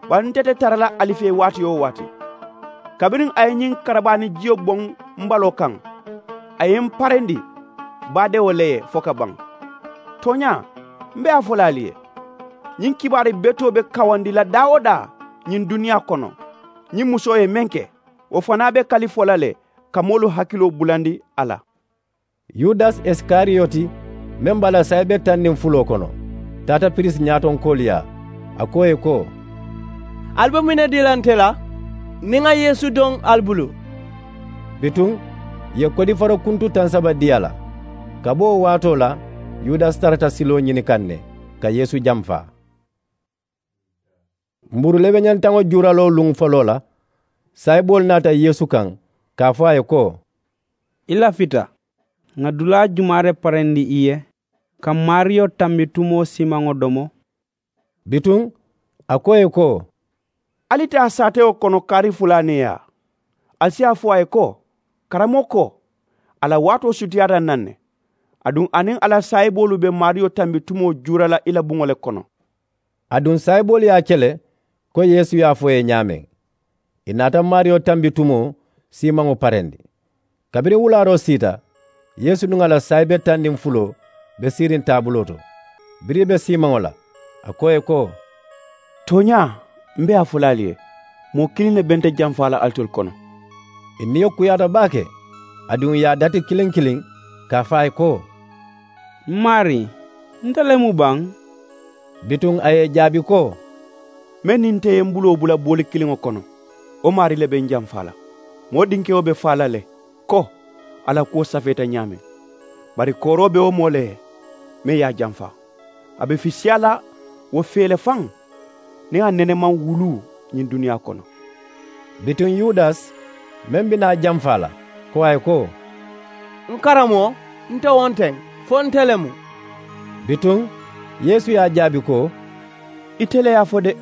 bari nte te tara la ali fee waati-wo-waati. Kabiriŋ a ye ñiŋ karabaani jiyo boŋ m baloo kaŋ, a ye m parendi baadewo le ye fo ka baŋ. Tooñaa, m be a fo la ali ye, ñiŋ kibaari betoo be kawandi la daa-wo-daa ñiŋ duniyaa kono. Ñiŋ musoo ye meŋ ke, wo fanaa be kalifolaa le ka moolu hakiloo bulandi a la. Yudasi isikariyoti, meŋ be a la saayibe taŋ niŋ fuloo kono, taata pirisi ñaatonkoolu yaa. A ko ì ye ko, ali be muŋ ne dii la nte la niŋ ŋa yeesu doŋ ali bulu? Bituŋ ì ye kodifaro kuntu taŋ saba dii a la. Ka bo wo waatoo la, yudasi tarata siloo ñini kaŋ ne ka yeesu jamfaa. Mbuuru lebeñantaŋo juuraloo luŋ foloo la, saayiboolu naata yeesu kaŋ ka a fo a ye ko, i lafita ŋà dulaa jumaa le parendi i ye ka maariyo tambi tumoo siimaŋo domo? Bituŋ a ko ì ye ko, ali taa saatewo kono kaari fula ne yaa. Ali si a fo a ye ko, karamoko, a la waatoo sutiyaata naŋ ne, aduŋ a niŋ a la saayiboolu be maariyo tambi tumoo juura la i la buŋo le kono. Aduŋ saayiboolu ye a ke le ko yeesu ye a fo ì ye ñaameŋ. Ì naata maariyo tambi tumoo siimaŋo parendi. Kabiriŋ wulaaroo siita, yeesu niŋ a la saayibe taŋ niŋ fuloo be siiriŋ taabuloo to. Biriŋ ì be siimaŋo la, a ko ì ye ko, tooñaa, m be a fo la ali ye, moo kiliŋ ne be nte jamfaa la alitolu kono. Ì niyo kuyaata baake. Aduŋ ì ye a dati kiliŋ kiliŋ ka a fo a ye ko, m maarii, nte le mu baŋ? Bituŋ a ye ì jaabi ko, meŋ niŋ nte ye m buloo bula booli kiliŋo kono, wo maarii le be n jamfaa la. Moo dinkewo be faa la le ko, a la kuwo safeeta ñaameŋ. Bari kooroo be wo moo le ye meŋ ye a jamfaa. A be fisiyaa la wo fee le faŋ, niŋ a nene maŋ wuluu ñiŋ duniyaa kono. Bituŋ yudasi, meŋ be naa jamfaa la, ko a ye ko, n karamoo, nte wonteŋ, fo nte le mu. Bituŋ yeesu ye a jaabi ko, ite le ye a fo de.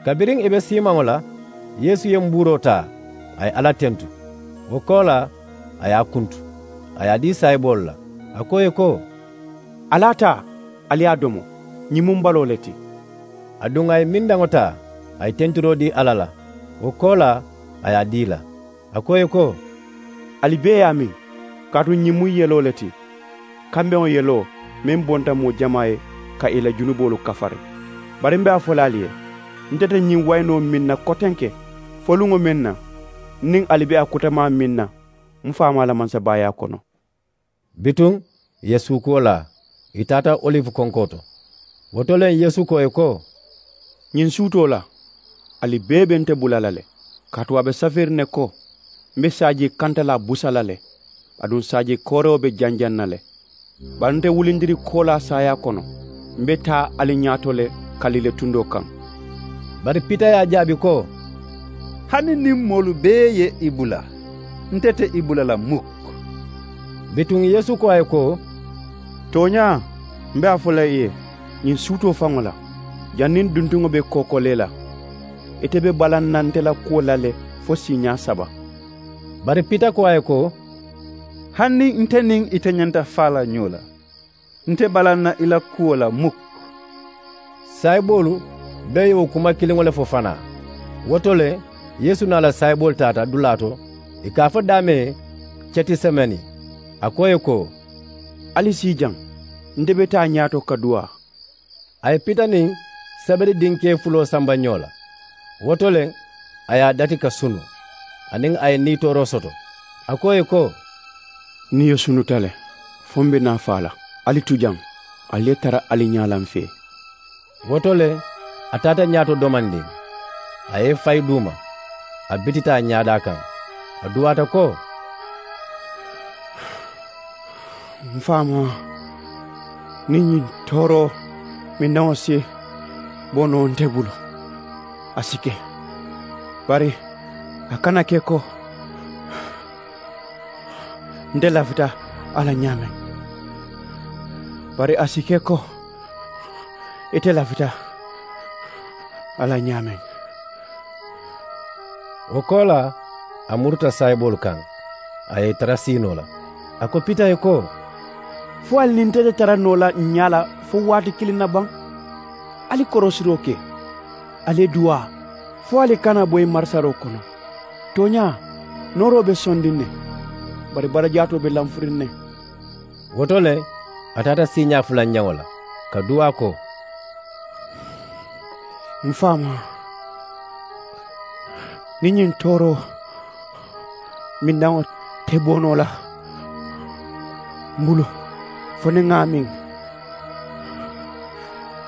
Kabiriŋ ì be siimaŋo la, yeesu ye mbuuroo taa, a ye alla tentu. Wo koolaa, a ye a kuntu, a ye a dii saayiboolu la, a ko ì ye ko, ali a taa, ali ye a domo. Ñiŋ mu m baloo le ti. Aduŋ a ye mindaŋo taa, a ye tentiroo dii alla la. Wo koolaa, a ye a dii ì la, a ko ì ye ko, ali bee ye a miŋ, kaatu ñiŋ mu yeloo le ti, kambeŋo yeloo meŋ bonta moo jamaa ye ka ì la junuboolu kafari. Bari m be a fo la ali ye, nte te ñiŋ wayinoo miŋ na kotenke fo luŋo meŋ na, n niŋ ali be a kutamaa miŋ na m faamaa la mansabaayaa kono. Bituŋ ì ye suukuwo laa, ì taata oliwu konkoo to. Wo to le yeesu ko ì ye ko, ñiŋ suutoo la, ali bee be nte bula la le, kaatu a be safeeriŋ ne ko, m be saajii kantalaa busa la le, aduŋ saajii koorewo be janjaŋ na le. Bari nte wulindiri koolaa saayaa kono, m be taa ali ñaato le kalile tundoo kaŋ. Bari pita ye a jaabi ko, hani niŋ moolu bee ye i bula, nte te i bula la muk. Bituŋ yeesu ko a ye ko, tooñaa, m be a fo la i ye, ñiŋ suutoo faŋo la, janniŋ duntuŋo be kookolee la, ite be balaŋ na nte la kuwo la le fo siiñaa saba. Bari pita ko a ye ko, hani nte niŋ ite ñanta faa la ñoo la, nte balaŋ na i la kuwo la muk. Saayiboolu bee ye wo kuma kiliŋo le fo fanaa. Wo to le yeesu niŋ a la saayiboolu taata dulaa to, ì ka a fo daameŋ ye cetisemeni. A ko ì ye ko, ali sii jaŋ, nte be taa ñaato ka duwaa. A ye pita niŋ sebedi dinkee fuloo samba ñoo la. Wo to le a ye a dati ka sunu, aniŋ a ye niitooroo soto. A ko ì ye ko, n niyo sunuta le, fo m be naa faa la. Ali tu jaŋ, ali ye tara ali ñaa la m fee. Wo to le a taata ñaato domandiŋ, a ye i fayi duuma, a bitita a ñaadaa kaŋ, a duwaata ko, m faamaa, niŋ ñiŋ tooroo mindaŋo si bo noo nte bulu, a si ke, bari a kana ke ko nte lafita a la ñaameŋ, bari a si ke ko ite lafita a la ñaameŋ. Wo koolaa, a muruta saayiboolu kaŋ, a ye i tara siinoo la. A ko pita ye ko, fo ali niŋ nte te tara noo la ǹ ñaa la fo waati kiliŋ na baŋ? Ali korosiroo ke, ali ye duwaa, fo ali kana boyi marisaroo kono. Tooñaa, nooroo be sondiŋ ne, bari barajaatoo be lanfuriŋ ne. Wo to le a taata siiñaa fulanjaŋo la, ka duwaa ko, m faamaa, Niŋ ñiŋ tooroo mindaŋo te bo noo la m bulu fo niŋ ŋa a miŋ,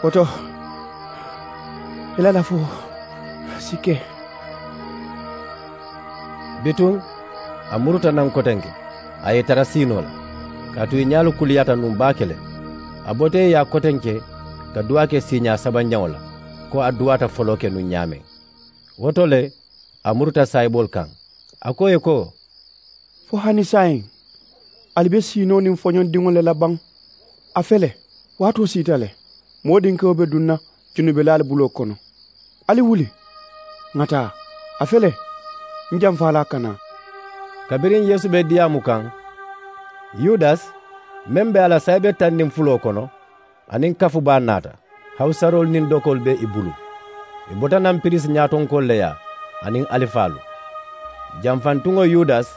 wo to i la lafoo si ke. Bituŋ a muruta naŋ kotenke, a ye i tara siinoo la, kaatu i ñaalu kuliyaata nuŋ baake le. A bota i ye a kotenke ka duwaa ke siiñaa sabanjaŋo la, ko a duwaata foloo ke nuŋ ñaameŋ. Wo to le a muruta saayiboolu kaŋ, a ko ì ye ko, fo hani saayiŋ ali be siinoo niŋ foñondiŋo le la baŋ? A fele, waatoo siita le. Moo dinkewo be duŋ na junubelaalu buloo kono. Ali wuli, ŋà taa. A fele, m jamfaa la a ka naa. Kabiriŋ yeesu be diyaamu kaŋ, yudasi meŋ be a la saayibe tanniŋ fuloo kono, aniŋ kafu baa naata. Hawusaroolu niŋ dokoolu be i bulu. I bota naŋ piriisi ñaatonkoolu le yaa aniŋ alifaalu. Jamfantuŋo yudasi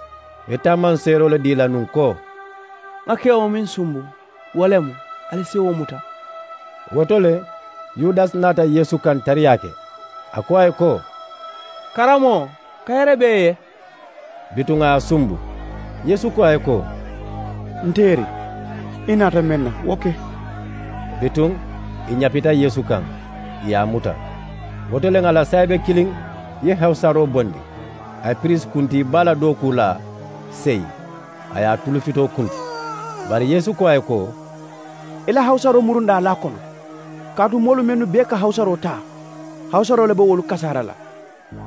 be taamaŋ seeroo le dii la nuŋ ko, ŋa kewo meŋ sumbu, wo le mu. Ali si wo muta. Wo to le yudasi naata yeesu kaŋ tariyaa ke. A ko a ye ko, karamoo, kayere be i ye. Bituŋ a ye a sumbu. Yeesu ko a ye ko, nteeri, i naata meŋ na wo ke. Bituŋ i ñapita yeesu kaŋ, ì ye a muta. Wo to le ŋà la saayibe kiliŋ ye hawusaroo bondi. A ye piriisi kuntii baa la dookuu laa seyi, a ye a tulufitoo kuntu. Bari yeesu ko a ye ko, i la hawusaroo murundaa la a kono. Kaatu moolu mennu bee ka hawusaroo taa, hawusaroo le be wolu kasaara la.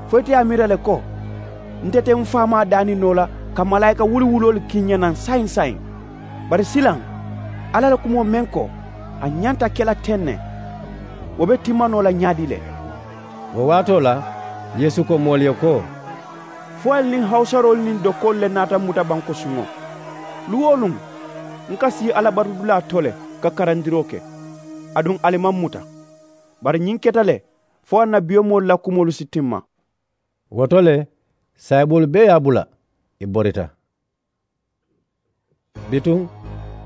Fo ite ye a miira le ko, nte te m faamaa daani noo la ka malaayika wuli wuloolu kii n ñe naŋ saayiŋ saayiŋ. Bari silaŋ, alla la kumoo meŋ ko a ñanta ke la teŋ ne, wo be timma noo la ñaadii le? Wo waatoo la yeesu ko moolu ye ko, fo ali niŋ hawusaroolu niŋ dokoolu le naata m muta bankosuŋo. Luŋ-wo-luŋ, n ka sii alabatudulaa to le ka karandiroo ke. Aduŋ ali maŋ m muta. Bari ñiŋ keta le fo annabiyomoolu la kumoolu si timma. Wo to le saayiboolu bee ye a bula, ì borita. Bituŋ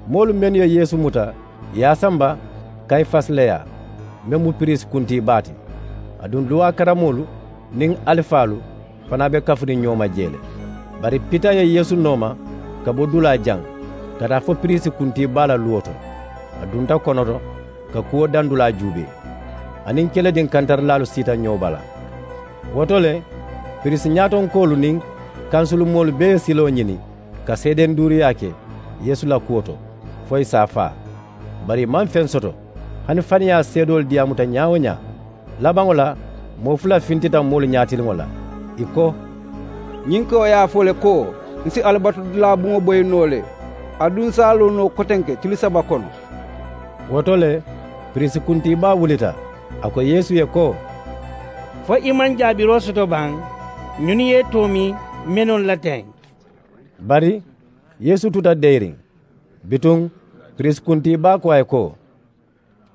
moolu mennu ye yeesu muta ì ye a samba kayifasi le yaa, meŋ mu piriisi kuntii baa ti. Aduŋ luwaa karamoolu niŋ alifaalu fanaa be kafuriŋ ñoo ma jee le. Bari pita ye yeesu nooma ka bo dulaa jaŋ ka taa fo piriisi kuntii baa la luwo to. A dunta kono to ka kuwo dandulaa juubee. A niŋ kelediŋ kantarilaalu siita ñoo bala. Wo to le piriisi ñaatonkoolu niŋ kansulumoolu bee ye siloo ñini ka seedenduuriyaa ke yeesu la kuwo to, fo ì si a faa. Bari ì maŋ feŋ soto. Hani faniyaa seedoolu diyaamuta ñaa-wo-ñaa. Labaŋo la moo fula fintita moolu ñaatiliŋo la, ì ko, ñiŋ kewo ye a fo le ko, n si alabatudulaa buŋo boyi noo le, aduŋ n si a loo noo kotenke tili saba kono. Wo to le piriisi kuntiibaa wulita, a ko yeesu ye ko, fo i maŋ jaabiroo soto baŋ? Ñunu ye i toomi mennu la teŋ. Bari yeesu tuta deeriŋ. Bituŋ piriisi kuntiibaa ko a ye ko,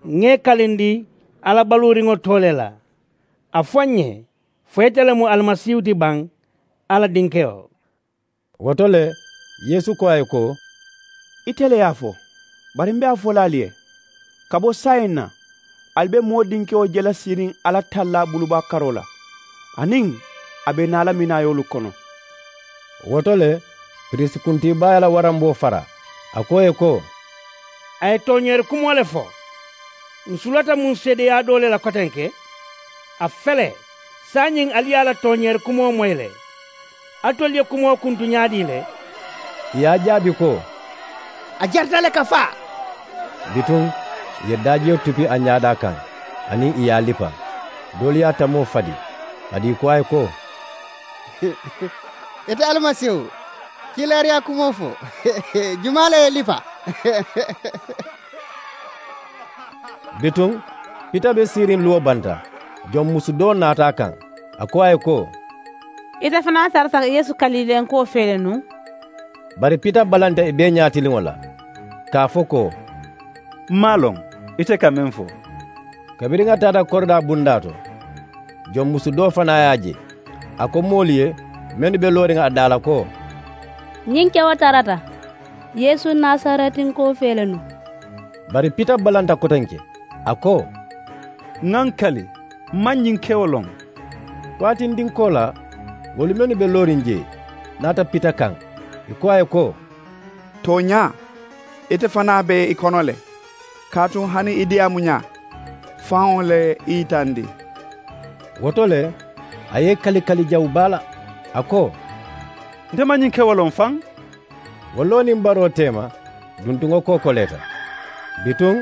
ŋa i kalindi alla baluuriŋo too le la. A fo n ye, fo ite le mu alimasiihu ti baŋ, alla dinkewo? Wo to le yeesu ko a ye ko, ite le ye a fo. Bari m be a fo la ali ye, ka bo saayiŋ na ali be moo dinkewo je la siiriŋ alla tallaa bulubaa karoo la, aniŋ a be naa la minaayoolu kono. Wo to le piriisi kuntiibaa ye a la waramboo fara, a ko ì ye ko, a ye tooñeeri kumoo le fo. N sulata muŋ seedeyaa doo le la kotenke? A fele, saayiŋ ali ye a la tooñeeri kumoo moyi le. Alitolu ye kumoo kuntu ñaadii le? Ì ye a jaabi ko, a jarita le ka faa. Bituŋ ì ye daajiyo tupi a ñaadaa kaŋ, aniŋ ì ye a lipa. Doolu ye a tamoo fadi, a dii ko a ye ko, ite alimasiihu, kiilaariyaa kumoo fo. Jumaa le ye i lipa? Bituŋ pita be siiriŋ luwo banta, joŋ musu doo naata a kaŋ. A ko a ye ko, ite fanaa tarata yeesu kaliilenkoo fee le nuŋ? Bari pita balanta ì bee ñaatiliŋo la, ka a fo ko, m maŋ a loŋ ite ka meŋ fo. Kabiriŋ a taata koridaa bundaa to, joŋ musu doo fanaa ye a je. A ko moolu ye mennu be looriŋ a daa la ko, ñiŋ kewo tarata yeesu nasaretinkoo fee le nuŋ. Bari pita balanta kotenke, a ko, ŋa n kali, m maŋ ñiŋ kewo loŋ. Waatindinkoo la Wolu mennu be looriŋ jee naata pita kaŋ, ì ko a ye ko, tooñaa, ite fanaa be ì kono le, kaatu hani i diyaamuñaa faŋo le i yitandi. Wo to le, a ye ì kali kali jawu baa la, a ko, nte maŋ ñiŋ ke wo loŋ faŋ. Wo loo niŋ baroo teema, duntuŋo kookoleeta. Bituŋ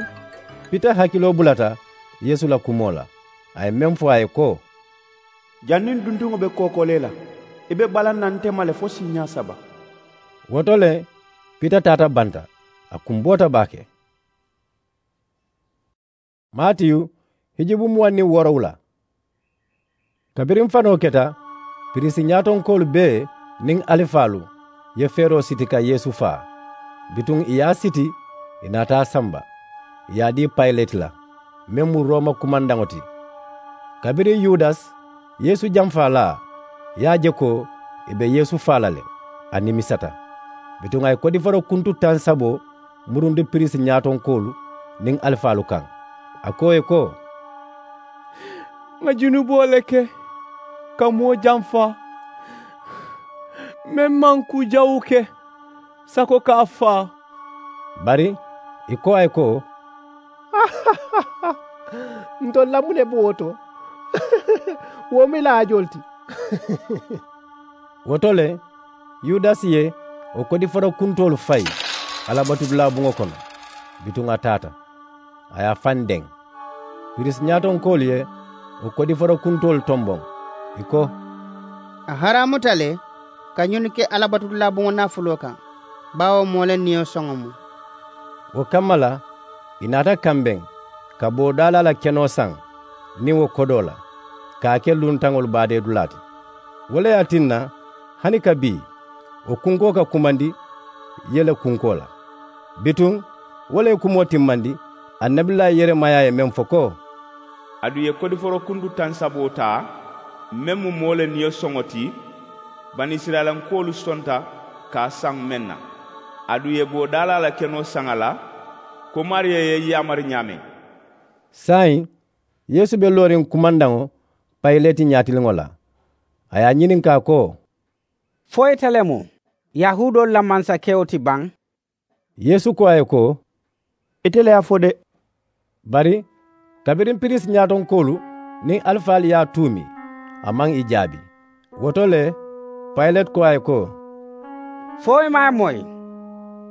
pita hakiloo bulata yeesu la kumoo la, a ye meŋ fo a ye ko, janniŋ duntuŋo be kookolee la, i be balaŋ na nte ma le fo siiñaa saba. Wo to le, pita taata banta, a kumboota baake. Maatiyu, hijubu muwaŋ niŋ woorowula. Kabiriŋ fanoo keta, piriisi ñaatonkoolu bee niŋ alifaalu ye feeroo siti ka yeesu faa. Bituŋ ì ye a siti, ì naata a samba, ì ye a dii payileti la, meŋ mu rooma kumandaŋo ti. Kabiriŋ yudasi, yeesu jamfaalaa, ye a je ko ì be yeesu faa la le, a nimisata. Bituŋ a ye kodiforo kuntu taŋ saboo murundi piriisi ñaatonkoolu niŋ alifaalu kaŋ, a ko ì ye ko, ŋà junuboo le ke ka moo jamfa, meŋ maŋ kuu jawu ke sako ka a faa. Bari ì ko a ye ko, ntolu la muŋ ne be wo to? Wo mu ì la haajoolu ti. Wo to le, yudasi ye wo kodiforo kuntoolu fayi alabatudulaa buŋo kono. Bituŋ a taata, a ye a faŋ deŋ. Piriisi ñaatonkoolu ye wo kodiforo kuntoolu tomboŋ, ì ko, a haraamuta le ka ñunu ke alabatudulaa buŋo naafuloo kaŋ, baawo moo le niyo soŋo mu. Wo kamma la, ì naata kambeŋ ka boodaalaa la kenoo saŋ niŋ wo kodoo la, ka a ke luntaŋolu baadeedulaa ti. Wo le ye a tinna, hani ka bii, wo kunkoo ka kumandi yele kunkoo la. Bituŋ wo le ye kumoo timmandi, annabilaa yeremaya ye meŋ fo ko, aduŋ ì ye kodiforo kuntu taŋ saboo taa, meŋ mu moo le niyo soŋo ti, banisirayilankoolu sonta ka a saŋ meŋ na, aduŋ ì ye boodaalaa la kenoo saŋ a la, ko maariyo ye ì yaamari ñaameŋ. Saayiŋ, yeesu be looriŋ kumandaŋo payileti ñaatiliŋo la. A ye a ñininkaa ko, fo ite le mu yahuudoolu la mansakewo ti baŋ? Yeesu ko a ye ko, ite le ye a fo de. Bari kabiriŋ piriisi ñaatonkoolu niŋ alifaalu ye a tuumi, a maŋ ì jaabi. Wo to le, payileti ko a ye ko, fo i maŋ a moyi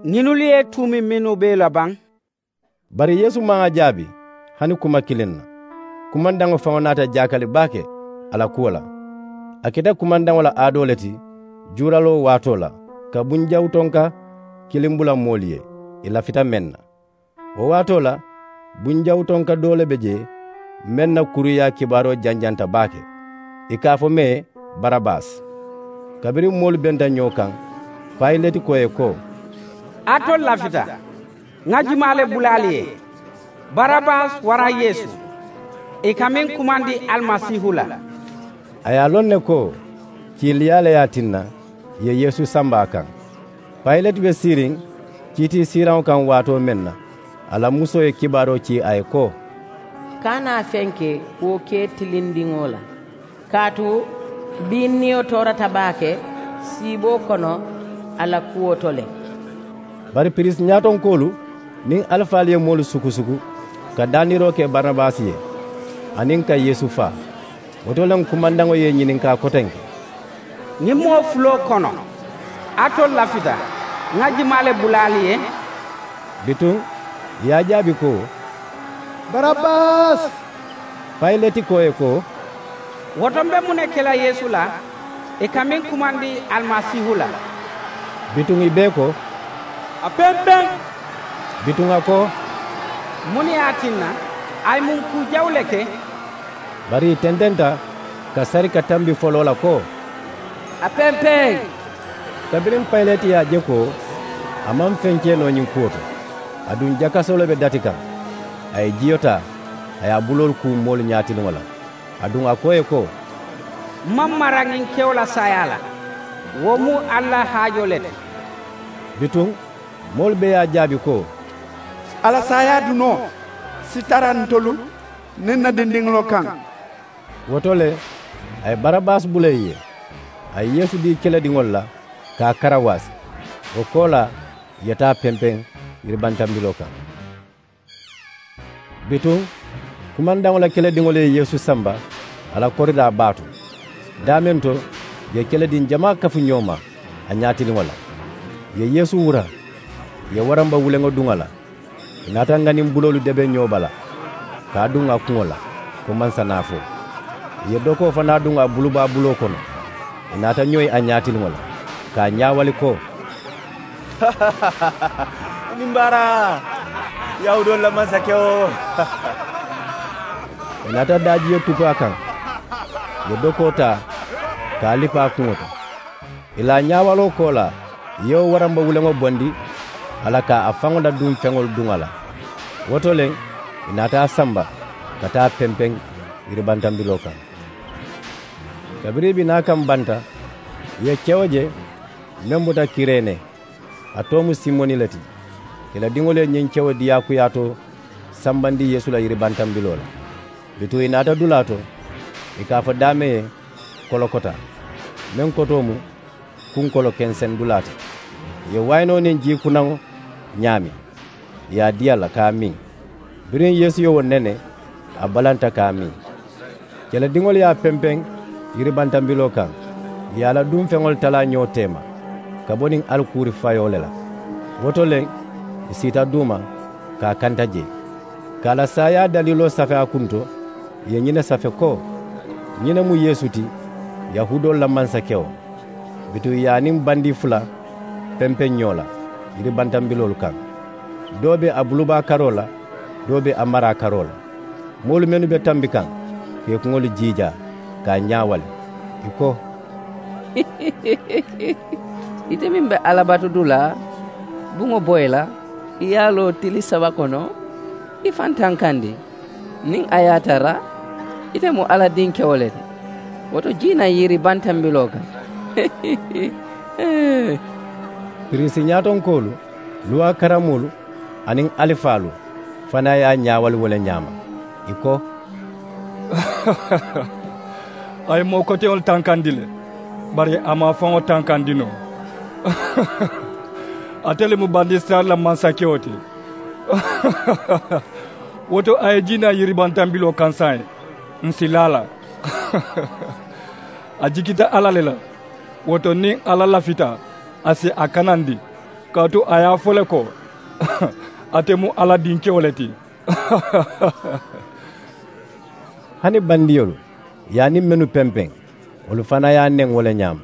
ñinnu ye i tuumi mennu be i la baŋ? Bari yeesu maŋ a jaabi hani kuma kiliŋ na. Kumandaŋo faŋo naata jaakali baake a la kuwo la. A keta kumandaŋo la aadoo le ti juuraloo waatoo la, ka bunjawutonka kiliŋ bula moolu ye ì lafita meŋ na. Wo waatoo la, bunjawutonka doo le be jee, meŋ na kuruyaa kibaaroo janjanta baake, ì ka a fo mee barabasi. Kabiriŋ moolu benta ñoo kaŋ, payileti ko ì ye ko, alitolu lafita, ŋà jumaa le bula ali ye, barabasi waraŋ yeesu, ì ka meŋ kumandi alimasiihu la? A ye a loŋ ne ko kiiliyaa le ye a tinna ì ye yeesu samba a kaŋ. Payileti be siiriŋ kiitii siiraŋo kaŋ waatoo meŋ na, a la musoo ye kibaaroo cii a ye ko, kana a fenke wo ke tilindiŋo la, kaatu bii niyo toorata baake siiboo kono a la kuwo to le. Bari piriisi ñaatonkoolu niŋ alifaalu ye moolu sukusuku ka daandiroo ke baranabasi ye, aniŋ ka yeesu faa. Wo to le kumandaŋo ye ì ñininkaa kotenke, ñiŋ moo fuloo kono, alitolu lafita, ŋà jumaa le bula ali ye? Bituŋ ì ye a jaabi ko, barabasi. Payileti ko ì ye ko, wo to m̀ be muŋ ne ke la yeesu la, ì ka meŋ kumandi alimasiihu la? Bituŋ ì bee ko, a pempeŋ. Bituŋ a ko, muŋ ne ye a tinna? A ye muŋ kuu jawu le ke? Bari ì tententa ka sari ka tambi foloo la ko, a pempeŋ. Kabiriŋ payileti ye a je ko a maŋ feŋ ke noo ñiŋ kuwo to, aduŋ jakasoo le be dati kaŋ, a ye jiyo taa, a ye a buloolu kuu moolu ñaatiliŋo la, aduŋ a ko ì ye ko, m maŋ mara ñiŋ kewo la saayaa la. Wo mu ali la haajoo le ti. Bituŋ moolu bee ye a jaabi ko, a la saayaa dunoo si tara ntolu niŋ n na dindiŋolu kaŋ. Wo to le, a ye barabasi bula ì ye. A ye yeesu dii kelediŋolu la ka a karawaasi. Wo koolaa ì ye taa pempeŋ yiribantambiloo kaŋ. Bituŋ kumandaŋo la kelediŋolu ye yeesu samba a la koridaa baa to. Daameŋ to ì ye kelediŋ jamaa kafu ñoo ma a ñaatiliŋo la. Ì ye yeesu wura, ì ye waramba wuleŋo duŋ a la. Ì naata ŋaniŋ buloolu debe ñoo bala ka a duŋ a kuŋo la ko mansa naafoo. Ì ye dokoo fanaa duŋ a bulubaa buloo kono. Ì naata ñoyi a ñaatiliŋo la ka a ñaawali ko, i niŋ baaraa, yahuudoolu la mansakewo. Ì naata daajiyo tutu a kaŋ, ì ye dokoo taa ka a lipa a kuŋo to. Ì la a ñaawaloo koolaa ì ye wo waramba wuleŋo bondi a la ka a faŋo la duŋ feŋolu duŋ a la. Wo to le ì naata a samba ka taa pempeŋ yiribantambiloo kaŋ. Kabiriŋ ì bi naa kaŋ banta ì ye kewo je meŋ bota kirene. A too mu simoni le ti. Kelediŋolu ye ñiŋ kewo diyaakuyaatoo sambandi yeesu la yiribantambiloo la. Bituŋ ì naata dulaa to ì ka a fo daameŋ ye kolokota, meŋ kotoo mu kunkolo kenseŋ dulaa ti. Ì ye wayinoo niŋ jii kunaŋo ñaami, ì ye a dii a la ka a miŋ. Biriŋ yeesu ye wo nene, a balanta ka a miŋ. Kelediŋolu ye a pempeŋ yiribantambiloo kaŋ, ì ye a la duŋ feŋolu talaa ñoo teema ka bo niŋ alikuuri fayoo le la. Wo to le ì siita duuma ka a kanta jee ka a la saayaa daliiloo safe a kunto. Ì ye ñiŋ ne safe ko, ñiŋ ne mu yeesu ti, yahuudoolu la mansakewo. Bituŋ ì ye a niŋ bandii fula pempeŋ ñoo la yiribantambiloolu kaŋ. Doo be a bulubaa karoo la, doo be a maraa karoo la. Moolu mennu be tambi kaŋ ka ì kuŋolu jiijaa ka a ñaawali, ì ko, ite meŋ be alla batu dulaa buŋo boyi la, i ye a loo tili saba kono, i faŋ tankandi. Niŋ a ye a tara ite mu alla dinkewo le ti, wo to jii naŋ yiri bantambiloo kaŋ. Piriisi ñaatonkoolu, luwaa karamoolu aniŋ alifaalu fanaa ye a ñaawali wo le ñaama. Ì ko, a ye moo koteŋolu tankandi le, bari a maŋ a faŋo tankandi noo. Ate le mu bandisirayila mansakewo ti. Wo to a ye jii naa yiribantambiloo kaŋ saayiŋ, ǹ si laa a la. A jikita alla le la. Wo to niŋ alla lafita, a si a kanandi, kaatu a ye a fo le ko, ate mu alla dinkewo le ti. Hani bandiyolu ye a niŋ mennu pempeŋ, wolu fanaa ye a neŋ wo le ñaama.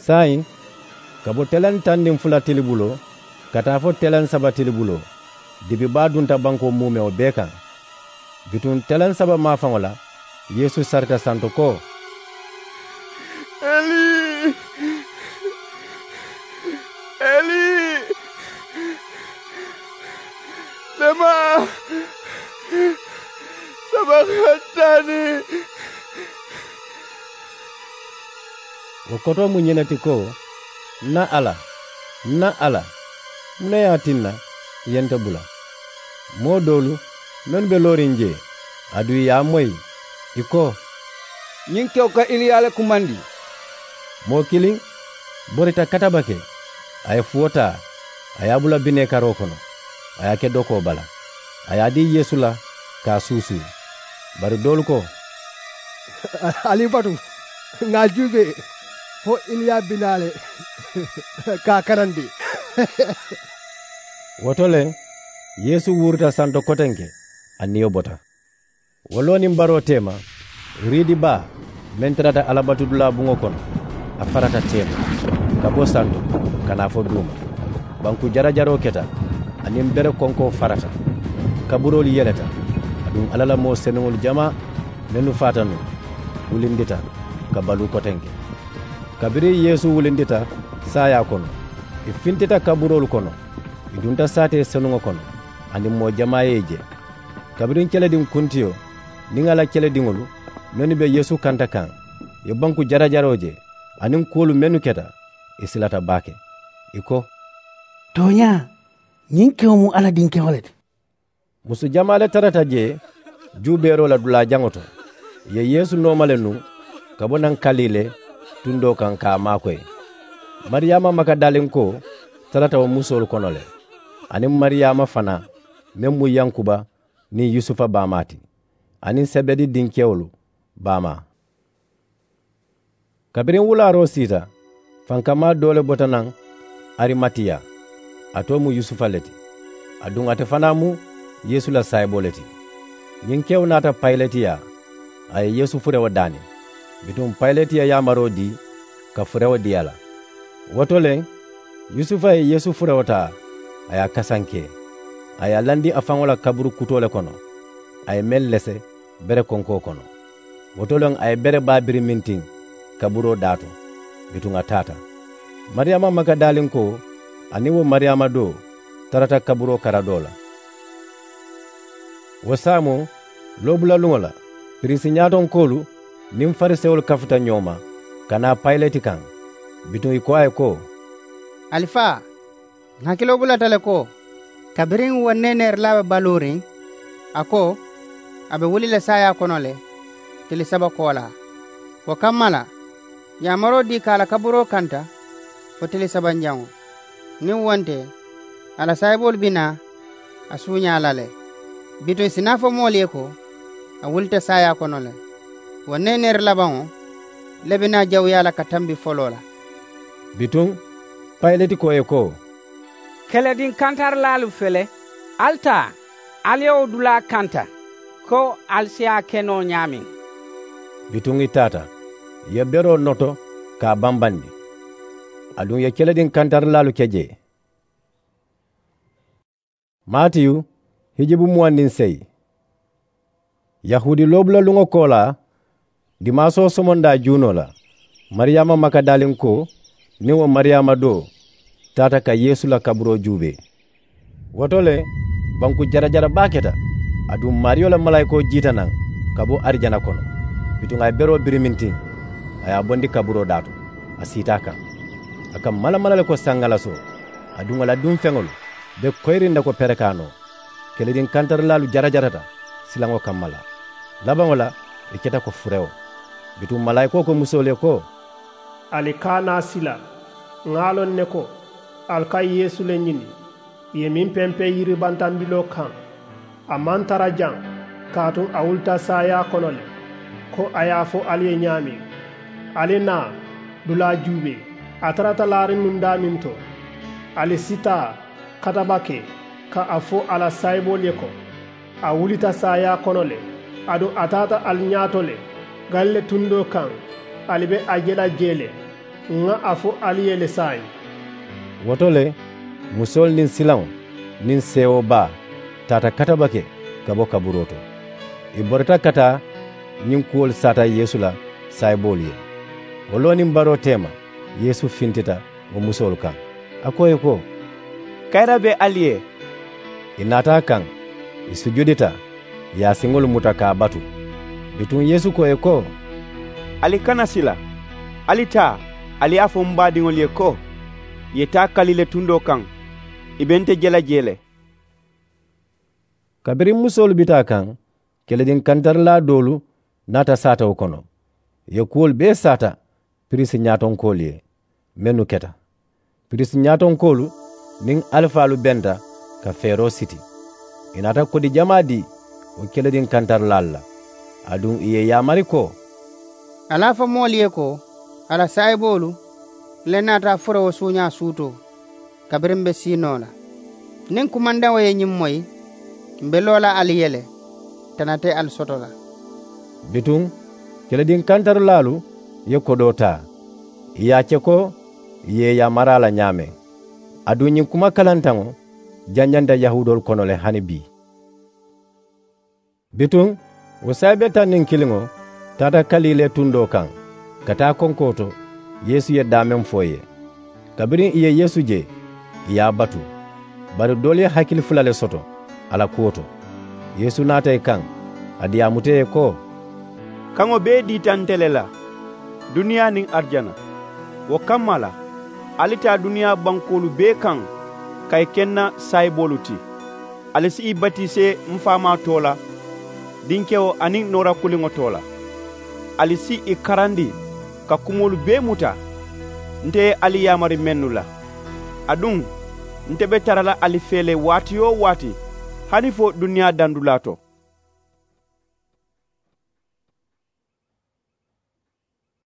Saayiŋ, ka bo teleŋ tandiŋ fula tilibuloo ka taa fo teleŋ saba tilibuloo, dibi baa dunta bankoo muumewo bee kaŋ. Bituŋ teleŋ saba maafaŋo la, yeesu sarita santo ko, eli, eli, lema sabakatani. Wo kotoo mu ñiŋ ne ti ko, ǹ na alla, ǹ na alla, muŋ ne ye a tinna ì ye nte bula? Moo doolu mennu be looriŋ jee, aduŋ ì ye a moyi, ì ko, ñiŋ kewo ka iliya le kumandi. Moo kiliŋ borita katabake, a ye fuwo taa, a ye a bula bineekaroo kono, a ye a ke dokoo bala, a ye a dii yeesu la ka a suusuu. Bari doolu ko, ali i batu, ŋà a juubee fo iliya bi naa le ka a kanandi. Wo to le, yeesu wuurita santo kotenke, a niyo bota. Wo loo niŋ baroo teema, riidi baa meŋ tarata alabatudulaa buŋo kono, a farata teema ka bo santo ka naa fo duuma. Banku jarajaroo keta, aniŋ bere konkoo farata. Kaburoolu yeleta, aduŋ alla la moo senuŋolu jamaa mennu faata nuŋ, wulindita ka baluu kotenke. Kabiriŋ yeesu wulindita saayaa kono, ì fintita kaburoolu kono, ì dunta saatee senuŋo kono, aniŋ moo jamaa ye ì je. Kabiriŋ kelediŋ kuntiyo niŋ a la kelediŋolu mennu be yeesu kanta kaŋ, ì ye banku jarajaroo je aniŋ kuwolu mennu keta, ì silata baake. Ì ko, tooñaa, ñiŋ kewo mu alla dinkewo le ti. Musu jamaa le tarata jee juubeeroo la dulaa jaŋo to. Ì ye yeesu nooma le nuŋ, ka bo naŋ kalile tundoo kaŋ ka a maakoyi. Mariyaama makadalinkoo tarata wo musoolu kono le, aniŋ mariyaama fanaa meŋ mu yankuba niŋ yusufa baamaa ti, aniŋ sebedi dinkewolu baamaa. Kabiriŋ wulaaroo siita, fankamaa doo le bota naŋ arimatiya, a too mu yusufa le ti, aduŋ ate fanaa mu yeesu la saayiboo le ti. Ñiŋ kewo naata payileti yaa, a ye yeesu furewo daani. Bituŋ payileti ye yaamaroo dii ka furewo dii a la. Wo to le, yusufa ye yeesu furewo taa, a ye a kasankee, a ye a landi a faŋo la kaburu kutoo le kono, a ye meŋ lese bere konkoo kono. Wo to le a ye bere baa birimintiŋ kaburoo daa to. Bituŋ a taata. Mariyaama makadalinkoo aniŋ wo mariyaama doo tarata kaburoo karadoo la. Wo saamoo, loobulaluŋo la, piriisi ñaatonkoolu niŋ farisewolu kafuta ñoo ma ka naa payileti kaŋ. Bituŋ ì ko a ye ko, alifaa, ǹ hakiloo bulata le ko, kabiriŋ wo neeneerilaa be baluuriŋ, a ko a be wuli la saayaa kono le tili saba koolaa. Wo kamma la, yaamaroo dii ka a la kaburoo kanta fo tili sabanjaŋo. Niŋ wo nte, a la saayiboolu bi naa a suuñaa la le. Bituŋ ì si naa fo moolu ye ko, a wulita saayaa kono le. Wo neeneeri labaŋo le be naa jawuyaa la ka tambi foloo la. Bituŋ payileti ko ì ye ko, kelediŋ kantarilaalu fele, ali taa, ali ye wo dulaa kanta, ko ali si a ke noo ñaameŋ. Bituŋ ì taata, ì ye beroo noto ka a bambandi. Aduŋ ì ye kelediŋ kantarilaalu ke jee. Maatiyu, hijibu muwaŋ niŋ seyi. Yahuudi loobulaluŋo koolaa, dimaasoo somondaa juunoo la, mariyaama makadalinkoo niŋ wo mariyaama doo taata ka yeesu la kaburoo juubee. Wo to le, banku jarajara baa keta, aduŋ maariyo la malaayikoo jiita naŋ ka bo arijana kono. Bituŋ a ye beroo birimintiŋ, a ye a bondi kaburoo daa to, a siita a kaŋ. A ka malamala le ko saŋŋalasoo, aduŋ a la duŋ feŋolu be koyiriŋ ne ko perekaanoo. Kelediŋ kantarilaalu jarajarata silaŋo kamma la. Labaŋo la, ì keta ko furewo. Bituŋ malaayikoo ko musoolu ye ko, ali kana a sila. Ŋà a loŋ ne ko ali ka yeesu le ñini, ì ye meŋ pempeŋ yiribantambiloo kaŋ. A maŋ tara jaŋ, kaatu a wulita saayaa kono le, ko a ye a fo ali ye ñaameŋ. Ali naa dulaa juubee, a tarata laariŋ nuŋ daameŋ to. Ali si taa katabake ka a fo a la saayiboolu ye ko, a wulita saayaa kono le, aduŋ a taata ali ñaato le galile tundoo kaŋ. Ali be a je la jee le. Ŋà a fo ali ye le saayiŋ. Wo to le, musoolu niŋ silaŋo niŋ seewoo baa taata katabake ka bo kaburoo to. Ì borita ka taa ñiŋ kuwolu saata yeesu la saayiboolu ye. Wo loo niŋ baroo teema, yeesu fintita wo musoolu kaŋ, a ko ì ye ko, kayira be ali ye. Ì naata a kaŋ, ì sujudita, ì ye a siŋolu muta ka a batu. Bituŋ yeesu ko ì ye ko, ali kana sila. Ali taa, ali ye a fo m baadiŋolu ye ko, ì ye taa kalile tundoo kaŋ. Ì be nte je la jee le. Kabiriŋ musoolu bita a kaŋ, kelediŋ kantarilaa doolu naata saatawo kono. Ì ye kuwolu bee saata piriisi ñaatonkoolu ye mennu keta. Piriisi ñaatonkoolu niŋ alifaalu benta ka feeroo siti. Ì naata kodi jamaa dii wo kelediŋ kantarilaalu la, aduŋ ì ye ì yaamari ko, ali a fo moolu ye ko, a la saayiboolu le naata a fure wo suuñaa suutoo, kabiriŋ m be sii noo la. Niŋ kumandaŋo ye ñiŋ moyi, m be loo la ali ye le, tana te ali soto la. Bituŋ kelediŋ kantarilaalu ye kodoo taa, ì ye a ceko ì ye ì yaamari a la ñaameŋ. Aduŋ ñiŋ kuma kalantaŋo janjanta yahuudoolu kono le hani bii. Bituŋ wo saayibe taŋ niŋ kiliŋo taata kaliilee tundoo kaŋ ka taa konkoo to. Yeesu ye daameŋ fo ì ye. Kabiriŋ ì ye yeesu je, ì ye a batu. Bari doolu ye hakili fula le soto a la kuwo to. Yeesu naata ì kaŋ, a diyaamuta ì ye ko, kaŋo bee diita nte le la, duniyaa niŋ arijana. Wo kamma la, ali taa duniyaa bankoolu bee kaŋ ka ì ke n na saayiboolu ti. Ali si ì batisee m faamaa too la, dinkewo aniŋ noora kuliŋo too la. ali si i karandi ka kumoolu bee muta. Nte ye ali yaamari mennu la, aduŋ nte be tara la ali fee le waati-wo-waati, hani fo duniyaa dandulaa to.